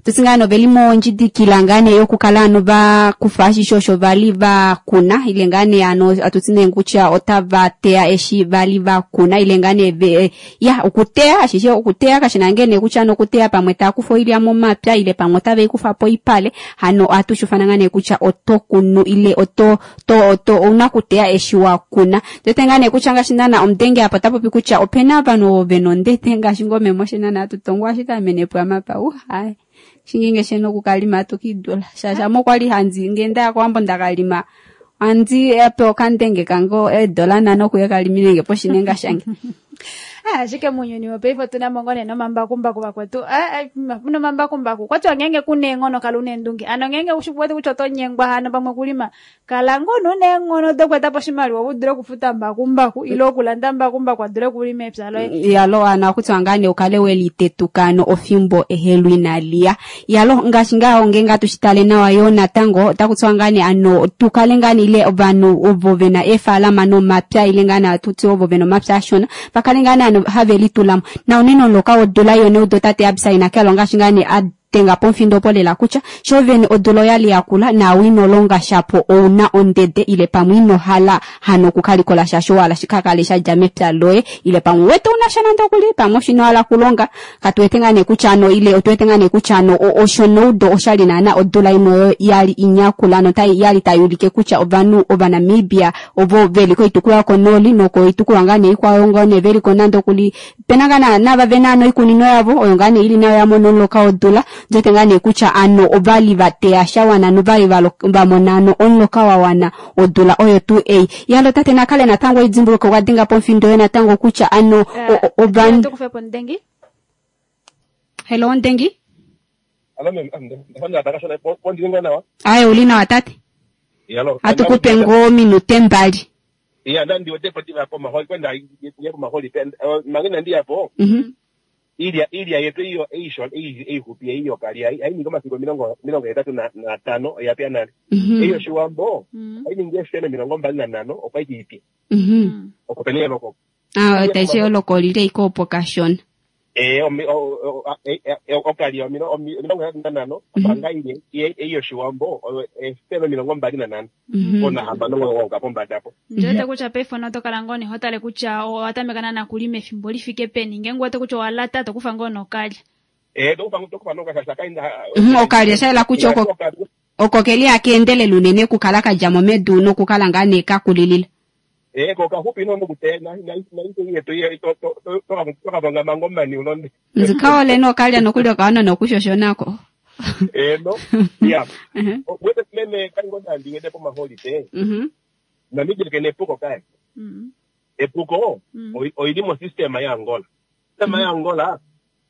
tutsi ngaa noveli mondjidikila ngaa nee yokukala ano vakufa ashishe osho vali vakuna ile ngaa nee ano atutsi nee kutya otava teya eshi vali vakuna ile ngaa nee ya okuteya ashishe okuteya kashina ngee nee kutya ano okuteya pamwe taakufa oilya momapya ile pamwe otave ikufa po ipale hano ohatu shufana ngaa nee kutya oto kunu ile oto to ouna kuteya eshi wakuna. Tete ngaa nee kutya ngaashi naana omudenge apa ota popi kutya opena ovanhu ovo vena ondete ngaashi ngoo meme nana atutongwa ashike amene pwamapa hai shinginge sheno okukalima atukidula shasha mo kwali hanzi ngenda kowambo ndakalima andi ape okandenge kange $5 okuya kaliminenge poshinenga shange. Ashike munyuni wopaife otuna mo ngoo nee nomambakumbaku vakwetu. Nomambakumbaku kwatiwa ngenge kuna eenghono kala una eendunge. Ano ngenge ushi wete kutya oto nyengwa hano pamwe kulima kala ngoo una eenghono dokueta po oshimaliwa u dule okufuta mbakumbaku ile okulanda mbakumbaku a dule okulima epya loye. Yalo ana kutya ngaa nee ukale welitetuka ano ofimbo ehelu inaliya. Yalo ngaashi ngaho ngenge atushitale nawa yo natango otaku tiwa ngaa nee ano tukale ngaa nee ile ovanhu ovo vena eefalama nomapya ile ngaa nee atuti ovo vena omapya ashona vakale ngaa nee ano have litulamo na unene omuloka wodula yone udo tate Abisai Nakelo ngaashi ngaa nee adenga pomfindo opo lela kutya sho vene odula oyali yakula naawe ino longa shapo ouna ondede ile pamwe ino hala hano okukalikola sha showala shikakale shadja mepya loye ile pamwe wete una sha nande okuli pamwe oshino hala kulonga katuwete ngaa nee kutya ano ile otuwete ngaa nee kutya ano osho noudo oshali naana odula imwe oyo yali inyakula notai yali tai ulike kutya ovanhu ovanamibia ovo veli koitukulwa yokonooli nokoitukulwa ngaa nee ikwao ngoo nee veliko nande okuli pena ngaa nava vena ano iikunino yavo oyo ngaa nee ili nayo yamona omuloka wodula ndote ngaa nee kutya ano ovali vateya shawana novali vamona ano omuloka wawana odula oyo tuu ei. Yalo tate Nakale natango idimbuluke okwa denga pomfindo yo natango kutya ano ovanhu tukufe po Ndengi. Hello Ndengi. Alo meme, ndafanya takashona pondilinga nawa. Aye uli nawa tate. Yalo. Atukupe ngoo minute mbali. Iya ndandi wote poti po maholi kwenda ye po maholi mangena ndiya po. Ilya yetu iyo eisho eihupi iyo kali ai ningi omasiku 85 oyapya nale. Eyo shiwambo ai ningi efele 25 okwa ipi. Oko pene eloko. Taishe eloko lile iko opo kashona. Okali 85 opanga ile eyo shiwambo efele 25. Ona hamba nongo pombada po. Njote kutya paife otokala ngoo nee hotale kutya owatameka nana kulima efimbo lifike peni ngenge wete kutya owalata tokufa ngoo nokalya. Tokufa nokalya kainda. Okalya shaela kutya oko keli akeendelela unene okukala kadjamo medu nokukala ngaa nee kakulilila. Kokahupi no nokute na yetu ye to to mango mani ulonde. Nzikaole nokalya nokulya okawana nokushoshonako. No. Ya. Wete meme kango ndandi wete po maholiday. Namibia kene epuko kae. Epuko oili mo system ya Angola. System ya Angola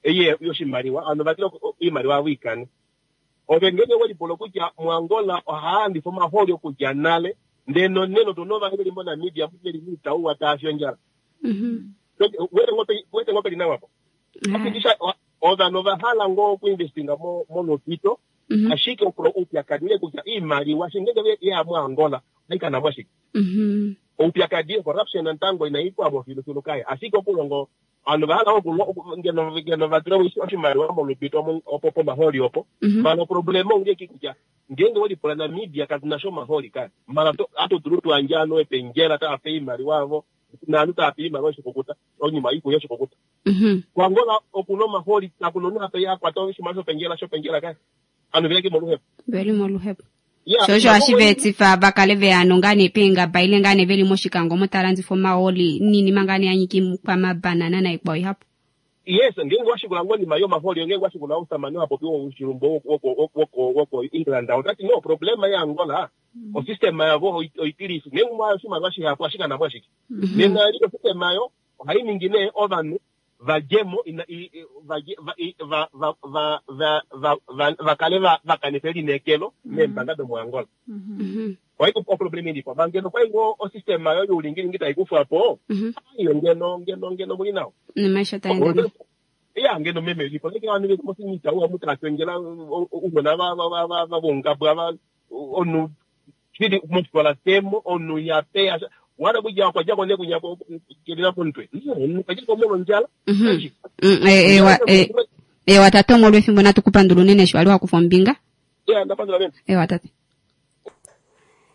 eye yoshimaliwa ano vatilo iimaliwa wikani. Ove ngenge welipulo kutya mu Angola ohaandifa omaholi okudja nale ndeno neno tunova ngeli mo Namibia muteli mitauwa taafyo njala. Wete ngope linawapo. Akidisha ovanhu ovahala ngoo okuinvestinga molopito ashike oupyakadi ule kutya iimaliwa shingenge ya mu Angola aikana mwashike. Oupyakadi corruption nantango inaipwamo filufilu kaye ashike okulongo ano vahala ngeno vatula oshimaliwa molupito opo pomaholi opo. Mala oproblema ongeki kutya ngenge welipula Namibia katuna sho maholi kaye. Mala atodulu tuandjano epenjela taape iimaliwa avo Naanhu tava pe iimaliwa yoshikukuta, oinima yoikulya yoshikukuta. KuAngola oku na omahooli, kaku na omunhu ha pe a kwata oshimaliwa shopendjela, shopendjela kai. Ovanhu veli ashike moluhepo. Veli moluhepo. Sho osho hashi va etifa va kale ve ya nongaa nee peengaba ile ngaa nee veli mOshikango omo tava landifa omahooli niinima ngaa nee ya nyika iikwamabanana naikwao ihapu. Yes, ngeenge wa shikula ngonima yomahooli, ngeenge wa shikula omusamane oo ha popi woshilumbu woko England, ota ti no, problema yaAngola, osystema yavo oitilifi. Ngeenge umwe a ya oshimaliwa shihapu, ohashi kana po ashike. Nena eli osystema yo ohai ningi nee ovanhu va dje mo, va kale va kanifa elineekelo meembanga domoAngola. Ohayi oproblema ilipo manga ngeno okwali ngoo osystema yo youlingilingi tai kufwa po, iyo ngeno ngeno ngeno muli nawa. Nomaisho taa ende nawa. Ya ngeno meme ilipo neke vanhu veli mosinita uwa mutu atwengela ounona va va va va vongabwa va omunhu shili mofikola temo omunhu ya peya wala kudja okwa djako ne kunya kelila komutwe omunhu okwa djako molwondjala. Ewa tate omolwefimbo natu ku pandula unene eshi wali wa kufa ombinga. Ya ndapandula meme. Ewa tate.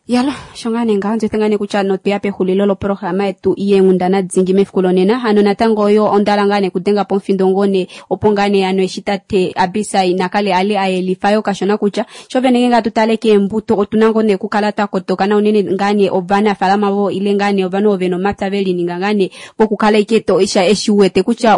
Yalo, sho ngaa nee ngaho ndzi wete ngaa nee kutya notweya pexulilo loprograma yetu yeenghundana dingi mefiku lonena. Hano natango oyo onda hala ngaa nee kudenga po omufindo ngoo nee opo ngaa nee hano eshi tate Abisai Nakale a li a yelifa yo kashona kutya sho vene ngeenge hatu tale keembuto otu na ngoo nee okukala twa kotoka na unene ngaa nee ovanafaalama vo ile ngaa nee ovanhu ovo ve na omapya ve lininga ngaa nee pokukala ike to eshi u wete kutya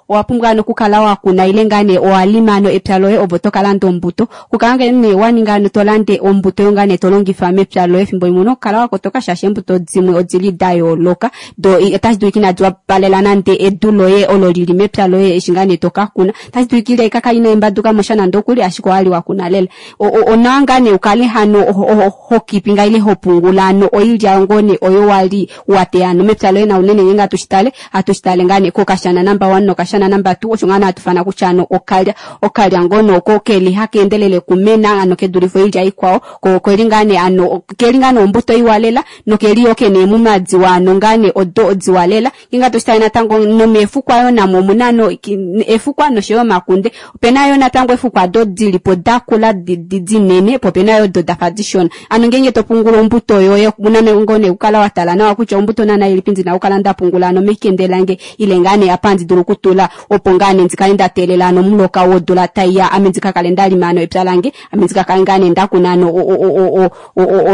owa pumbwa ano okukala wa kuna ile ngaa nee owa lima ano epya loye ove oto ka landa ombuto. Okukala ngaa nee wa ninga ano to lande ombuto yo ngaa nee to longifa mepya loye efimbo limwe ouna okukala wa kotoka shaashi eembuto dimwe odili da yooloka do otashi dulika inadi wapalela nande edu loye olo lili mepya loye eshi ngaa nee to ka kuna. Otashi dulika ile ka kali inaimbaduka mo sha nande okuli ashike owali wa kuna lela. Onawa ngaa nee ukale hano ho kipinga ile ho pungula ano oilya ngoo nee oyo wali wa teya ano mepya loye na unene ngeenge hatu shi tale hatu shi tale ngaa nee kokashana number 1 nokashana number 2 osho ngaa nee hatu fana kutya ano okalya okalya ngoo nee oko keli haka endelele okumena ano ke dulife oilya ikwao ko okeli ngaa nee ano keli ngaa nee ombuto iwa lela nokeli yoo kena eemuma diwa ano ngaa nee odo diwa lela ngeenge hatu shi tale natango nomeefukwa yoo namo omuna ano efukwa noshoyo omakunde Opena yo natango eefukwa do dili po da kula dinene, po opena yo do dafa dishona. Ano ngeenge to pungula ombuto yoye, una ngoo nee okukala wa tala nawa kutya ombuto naana ilipi ndina okukala nda pungula ano mekende lange ile ngaa nee apa handi dulu okutula opo ngaa nee ndi kale nda teelela ano omuloka wodula tai ya ame ndi ka kale nda lima ano epya lange, ame ndi ka kale ngaa nee nda kuna ano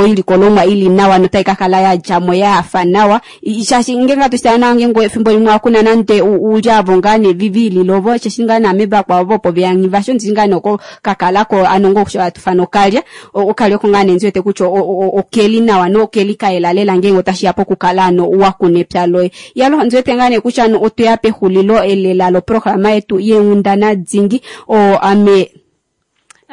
oilikolomwa ili nawa notai ka kala ya dja mo ya hafa nawa. Shaashi ngeenge hatu shi tale nawa ngeenge efimbo limwe ohakuna nande ulya avo ngaa nee viililovo osheshi ngaa naame vakwao vopo veya nghivasho ndishi ngaa nee oko kakalako ano ngoo osho hatu fana okalya okalya oko ngaa nee ndi wete kutya okeli nawa nokeli kayela lela ngeenge otashiya pokukala ano wa kuna epya loye. Iyalo ndi wete ngaa nee kutya ano otweya pexulilo lela loprograma yetu yeenghundana dingi oo ame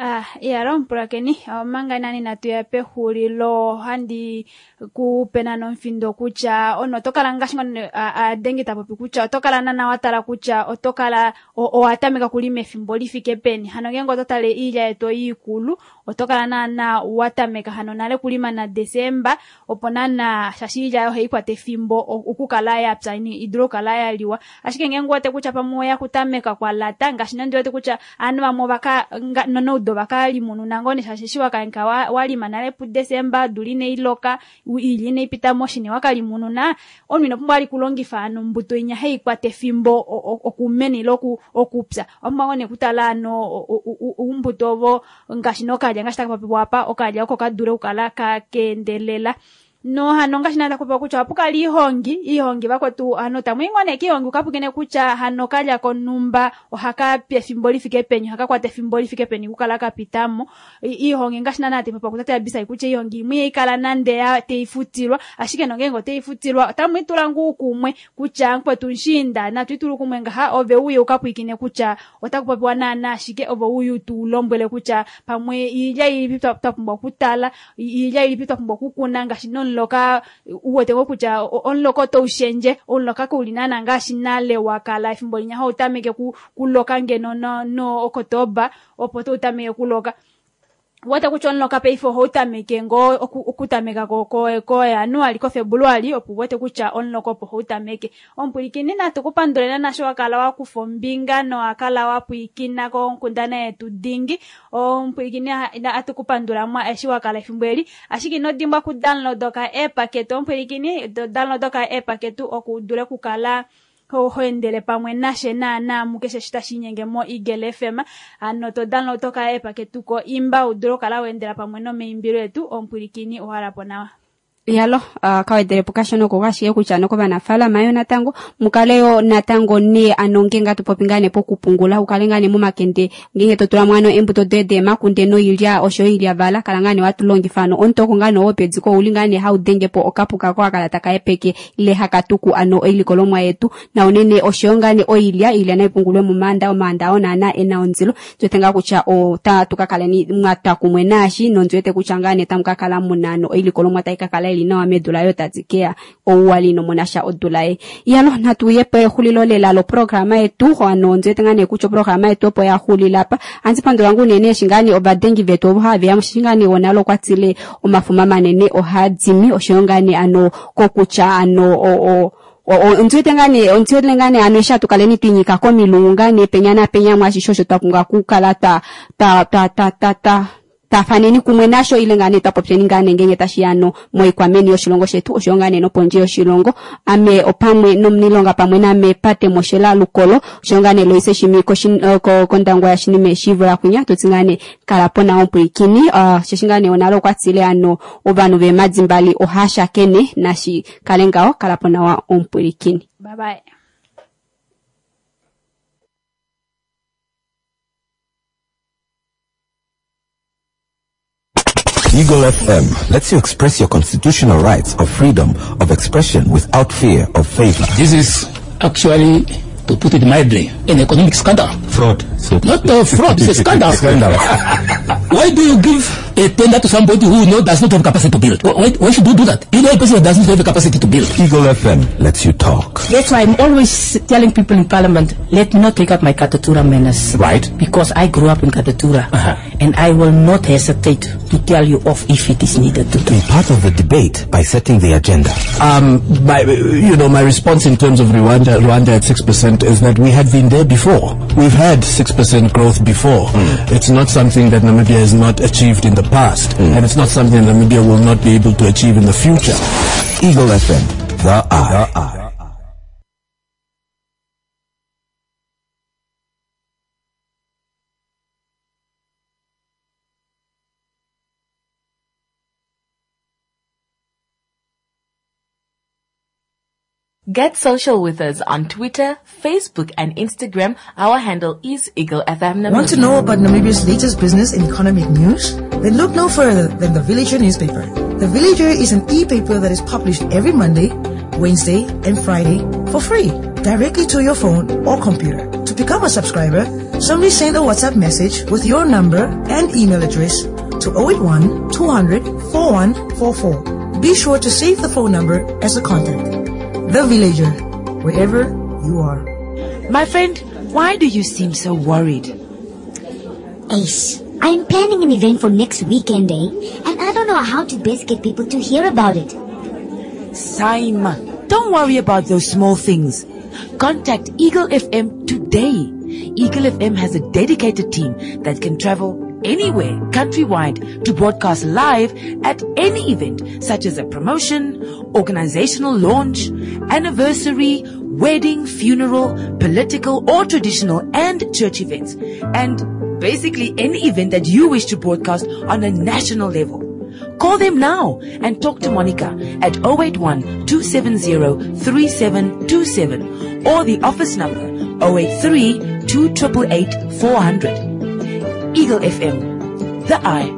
Ah, iyalo omupulakeni, omanga nani natu ya pexulilo ohandi ku pe nana omufindo kutya ono oto kala ngaashi ngono adengi ta popi kutya oto kala nana wa tala kutya oto kala owa tameka kulima efimbo li fike peni. Hano ngeenge oto tale iilya yetu oyi ikulu oto kala naana wa tameka hano nale kulima na Desemba opo naana shaashi iilya ohayi kwata efimbo okukala ya pya i dule okukala ya liwa. Ashike ngeenge u wete kutya pamwe oya kutameka kwa lata ngaashi nande wete kutya aanhu vamwe ovaka nonoudo vakalimununa ngoo nee shaashi eshi wakanka walima nale puDesemba odula inai loka iilya inai pita moshini wakalimununa omunhu ino pumbwa vali kulongifa ano ombuto inya hai kwata efimbo okumena ile okupya owa pumbwa ngoo nee kutala ano oumbuto ovo ngaashi nokalya ngaashi taka popiwa apa okalya oko kadule okukala kakeendelela no hano ngaashi nada kupewa kutya ohapu kala iihongi iihongi vakwetu hano tamu i ngoo nee kiihongi ukapukene kutya hano kalya konhumba ohaka pi efimbo lifike peni ohaka kwata efimbo lifike peni okukala ka pitamo iihongi ngaashi naana tepopiwa kutate Abisai kutya iihongi imwe ihai kala nande ya teifutilwa ashike nongeenge oteifutilwa otamu itula ngoo kumwe kutya mukwetu mushiinda natu itule kumwe ngaha ove uye ukapwiikine kutya otaku popiwa naana ashike ove uye utu lombwele kutya pamwe iilya ilipi twa pumbwa okutala iilya ilipi twa pumbwa okukuna ngaashi nomuloka u wete ngoo kutya omuloka otau shendje omuloka kauli naana ngaashi nale wa kala efimbo linya hau tameke kuloka ngeno no, no Okotoba opo tau tameke kuloka. Wete kutya omuloka paife ohau tameke ngoo okutameka koJanuali, koFebuluali, opo wete kutya omuloka opo hau tameke. Omupwilikini natu ku pandule naana sho wa kala wa kufa ombinga nowa kala wa pwilikina konkundana yetu dingi. Omupwilikini atu ku pandula mwa eshi wa kala efimbo eli, ashike ino dimbwa ku download oka app ketu omupwilikini, download oka app ketu opo u dule okukala ho endele pamwe nashe naana mukeshe eshi tashi inyenge mo Eagle FM. Ano to download oka app ketu ko imba u dule okukala wa endela pamwe nomaimbilo etu. Omupwilikini owa po nawa. Yalo, kawedelepo kashona oko ashike kutya ano kovanafaalama yo natango mukale yo natango ne ano ngeenge hatu popi ngaa nee pokupungula ukale ngaa nee momakende ngeenge to tula mo ano eembuto doye deemakunde noilya osho yo oilyavala kala ngaa nee watu longifa ano omutoko ngaa nee wopediko ouli ngaa nee hau denge po okapuka ko hakala taka hepeke ile haka tuku ano oilikolomwa yetu na unene osho yo ngaa nee oilya iilya nai pungulwe momaanda omaanda oo naana ena ondilo ndi wete ngaa kutya otatu ka kaleni mwa twa kumwe naashi nondi wete kutya ngaa nee tamu ka kala muna ano oilikolomwa tai ka kala ili nawa medula yo tadi keya ouwali ino sha odula ye. Iyalo natu ye pexulilo lela loprograma yetu ano ondi wete ngaa nee kutya oprograma yetu opo ya xulila apa. Ohandi pandula ngoo unene eshi ngaa nee ovadengi vetu ovo have ya shi ngaa nee wonale okwa tile omafuma manene ohaa dimi oshoyo ngaa nee ano kokutya ano o ondi wete ngaa nee ondi wete ngaa nee ano eshi hatu kaleni twiinyika komilungu ngaa nee penya napenya mwaashishe osho twa pumbwa okukala twa twa twa twa twa twa tafaneni kumwe nasho ile ngaa nee twa popyeni ngaa nee ngeenge tashi ya no moikwameni yoshilongo shetu oshoyo ngaa nee nopondje yoshilongo. Ame opamwe nomunilonga pamwe name Pate Moshela Lukolo oshoyo ngaa nee Loise Shimi kOndangwa yaShinime Shivula kwinya tutsi ngaa nee kala po nawa omupwilikini osheshi ngaa nee onale okwa tile ano ovanhu veemadi mbali ohaa shakene nashi kale ngaho kala po nawa omupwilikini. Bye bye. Eagle FM lets you express your constitutional rights of freedom of expression without fear of favor. This is actually, to put it mildly, an economic scandal. Fraud. So Not a fraud, it's a scandal. Scandal. Why do you give a tender to somebody who does not have capacity to build? Why should you do that? You know a person who does not have the capacity to build. Eagle FM lets you talk. That's why I'm always telling people in Parliament, let me not take up my Katutura manners. Right. Because I grew up in Katutura. And I will not hesitate to tell you off if it is needed to. Be part of the debate by setting the agenda. My response in terms of Rwanda at 6% is that we had been there before. We've had 6% growth before. It's not something that Namibia has not achieved in the past, and it's not something that Namibia will not be able to achieve in the future. Eagle FM, the eye. Get social with us on Twitter, Facebook, and Instagram. Our handle is Eagle FM Namibia. Want to know about Namibia's latest business and economic news? Then look no further than The Villager newspaper. The Villager is an e-paper that is published every Monday, Wednesday, and Friday for free, directly to your phone or computer. To become a subscriber, simply send a WhatsApp message with your number and email address to 081 200 4144. Be sure to save the phone number as a contact. The Villager, wherever you are. My friend, why do you seem so worried? Ace, I'm planning an event for next weekend, And I don't know how to best get people to hear about it. Saima, don't worry about those small things. Contact Eagle FM today. Eagle FM has a dedicated team that can travel anywhere countrywide to broadcast live at any event such as a promotion, organizational launch, anniversary, wedding, funeral, political or traditional and church events, and basically any event that you wish to broadcast on a national level. Call them now and talk to Monica at 081 270 3727 or the office number 083 288 400. Eagle FM, the eye.